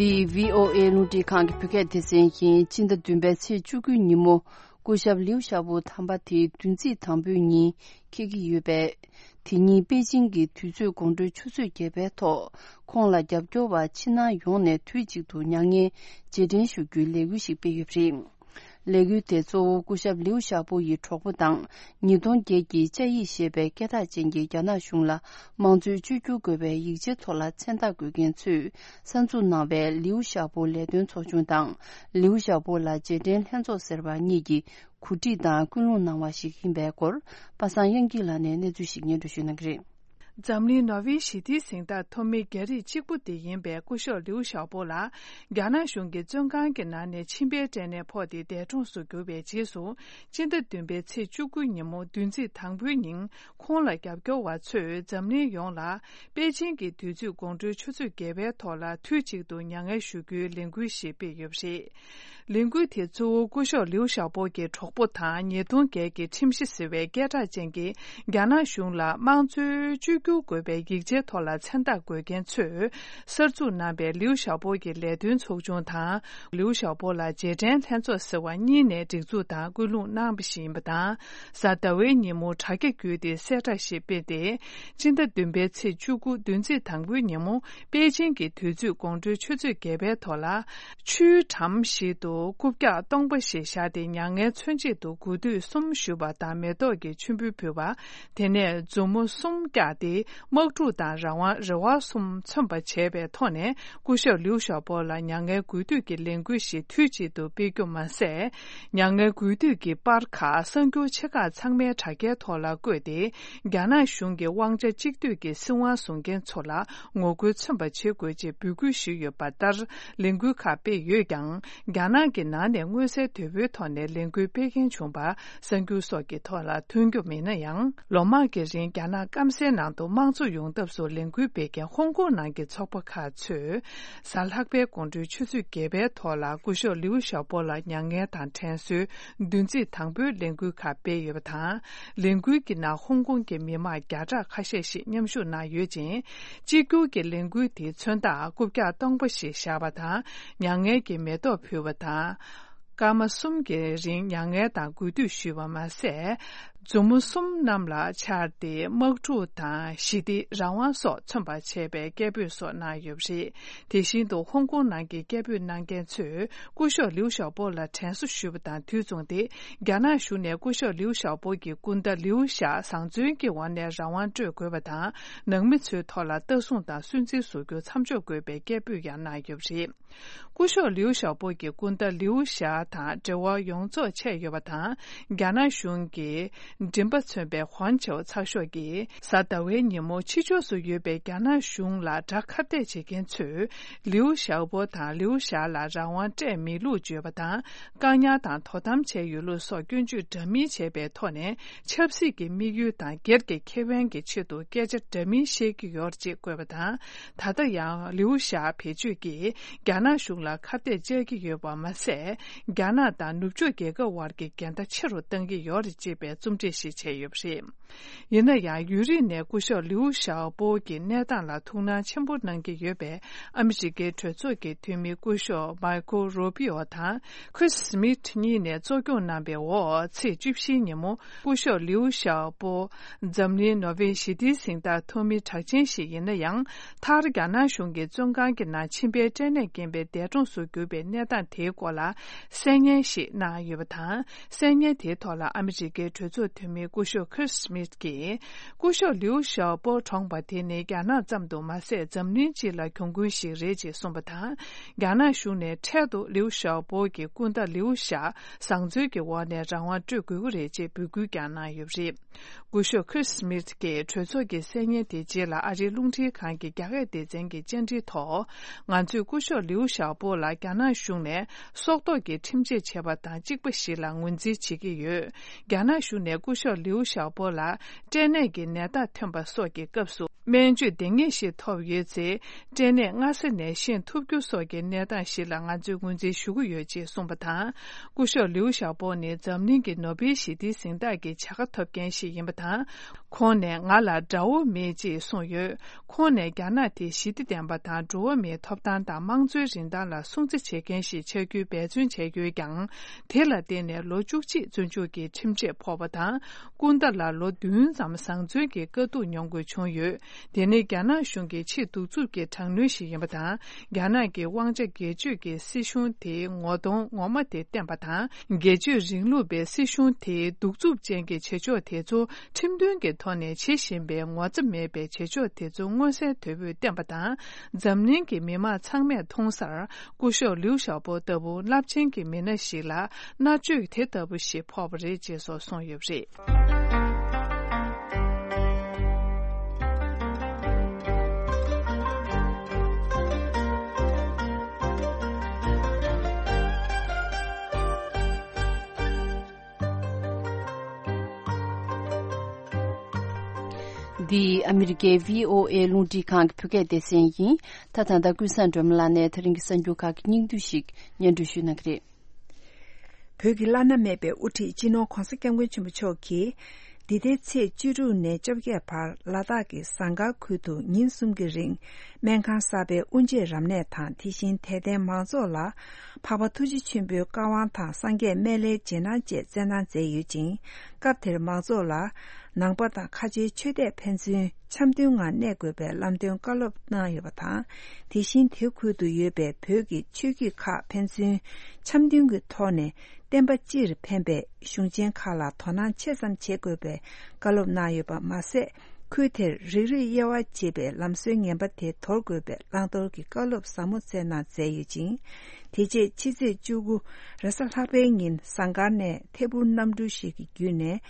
འདི་བྷི་ཨོ་ཨེ་རླུང་འཕྲིན་ཁང་གི་བོད་སྐད་སྡེ་ཚན་ཡིན། སྤྱི་ཟླ་བདུན་པའི་ཚེས་བཅུ་དགུའི་ཉིན་མོ། སྐུ་ཞབས་ལིའུ་ཞའོ་པོ་དམ་པ་དེ་བདུན་ཚིགས་དང་པོའི་ཉིན་འཁེལ་གྱི་ཡོད་པས། དེ་ཉིན་པེ་ཅིང་གི་དུས་ཚོད་དགོང་དྲོའི་ཆུ་ཚོད་བརྒྱད་པའི་ཐོག་ཁོང་ལ་རྒྱབ་སྐྱོར་བ་ཕྱི་ནང་ཡོངས་ནས་དུས་གཅིག་ཏུ་མྱ་ངན་རྗེས་དྲན་ཞུ་རྒྱུའི་ལས་འགུལ་ཞིག་སྤེལ་ཡོད་པ་རེད། ལས་འགུལ་དེ་གཙོ་བོ་སྐུ་ཞབས་ལིའུ་ཞའོ་པོ་ཡི་གྲོགས་པོ་དང་། ཉིས་སྟོང་བརྒྱད་ཀྱི་ཅ་ཡིག་ཞེས་པའི་སྐད་གྲགས་ཅན་གྱི་རྒྱ་ནག་གཞུང་ལ་དམངས་གཙོའི་བཅོས་བསྒྱུར་དགོས་པའི་ཡིག་ཆའི་ཐོག་ལ་མཚན་རྟགས་འགོད་མཁན་ཚོས་གསར་འཛུགས་གནང་བའི་ལིའུ་ཞའོ་པོ་ལས་དོན་ཚོགས་ཆུང་དང་། ལིའུ་ཞའོ་པོ་ལ་རྗེས་དྲན་ལྷན་ཚོགས་ཟེར་བ་གཉིས་ཀྱིས་གོ་སྒྲིག་དང་སྐུལ་སློང་གནང་བ་ཞིག་ཡིན་པའི་སྐོར། པ་སངས་དབྱངས་སྐྱིད་ལགས་ནས་གནས་ཚུལ་ཞིག་སྙན་སྒྲོན་ཞུ་གནང་གི་རེད། འཛམ་གླིང་ནོ་བྷེལ་ཞི་བདེའི་གཟེངས་རྟགས་ཐོབ་མི་རྒྱ་རིགས་གཅིག་པུ་དེ་ཡིན་པའི་སྐུ་ཞབས་ལིའུ་ཞའོ་པོ་ལ། རྒྱ་ནག་གཞུང་གིས་བཙོན་ཁང་གི་ནང་ནས་མཆིན་པའི་སྐྲན་ནད་ཕོག་སྟེ་འདས་གྲོངས་སུ་གྱུར་བའི་རྗེས་སུ། སྤྱི་ཟླ་བདུན་པའི་ཚེས་བཅུ་དགུ་ཉིན་མོ་བདུན་ཚིགས་དང་པོའི་ཉིན། ཁོང་ལ་རྒྱབ་སྐྱོར་བ་ཚོས་འཛམ་གླིང་ཡོངས་ལ། པེ་ཅིང་གི་དུས་ཚོད་དགོང་དྲོའི་ཆུ་ཚོད་བརྒྱད་པའི་ཐོག་ལ་དུས་གཅིག་ཏུ་མྱ་ངན་ཞུ་རྒྱུའི་ལས་འགུལ་ཞིག་སྤེལ་ཡོད་པ་རེད། ལས་འགུལ་དེ་གཙོ་བོ་སྐུ་ཞབས་ལིའུ་ཞའོ་པོ་གི་གྲོགས་པོ་དང་ཉིས་སྟོང་བརྒྱད་ཀྱི་ཁྲིམས་གཞི་ཟེར་བའི་སྐད་གྲགས་ཅན་གྱི་རྒྱ་ནག་གཞུང་ལ་དམངས་གཙོའི་བཅོས་བསྒྱུར་དགོས་པའི་ཡིག་ཆའི་ཐོག་ལ་མཚན་རྟགས་འགོད་མཁན་ཚོས་གསར་འཛུགས་གནང་པའི་ལིའུ་ཞའོ་པོ་གི་ལས་དོན་ཚོགས་ཆུང་དང་། ལིའུ་ཞའོ་པོ་ལ་རྗེས་དྲན་ལྷན་ཚོགས་ཟེར་བ་གཉིས་ནས་སྒྲིག་འཛུགས་དང་སྐུལ་སློང་གནང་བ་ཞིག་ཡིན་པ་དང་། གཟའ་ཟླ་བའི་ཉིན་མོ་དྲ་རྒྱ་བརྒྱུད་དེ་གསལ་བསྒྲགས་ཤིག་སྤེལ་ཏེ། སྤྱི་ཟླ་བདུན་པའི་ཚེས་བཅུ་དགུ་བདུན་ཚིགས་དང་པོའི་ཉིན་མོ། པེ་ཅིང་གི་དུས་ཚོད་དགོང་དྲོའི་ཆུ་ཚོད་བརྒྱད་པའི་ཐོག་ལ། ཆུའི་འགྲམ་ཞིག་ཏུ་རྐུབ་བཀྱག་སྟོང་པ་ཞིག་བཞག་སྟེ། མྱ་ངན་མཚོན་ཆེད་དུ་དགུ་ཐིག་གསུམ་གཞུས་པ་དང་། མེ་ཏོག་གི་མཆོད་འབུལ་ཕུལ་བ། དེ་ནས་མཛུབ་མོ་གསུམ་བཀྱགས་ཏེ། དམག་འཁྲུག་དང་རང་དབང་རེ་བ་གསུམ་མཚོན་པ་བྱས་པའི་ཐོག་ནས། སྐུ་ཞབས་ལིའུ་ཞའོ་པོ་ལ་མྱ་ངན་གུས་འདུད་ཀྱི་ལས་འགུལ་ཞིག་དུས་གཅིག་ཏུ་སྤེལ་རྒྱུ་མ་ཟད། མྱ་ངན་གུས་འདུད་ཀྱི་པར་ཁག་གསར་འགྱུར་ཆེ་ཁག་ཚང་མའི་དྲ་རྒྱའི་ཐོག་ལ་བཀོད་དེ། རྒྱ་ནག་གཞུང་གི་དབང་ཆ་གཅིག་སྡུད་ཀྱི་སྲིད་དབང་བཟུང་མཁན་ཚོ་ལ་ངོ་རྒོལ་མཚོན་པ་བྱེད་དགོས་ཅེས་འབོད་སྐུལ་ཞུས་ཡོད་པ་ལྟར། ལས་འགུལ་ཁག་སྤེལ་ཡོད་ཀྱང་། རྒྱ་ནག་གི་ནང་ནས་མངོན་གསལ་དོད་པོའི་ཐོག་ནས་ལས་འགུལ་སྤེལ་མཁན་བྱུང་བ་གསར་འགྱུར་སོགས་ཀྱི་ཐོག་ལ་ཐོན་རྒྱུ་མེད་ན་ཡང་། ལོ་མང་གི་རིང་རྒྱ་ནག་སྐམ་སའི་ནང་དུ་དམངས་གཙོ་ཡོང་ཐབས་སུ་ལས་འགུལ་སྤེལ་མཁན་ཧོང་ཀོང་ནང་གི་ཚོགས་པ་ཁག་ཚོས། གཟའ་ལྷག་པའི་དགོང་དྲོའི་ཆུ་ཚོད་བརྒྱད་པའི་ཐོག་ལ་སྐུ་ཞབས་ལིའུ་ཞའོ་པོ་ལ་མྱ་ངན་དང་དྲན་གསོའི་བདུན་ཚིགས་དང་པོའི་ལས་འགུལ་ཁག་སྤེལ་ཡོད་པ་དང་། ལས་འགུལ་གྱི་ནང་ཧོང་ཀོང་གི་མི་མང་བརྒྱ་ཕྲག་ཁ་ཤས་ཤིག་མཉམ་ཞུགས་གནང་ཡོད་ཅིང་། གཅིག་གྱུར་གྱི་ལས་འགུལ་དེའི་མཚོན་རྟགས་རྐུབ་བཀྱག་སྟོང་པ་ཞིག་བཞག་པ་དང་། མྱ་ངན་གྱི་མེ་ཏོག་ཕུལ་བ་དང་། སྐར་མ་གསུམ་གྱི་རིང་མྱ་ངན་དང་གུས་འདུད་ཞུས་པ་མ་ཟད། མཛུབ་མོ་གསུམ་གནམ་ལ་འཕྱར་ཏེ། དམག་འཁྲུག་དང་། ཞི་བདེ། རང་དབང་སོགས་མཚོན་པར་བྱས་པའི་སྐད་འབོད་སོགས་གནང་ཡོད་པ་རེད། དེ་བཞིན་དུ་ཧོང་ཀོང་ནང་གི་སྐད་འབོད་གནང་མཁན་ཚོས་སྐུ་ཞབས་ལིའུ་ཞའོ་པོ་ལ་དྲན་གསོ་ཞུས་པ་དང་དུས་མཚུངས་ཏེ། རྒྱ་ནག་གཞུང་ནས་སྐུ་ཞབས་ལིའུ་ཞའོ་པོ་གི་སྐུ་ཟླ་ལིའུ་ཞའོ་བཟང་བཙོན་གྱི་འོག་ནས་རང་དབང་སྤྲོད་དགོས་པ་དང་། ནང་མི་ཚོའི་ཐོག་ལ་ལྟ་སྲུང་དང་སུན་གཙེར་བཟོ་རྒྱུ་མཚམས་འཇོག་དགོས་པའི་སྐད་འབོད་ཡང་གནང་ཡོད་པ་རེད། སྐུ་ཞབས་ལིའུ་ཞའོ་པོ་གི་སྐུ་ཟླ་ལིའུ་ཞའོ་དང་འབྲེལ་བ་ཡོངས་རྫོགས་ཆད་ཡོད་པ་དང་། རྒྱ་ནག་གཞུང་གི་མགྲིན་པ་མཚོན་པའི་ཧོན་ཆའོ་ཚགས་ཤོག་གིས་གཟའ་ཟླ་བའི་ཉིན་མོ་ཕྱི་ཕྱོགས་སུ་ཡོད་པའི་རྒྱ་ནག་གཞུང་ལ་དགྲ་ཁ་གཏད་བྱེད་མཁན་ཚོས་ལིའུ་ཞའོ་པོ་དང་ལིའུ་ཞའོ་ལ་རང་དབང་སྤྲད་མེད་ལུགས་བརྗོད་པ་དང་། བཀག་ཉར་དང་དོ་དམ་བྱས་ཡོད་ལུགས་སོགས་སྐྱོན་བརྗོད་འདྲ་མིན་བྱས་པའི་ཐོག་ནས། ཆབ་སྲིད་ཀྱི་དམིགས་ཡུལ་དང་སྒེར་གྱི་ཁེ་ཕན་གྱི་ཆེད་དུ་སྐད་ཆ་འདྲ་མིན་བཤད་ཀྱི་ཡོད་ཅེས་བཀོད་པ་དང་། ད་ལྟ་ཡང་ལིའུ་ཞའོ་བེད་སྤྱོད་ཀྱིས་རྒྱ་ནག་གཞུང་ལ་ཁ་གཏད་བཅག་གི་ཡོད་པ་མ་ཟད། རྒྱ་ནག་དང་ནུབ་ཕྱོགས་རྒྱལ་ཁབ་དབར་གྱི་འགལ་ཟླ་ཆེ་རུ་གཏང་གི་ཡོད་རེད་ཅེས་པའི་རྩོམ་བྲིས། ཞིག་བྱས་ཡོད་པ་རེད། ཡིན་ན་ཡང་ཡུན་རིང་ནས་སྐུ་ཞབས་ལིའུ་ཞའོ་པོ་གི་གནས་སྟངས་ལ་ཐུགས་སྣང་ཆེན་པོ་གནང་གི་ཡོད་པས། ཨ་མི་རི་ཀའི་གྲོས་ཚོགས་ཀྱི་འཐུས་མི་སྐུ་ཞབས་མཱི་ཁོ་རུ་པི་ཨོ་དང་ཁྲིས་སྨིད་གཉིས་ནས་གཙོ་སྐྱོང་གནང་བའི་འོག་ཚེས་བཅུ་བཞིའི་ཉིན་མོ། སྐུ་ཞབས་ལིའུ་ཞའོ་པོ་འཛམ་གླིང་ནོ་བེལ་ཞི་བདེའི་གཟེངས་རྟགས་ཐོབ་མི་གྲགས་ཅན་ཞིག་ཡིན་ན་ཡང་། མཐར་རྒྱ་ནག་གཞུང་གི་བཙོན་ཁང་གི་ནང་མཆིན་པའི་སྐྲན་ནད་རྐྱེན་པས་འདས་གྲོངས་སུ་གྱུར་པའི་གནས་སྟངས་དེའི་སྐོར་ལ་གསན་སྙན་ཞིག་གནང་ཡོད་པ་དང་། གསན་སྙན་དེའི་ཐོག་ལ་ཨ་མི་རི་ཀའི་གྲོས་ཚོགས་འཐུས་མི་སྐུ་ཞབས་ཁྲིས་སྨིད་ཀྱིས། སྐུ་ཞབས་ལིའུ་ཞའོ་པོ་གྲོངས་པ་དེ་ནི་རྒྱ་ནག་ཙམ་དུ་མ་ཟད། འཛམ་གླིང་སྤྱི་ལ་གྱོང་གུན་ཞིག་རེད་ཅེས་གསུངས་པ་དང་། རྒྱ་ནག་གཞུང་ནས་འཕྲལ་དུ་ལིའུ་ཞའོ་པོ་གི་སྐུ་ཟླ་ལིའུ་ཞའོ་བཟང་བཙོན་གྱི་འོག་ནས་རང་དབང་སྤྲོད་དགོས་ཀྱི་རེད་ཅེས་འབོད་སྐུལ་ཀྱང་གནང་ཡོད་པ་རེད། སྐུ་ཞབས་ཁྲིས་སྨིད་ཀྱིས་གྲོས་ཚོགས་ཀྱི་གསན་སྙན་དེའི་རྗེས་ལ་ཨ་རིའི་རླུང་འཕྲིན་ཁང་གི་རྒྱ་སྐད་སྡེ་ཚན་གྱི་བཅར་འདྲིའི་ཐོག་ང་ཚོས་སྐུ་ཞབས་ལིའུ་ཞའོ་པོ་ལ་རྒྱ་ནག་གཞུང་ནས་སྲོག་ཐོག་གི་ཁྲིམས་ཆད་བྱས་པ་དང་གཅིག་པ་ཞིག་ལ་ངོས་འཛིན་བྱེད་ཀྱི་ཡོད། རྒྱ་ནག་གཞུང་ནས་སྐུ་ཞབས་ལིའུ་ཞའོ་པོ་ལ་སྐྲན་ནད་ཀྱི་ནད་རྟགས་ཐོན་པ་སོགས་ཀྱི་སྐབས་སུ། སྨན་བཅོས་འདང་ངེས་ཤིག་ཐོབ་ཡོད་ཚེ། སྐྲན་ནད་སྔ་ས་ནས་ཤེས་ཐུབ་རྒྱུ་སོགས་ཀྱི་གནས་སྟངས་ཤིག་ལ་ང་ཚོས་ངོས་འཛིན་ཞུ་གི་ཡོད་ཅེས་གསུངས་པ་དང་། སྐུ་ཞབས་ལིའུ་ཞའོ་པོ་ནི་འཛམ་གླིང་གི་ནོ་བེལ་ཞི་བདེའི་གཟེངས་རྟགས་ཀྱི་བྱ་དགའ་ཐོབ་མཁན་ཞིག་ཡིན་པ་དང་། ཁོང་ནས་ང་ལ་དགྲ་བོ་མེད་ཅེས་གསུངས་ཡོད། ཁོང་ནས་རྒྱ་ནག་དེ་ཞི་བདེ་ལྡན་པ་དང་། འགྲོ་བ་མིའི་ཐོབ་ཐང་དང་། དམངས་གཙོའི་རིན་ཐང་ལ་སྲུང་བརྩི་བྱེད་མཁན་ཞིག་ཆགས་རྒྱུའི་འབད་བརྩོན་བྱས་ཡོད་ཀྱང་། དེ་ལ་བརྟེན་ནས་ལོ་བཅུ་གཅིག་བཙོན་འཇུག་གི་ཁྲིམས་ཆད་ཕོག་པ་དང་། སྐུ་ཟླ་ལ་ལོ་བདུན་ཙམ་བཟང་བཙོན་གྱི་དཀའ་སྡུག་མྱོང་དགོས་བྱུང་ཡོད། དེ་ནི་རྒྱ་ནག་གཞུང་གི་ཆེས་གདུག་རྩུབ་ཀྱི་དྲག་གནོན་ཞིག་ཡིན་པ་དང་། རྒྱ་ནག་གི་དབང་ཆ་སྒེར་གཅོད་ཀྱི་སྲིད་གཞུང་དེའི་ངོ་གདོང་ངོ་མ་དེ་བསྟན་པ་དང་། སྒེར་གཅོད་རིང་ལུགས་པའི་སྲིད་གཞུང་དེའི་གདུག་རྩུབ་ཅན་གྱི་བྱེད་ཕྱོགས་དེ་ཚོ་ཁྲིམས་མཐུན་གྱི་ཐོག་ནས་བྱེད་བཞིན་པའི་ངོ་ཚ་མེད་པའི་བྱེད་ཕྱོགས་དེ་ཚོ་མངོན་གསལ་དོད་པོས་བསྟན་པ་དང་། འཛམ་གླིང་གི་མི་མང་ཚང་མས་མཐོང་སར། སྐུ་ཞབས་ལིའུ་ཞའོ་པོ་ལྟ་བུ་རླབས་ཆེན་གྱི་མི་སྣ་ཞིག་ལ་མནར་གཅོད་དེ་ལྟ་བུ་ཞིག་ཕོག་པ་རེད་ཅེས་སོགས་གསུངས་ཡོད་པ་རེད། འདི་ཨ་མི་རི་ཀའི་བྷི་ཨོ་ཨེ་རླུང་འཕྲིན་ཁང་གི་བོད་སྐད་སྡེ་ཚན་ཡིན། ད་ད་ལྟ་ཀུན་བཟང་སྒྲོལ་མ་ལགས་ནས་ད་རིང་གི་གསར་འགྱུར་ཁག་གི་སྙིང་བསྡུས་ཤིག་སྙན་སྒྲོན་ཞུ་གནང་གི་རེད། བོད་ཀྱི་བླ་ན་མེད་པའི་དབུ་ཁྲིད་སྤྱི་ནོར་༧གོང་ས་༧སྐྱབས་མགོན་ཆེན་པོ་མཆོག་གིས། འདི་ཟླའི་ཚེས་བཅུ་དྲུག་ནས་བཅོ་བརྒྱད་བར་ལ་དྭགས་ཀྱི་ཟངས་དཀར་ཁུལ་དུ་ཉིན་གསུམ་གྱི་རིང་སྨན་ཁང་གསར་པའི་དབུ་འབྱེད་རབ་གནས་དང་། དེ་བཞིན་དད་ལྡན་མང་ཚོགས་ལ་འཕགས་པ་ཐུགས་རྗེ་ཆེན་པོའི་བཀའ་དབང་དང་། སངས་རྒྱས་སྨན་བླའི་རྗེས་གནང་བཅས་སྩལ་གནང་མཛད་ཡོད་ཅིང་། སྐབས་དེར་མང་ཚོགས་ལ་ནང་པ་དང་ཁ་ཆེའི་ཆོས་དད་ཕན་ཚུན་འཆམ་མཐུན་ངང་གནས་དགོས་པའི་ལམ་སྟོན་བཀའ་སློབ་གནང་ཡོད་པ་དང་། དེ་བཞིན་དེ་ཁུལ་དུ་ཡོད་པའི་བོད་ཀྱི་ཆོས་བརྒྱུད་ཁག་ཕན་ཚུན་འཆམ་མཐུན་གྱི་ཐོག་ནས་བསྟན་པ་སྤྱིར་ཕན་པའི་གཞུང་ཆེན་ཁག་ལ་དོ་སྣང་ཆེ་ཙམ་བྱེད་དགོས་པའི་བཀའ་སློབ་གནང་ཡོད་པ་མ་ཟད། ཁུལ་དེར་རིགས་རུས་དབྱེ་བ་འབྱེད་པའི་ལམ་སྲོལ་ངན་པ་དེ་དོར་དགོས་པའི་བླང་དོར་གྱི་བཀའ་སློབ་ཟབ་མོ་སྩལ་གནང་མཛད་ཡོད་ཅིང་། དེ་རྗེས་ཕྱི་ཚེས་བཅུ་དགུ་རེས་གཟའ་ལྷག་པའི་ཉིན་ཟངས་དཀར་ནས་ཐད་འཕུར་གནམ་གྲུ་ཞིག་གི་བརྒྱུད་ནས་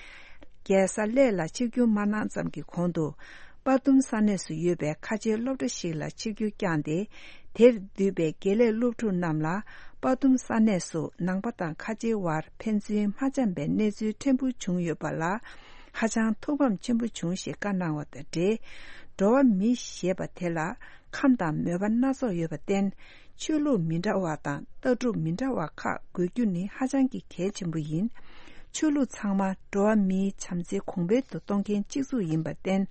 རྒྱལ་ས་གླེ་ལ་ཆིབས་བསྒྱུར་མ་གནང་ཙམ་གྱི་གོང་དུ། དཔའ་གཏུམ་ས་གནས་སུ་ཡོད་པའི་ཁ་ཆེའི་སློབ་གྲྭ་ཞིག་ལ་ཆིབས་བསྒྱུར་བསྐྱངས་ཏེ། དེར་འདུས་པའི་དགེ་ལས་སློབ་ཕྲུག་རྣམས་ལ་དཔའ་གཏུམ་ས་གནས་སུ་ནང་པ་དང་ཁ་ཆེའི་དབར་ཕན་ཚུན་མ་འཆམ་པའི་གནས་ཚུལ་ཕྲན་བུ་བྱུང་ཡོད་པ་ལ་ཧ་ཅང་ཐུགས་ཕམ་ཆེན་པོ་བྱུང་ཞེས་བཀའ་གནང་བ་དང་འབྲེལ། འགྲོ་བ་མི་ཞེས་པ་དེ་ལ་ཁམས་དང་མོས་པ་སྣ་ཚོགས་ཡོད་པར་བརྟེན། ཆོས་ལུགས་མི་འདྲ་བ་དང་ལྟ་གྲུབ་མི་འདྲ་བ་ཁག་དགོས་རྒྱུ་ནི་ཧ་ཅང་གི་གལ་ཆེན་པོ་ཡིན། ཆོས་ལུགས་ཚང་མ་འགྲོ་བ་མིའི་བྱམས་བརྩེ་གོང་འཕེལ་དུ་གཏོང་མཁན་གཅིག་མཚུངས་ཡིན་པར་བརྟེན།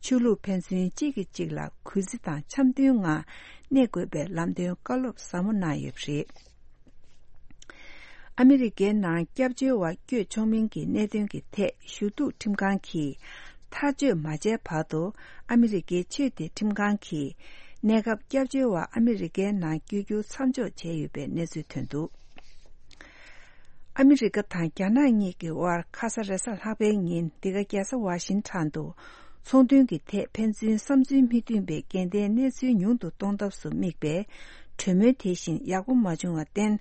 ཆོས་ལུགས་ཕན་ཚུན་གཅིག་གིས་གཅིག་ལ་གུས་བརྩི་དང་འཆམ་མཐུན་ངང་གནས་དགོས་པའི་ལམ་སྟོན་བཀའ་སློབ་ཟབ་མོ་གནང་ཡོད་པ་རེད། ཨ་མི་རི་ཀའི་ནང་སྐྱབས་བཅོལ་བ་བསྐྱོད་ཆོག་མིན་གྱི་གནད་དོན་གྱི་ཐད་ཞུ་གཏུག་ཁྲིམས་ཁང་གིས་ཐག་གཅོད་མ་བྱས་བར་དུ། ཨ་མི་རི་ཀའི་ཆོས་དད་ཁྲིམས་ཁང་གིས་གནས་སྐབས་སྐྱབས་བཅོལ་བ་ཨ་མི་རི་ཀའི་ནང་བསྐྱོད་རྒྱུ་མཚམས་འཇོག་བྱས་ཡོད་པའི་གནས་ཚུལ་ཐོན་འདུག་ཨ་མི་རི་ཀ་དང་རྒྱ་ནག་གཉིས་ཀྱི་དབར་ཁ་ས་རེས་གཟའ་ལྷག་པའི་ཉིན་འདི་ག་རྒྱལ་ས་ཝ་ཤིང་ཊོན་དུ། ཚོང་དོན་གྱི་ཐད་ཕན་ཚུན་བསམ་ཚུལ་མི་མཐུན་པའི་འགལ་ཟླའི་གནས་ཚུལ་ཉུང་དུ་གཏོང་ཐབས་སུ་དམིགས་པའི་གྲོས་མོལ་དེ་བཞིན་ཡག་པོ་མ་བྱུང་བར་བརྟེན།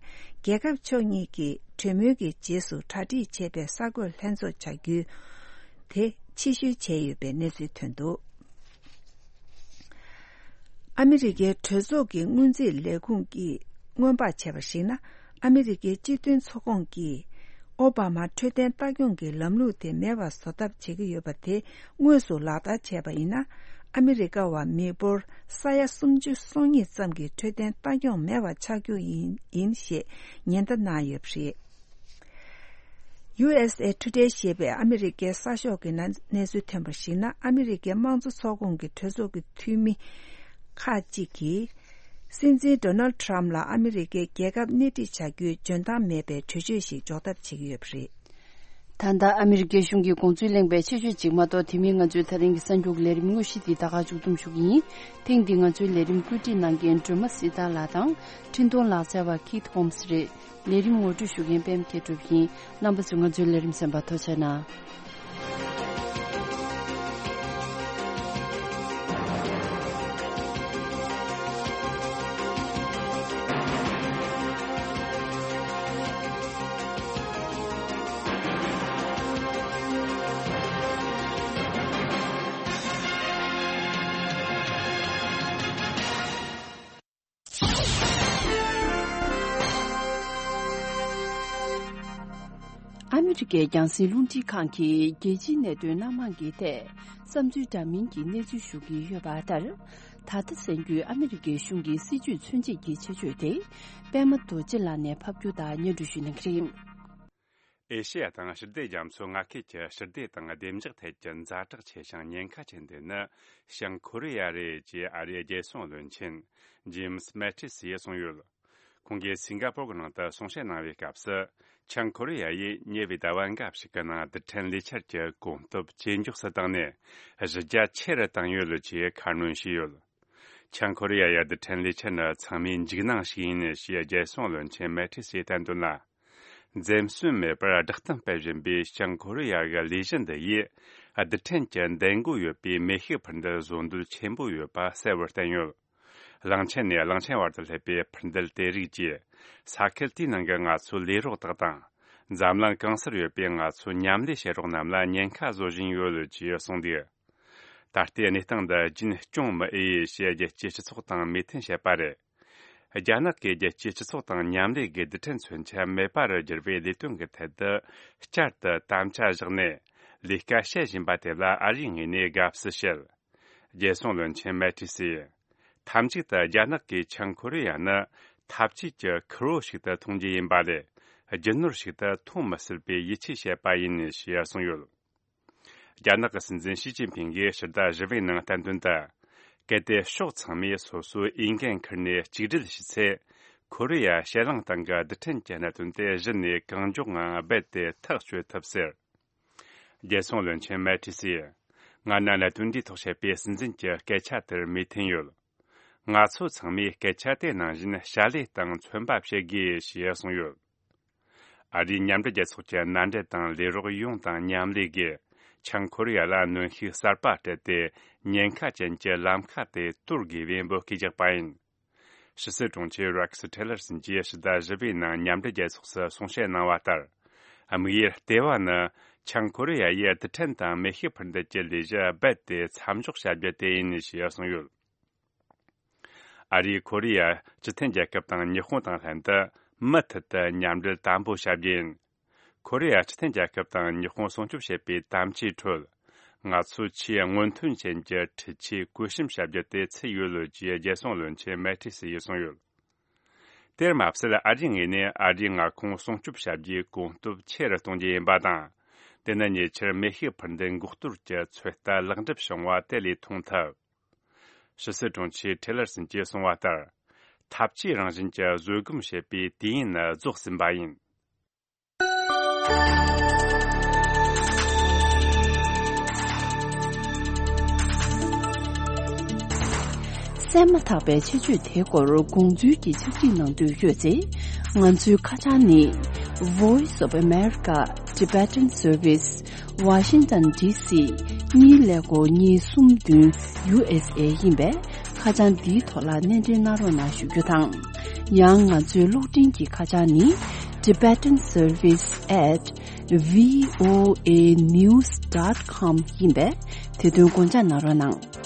རྒྱལ་ཁབ་ཕྱོགས་གཉིས་ཀྱིས་གྲོས་མོལ་གྱི་རྗེས་སུ་གྲ་སྒྲིག་བྱས་པའི་གསར་འགོད་ལྷན་ཚོགས་བྱ་རྒྱུ་དེ་ཕྱིར་བཤོལ་བྱས་ཡོད་པའི་གནས་ཚུལ་ཐོན་འདུག་ཨ་མི་རི་ཀའི་གྲོས་ཚོགས་ཀྱི་སྔོན་རྩིས་ལས་ཁུངས་ཀྱིས་སྔོན་དཔག་བྱས་པར་གཞིགས་ན། ཨ་མི་རི་ཀའི་སྤྱི་མཐུན་ཚོགས་ཁོངས་ཀྱིས་ཨོ་བྷ་མ་འཕྲོད་བསྟེན་ལྟ་སྐྱོང་གི་ལམ་ལུགས་དེ་མེད་པར་བཟོ་ཐབས་བྱེད་ཀྱི་ཡོད་པ་དེ་དངོས་སུ་ལག་བསྟར་བྱས་པ་ཡིན་ན། ཨ་མི་རི་ཀ་བ་མི་འབོར་ས་ཡ་སུམ་ཅུ་སོ་གཉིས་ཙམ་གྱི་འཕྲོད་བསྟེན་ལྟ་སྐྱོང་མེད་པ་ཆགས་རྒྱུ་ཡིན་ཡིན་ཞེས་ཉེན་བརྡ་གནང་ཡོད་པ་རེད། ཡུ་ཨེས་ཨེ་ཊུ་ཌེ་ཞེས་པའི་ཨ་མི་རི་ཀའི་གསར་ཤོག་གི་གནས་གནས་ཚུལ་ཐོན་པར་གཞིགས་ན། ཨ་མི་རི་ཀའི་དམངས་གཙོ་ཚོགས་ཁོངས་ཀྱི་གྲོས་ཚོགས་ཀྱི་འཐུས་མི་ཁག་ཅིག་གིས་སྲིད་འཛིན་ཌོ་ནལ་ཌི་ཊརམ་ཕ་ལ་ཨ་མི་རི་ཀའི་རྒྱལ་ཁབ་སྣེ་ཁྲིད་བྱ་རྒྱུའི་འཇོན་ཐང་མེད་པའི་གྲོས་ཆོད་ཞིག་འཇོག་ཐབས་བྱེད་ཀྱི་ཡོད་པ་རེད། ད་ལྟ་ཨ་མི་རི་ཀའི་གཞུང་གི་དགོངས་ཚུལ་གླེང་བའི་ཆེད་བརྗོད་ཅིག་མ་གཏོགས། དེ་མིན་ང་ཚོའི་ད་ཐེངས་ཀྱི་གསར་འགྱུར་གྱི་ལས་རིམ་དངོས་གཞི་འདི་ད་ག་མཇུག་བསྡོམས་ཞུ་གི་ཡིན། ཐེངས་འདིའི་ང་ཚོའི་ལས་རིམ་བཀོད་སྒྲིག་གནང་མཁན་སྒྲོལ་མ་སྲིད་ཐར་ལགས་དང་། འཕྲིན་གཏོང་ལག་རྩལ་བ་ཁིད་ཧོམ་སི་རེད། ལས་རིམ་ངོ་སྤྲོད་ཞུ་མཁན་པད་མ་མཁས་གྲུབ་ཡིན། རྣམ་པ་ཚོས་ང་ཚོའི་ལས་རིམ་གསན་པར་ཐུགས་རྗེ་གནང་། ཨ་མི་རི་ཀའི་རྒྱང་སྲིང་རླུང་འཕྲིན་ཁང་གིས་རྒྱལ་སྤྱིའི་གནད་དོན་སྣ་མང་གི་ཐད་བསམ་ཚུལ་འདྲ་མིན་གྱི་གནས་ཚུལ་ཞུ་གི་ཡོད་པ་ལྟར། ད་ལྟ་གསན་རྒྱུའི་ཨ་མི་རི་ཀའི་གཞུང་གི་སྲིད་ཇུས་མཚོན་བྱེད་ཀྱི་ཆེད་བརྗོད་དེ། པད་མ་རྡོ་རྗེ་ལགས་ནས་ཕབ་སྒྱུར་དང་སྙན་སྒྲོན་ཞུ་གནང་གི་རེད། ཨེ་ཤེ་ཡ་དང་ཞི་བདེ་རྒྱ་མཚོའི་མངའ་ཁུལ་གྱི་ཞི་བདེ་དང་བདེ་འཇགས་ཐད་ཀྱི་ཛ་དྲག་ཆེ་ཞིང་ཉེན་ཁ་ཆེན་དེ་ནི་བྱང་ཁོ་རེ་ཡ་རེད་ཅེས་ཨ་རིའི་རྒྱལ་སྲུང་བློན་ཆེན་ཇེམ་སི་མེ་ཏི་སི་ཡིས་གསུངས་ཡོད། ཁོང་གིས་སིང་ག་པོར་གྱི་ནང་དུ་གསུང་བཤད་གནང་བའི་སྐབས་སུ། བྱང་ཁོ་རེ་ཡ་ཡིས་ཉེ་བའི་ཟླ་བ་འགའ་ཞིག་གི་ནང་རྡུལ་ཕྲན་ལས་འཆར་གྱི་གོམ་སྟབས་ཇེ་མགྱོགས་སུ་བཏང་ནས་གཞི་རྒྱ་ཆེ་རུ་བཏང་ཡོད་ཅེས་ཁ་སྣོན་བྱས་ཡོད། བྱང་ཁོ་རེ་ཡ་ཡི་རྡུལ་ཕྲན་ལས་འཆར་ནི་ཚང་མའི་འཇིགས་སྣང་ཞིག་ཡིན་ཞེས་རྒྱལ་སྲུང་བློན་ཆེན་མེ་ཏི་སི་ཡིས་བསྟན་དོན་ལ། འཛེམ་ཟོན་མེད་པར་བསྒྲགས་གཏམ་སྤེལ་བཞིན་པའི་བྱང་ཁོ་རེ་ཡ་གི་ལས་གཞི་འདི་ཡིས་རྡུལ་ཕྲན་གྱི་འདེད་འགོ་ཡོད་པའི་མེ་ཤུགས་འཕུར་མདེལ་བཟོ་འདོད་ཆེན་པོ་ཡོད་པ་གསལ་བོར་བསྟན་ཡོད། གླིང་ཆེན་ནས་གླིང་ཆེན་བར་དུ་སླེབས་པའི་འཕུར་མདེལ་དེ་རིགས་ཀྱིས་ས་ཁུལ་དེའི་ནང་གི་ང་ཚོའི་ལས་རོགས་དག་དང་། འཛམ་གླིང་གང་སར་ཡོད་པའི་ང་ཚོའི་མཉམ་ལས་བྱེད་རོགས་རྣམས་ལ་ཉེན་ཁ་བཟོ་བཞིན་ཡོད་ཅེས་གསུངས་འདུག། ད་ལྟའི་གནས་སྟངས་འདི་རྒྱུན་སྐྱོང་མི་འོས་ཞེས་རྒྱལ་སྤྱིའི་སྤྱི་ཚོགས་དང་མོས་མཐུན་བྱས་པ་རེད། རྒྱ་ནག་གིས་རྒྱལ་སྤྱིའི་སྤྱི་ཚོགས་དང་མཉམ་ལས་ཀྱི་རྡུལ་ཕྲན་མཚོན་ཆ་མེད་པ་རུ་བསྒྱུར་བའི་ལས་དོན་གྱི་ཐད་དུ་བསྐྱར་དུ་དམ་བཅའ་བཞག་ནས་ལས་ཀ་བྱེད་བཞིན་པ་དེ་ལ་ཨ་རིའི་ངོས་ནས་དགའ་བསུ་བྱེད། རྒྱལ་སྲུང་བློན་ཆེན་མེ་ཏི་སི་ཡིས། མཐའ་མཇུག་ཏུ་རྒྱ་ནག་གིས་བྱང་ཁོ་རེ་ཡ་ནི་འཐབ་ཇུས་ཀྱི་ཁུར་བོ་ཞིག་ཏུ་མཐོང་རྒྱུ་ཡིན་པ་ལས། རྒྱུ་ནོར་ཞིག་ཏུ་མཐོང་མི་སྲིད་པའི་ཡིད་ཆེས་བྱས་པ་ཡིན་ཞེས་གསུངས་ཡོད། རྒྱ་ནག་གི་སྲིད་འཛིན་ཞི་ཅིན་ཕིང་གིས་ཕྱི་ཟླ་བཞི་པའི་ནང་བསྟན་དོན་དུ། གལ་ཏེ་ཕྱོགས་ཚང་མས་སོ་སོའི་འོས་འགན་ཁུར་ནས་གཅིག་སྒྲིལ་བྱས་ཚེ། ཁོ་རེ་ཡ་ཕྱེད་གླིང་སྟེང་གི་རྡུལ་ཕྲན་གྱི་གནད་དོན་དེ་གཞི་ནས་གང་མགྱོགས་ངང་རྦད་དེ་ཐག་གཅོད་ཐུབ་ཟེར། རྒྱལ་སྲུང་བློན་ཆེན་མེ་ཏི་སིས། ང་ནི་གནད་དོན་འདིའི་ཐོག་བཤད་པའི་སྲིད་འཛིན་གྱི་སྐད་ཆ་དེར་མོས་མཐུན་ཡོད། ང་ཚོ་ཚང་མས་སྐད་ཆ་དེ་ནང་བཞིན་བྱ་ལས་དང་མཚོན་པ་བྱེད་དགོས་ཞེས་གསུངས་ཡོད། ཨ་རིའི་མཉམ་འབྲེལ་རྒྱལ་ཚོགས་ཀྱི་མནའ་འབྲེལ་དང་ལས་རོགས་ཡོངས་དང་མཉམ་ལས་ཀྱིས་བྱང་ཁོ་རེ་ཡ་ལ་གནོན་ཤུགས་གསར་པ་སྤྲད་དེ་ཉེན་ཁ་ཅན་གྱི་ལམ་ཁ་དེ་གཏོར་དགོས་པའི་འབོད་སྐུལ་རྒྱག་པ་ཡིན། ཕྱི་སྲིད་དྲུང་ཆེ་རེག་སི་ཐེ་ལར་སོན་གྱིས་ཕྱི་ཟླ་བཞི་པའི་ནང་མཉམ་འབྲེལ་རྒྱལ་ཚོགས་སུ་གསུང་བཤད་གནང་བ་ལྟར། དམིགས་ཡུལ་ལྟེ་བ་ནི་བྱང་ཁོ་རེ་ཡ་ཡིས་རྡུལ་ཕྲན་དང་མེ་ཤུགས་འཕུར་མདེལ་གྱི་ལས་གཞི་རྦད་དེ་མཚམས་འཇོག་བྱ་རྒྱུ་དེ་ཡིན་ཞེས་གསུངས་ཡོད། ཨ་རིས་ཁོ་རེ་ཡ་སྤྱི་མཐུན་རྒྱལ་ཁབ་དང་ཉི་ཧོང་དང་ལྷན་དུ་མུ་མཐུད་དུ་མཉམ་འབྲེལ་དམ་པོ་བྱ་རྒྱུ་ཡིན། ཁོ་རེ་ཡ་སྤྱི་མཐུན་རྒྱལ་ཁབ་དང་ཉི་ཧོང་སྲུང་སྐྱོབ་བྱེད་པའི་དམ་བཅའི་ཁྲོད། ང་ཚོས་ཆེས་སྔོན་ཐོན་ཅན་གྱི་འཕྲུལ་ཆས་བཀོད་གཤོམ་བྱ་རྒྱུ་དེ་ཚུད་ཡོད་ལོ་ཅེས་རྒྱལ་སྲུང་བློན་ཆེན་མེ་ཏི་སི་ཡིས་གསུངས་ཡོད། དེར་མ་ཟད་ཨ་རིའི་ངོས་ནས་ཨ་རིའི་མངའ་ཁོངས་སྲུང་སྐྱོབ་བྱ་རྒྱུའི་གོམ་སྟབས་ཆེ་རུ་གཏོང་རྒྱུ་ཡིན་པ་དང་། དེ་ནི་ཉེ་ཆར་མེ་ཤུགས་འཕུར་མདེལ་འགོག་གཏོར་གྱི་ཚོད་ལྟ་ལེགས་འགྲུབ་བྱུང་བ་དེ་ལས་མཐོང་ཐུབ། ཕྱི་སྲིད་དྲུང་ཆེ་ཐེ་ལར་སོན་གྱིས་གསུངས་པ་ལྟར། འཐབ་ཇུས་རང་བཞིན་གྱི་བཟོད་སྒོམ་བྱེད་པའི་དུས་ཡུན་ནི་རྫོགས་ཟིན་པ་ཡིན། གསན་མ་ཐག་པའི་ཆེད་བརྗོད་དེའི་སྐོར་དགོངས་ཚུལ་གྱི་ཕྱག་བྲིས་གནང་འདོད་ཡོད་ཚེ། ང་ཚོའི་ཁ་བྱང་ནི། Voice of America Tibetan Service Washington D C གཉིས་ཀླད་ཀོར་གཉིས་གསུམ་བདུན་U S A ཡིན་པས། ཁ་བྱང་འདིའི་ཐོག་ལ་སྣེ་འདྲེན་གནང་རོགས་གནང་ཞུ་རྒྱུ་དང་། ཡང་ང་ཚོའི་གློག་འཕྲིན་གྱི་ཁ་བྱང་ནི། Tibetan Service at V O A news dot com ཡིན་པས། དེ་དོན་དགོངས་འཇགས་གནང་རོགས་གནང་།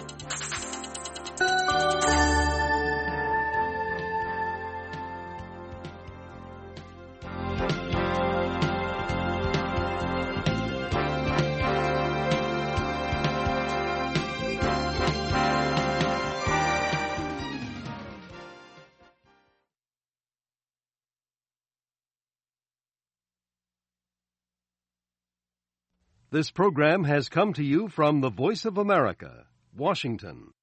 This program has come to you from the Voice of America, Washington.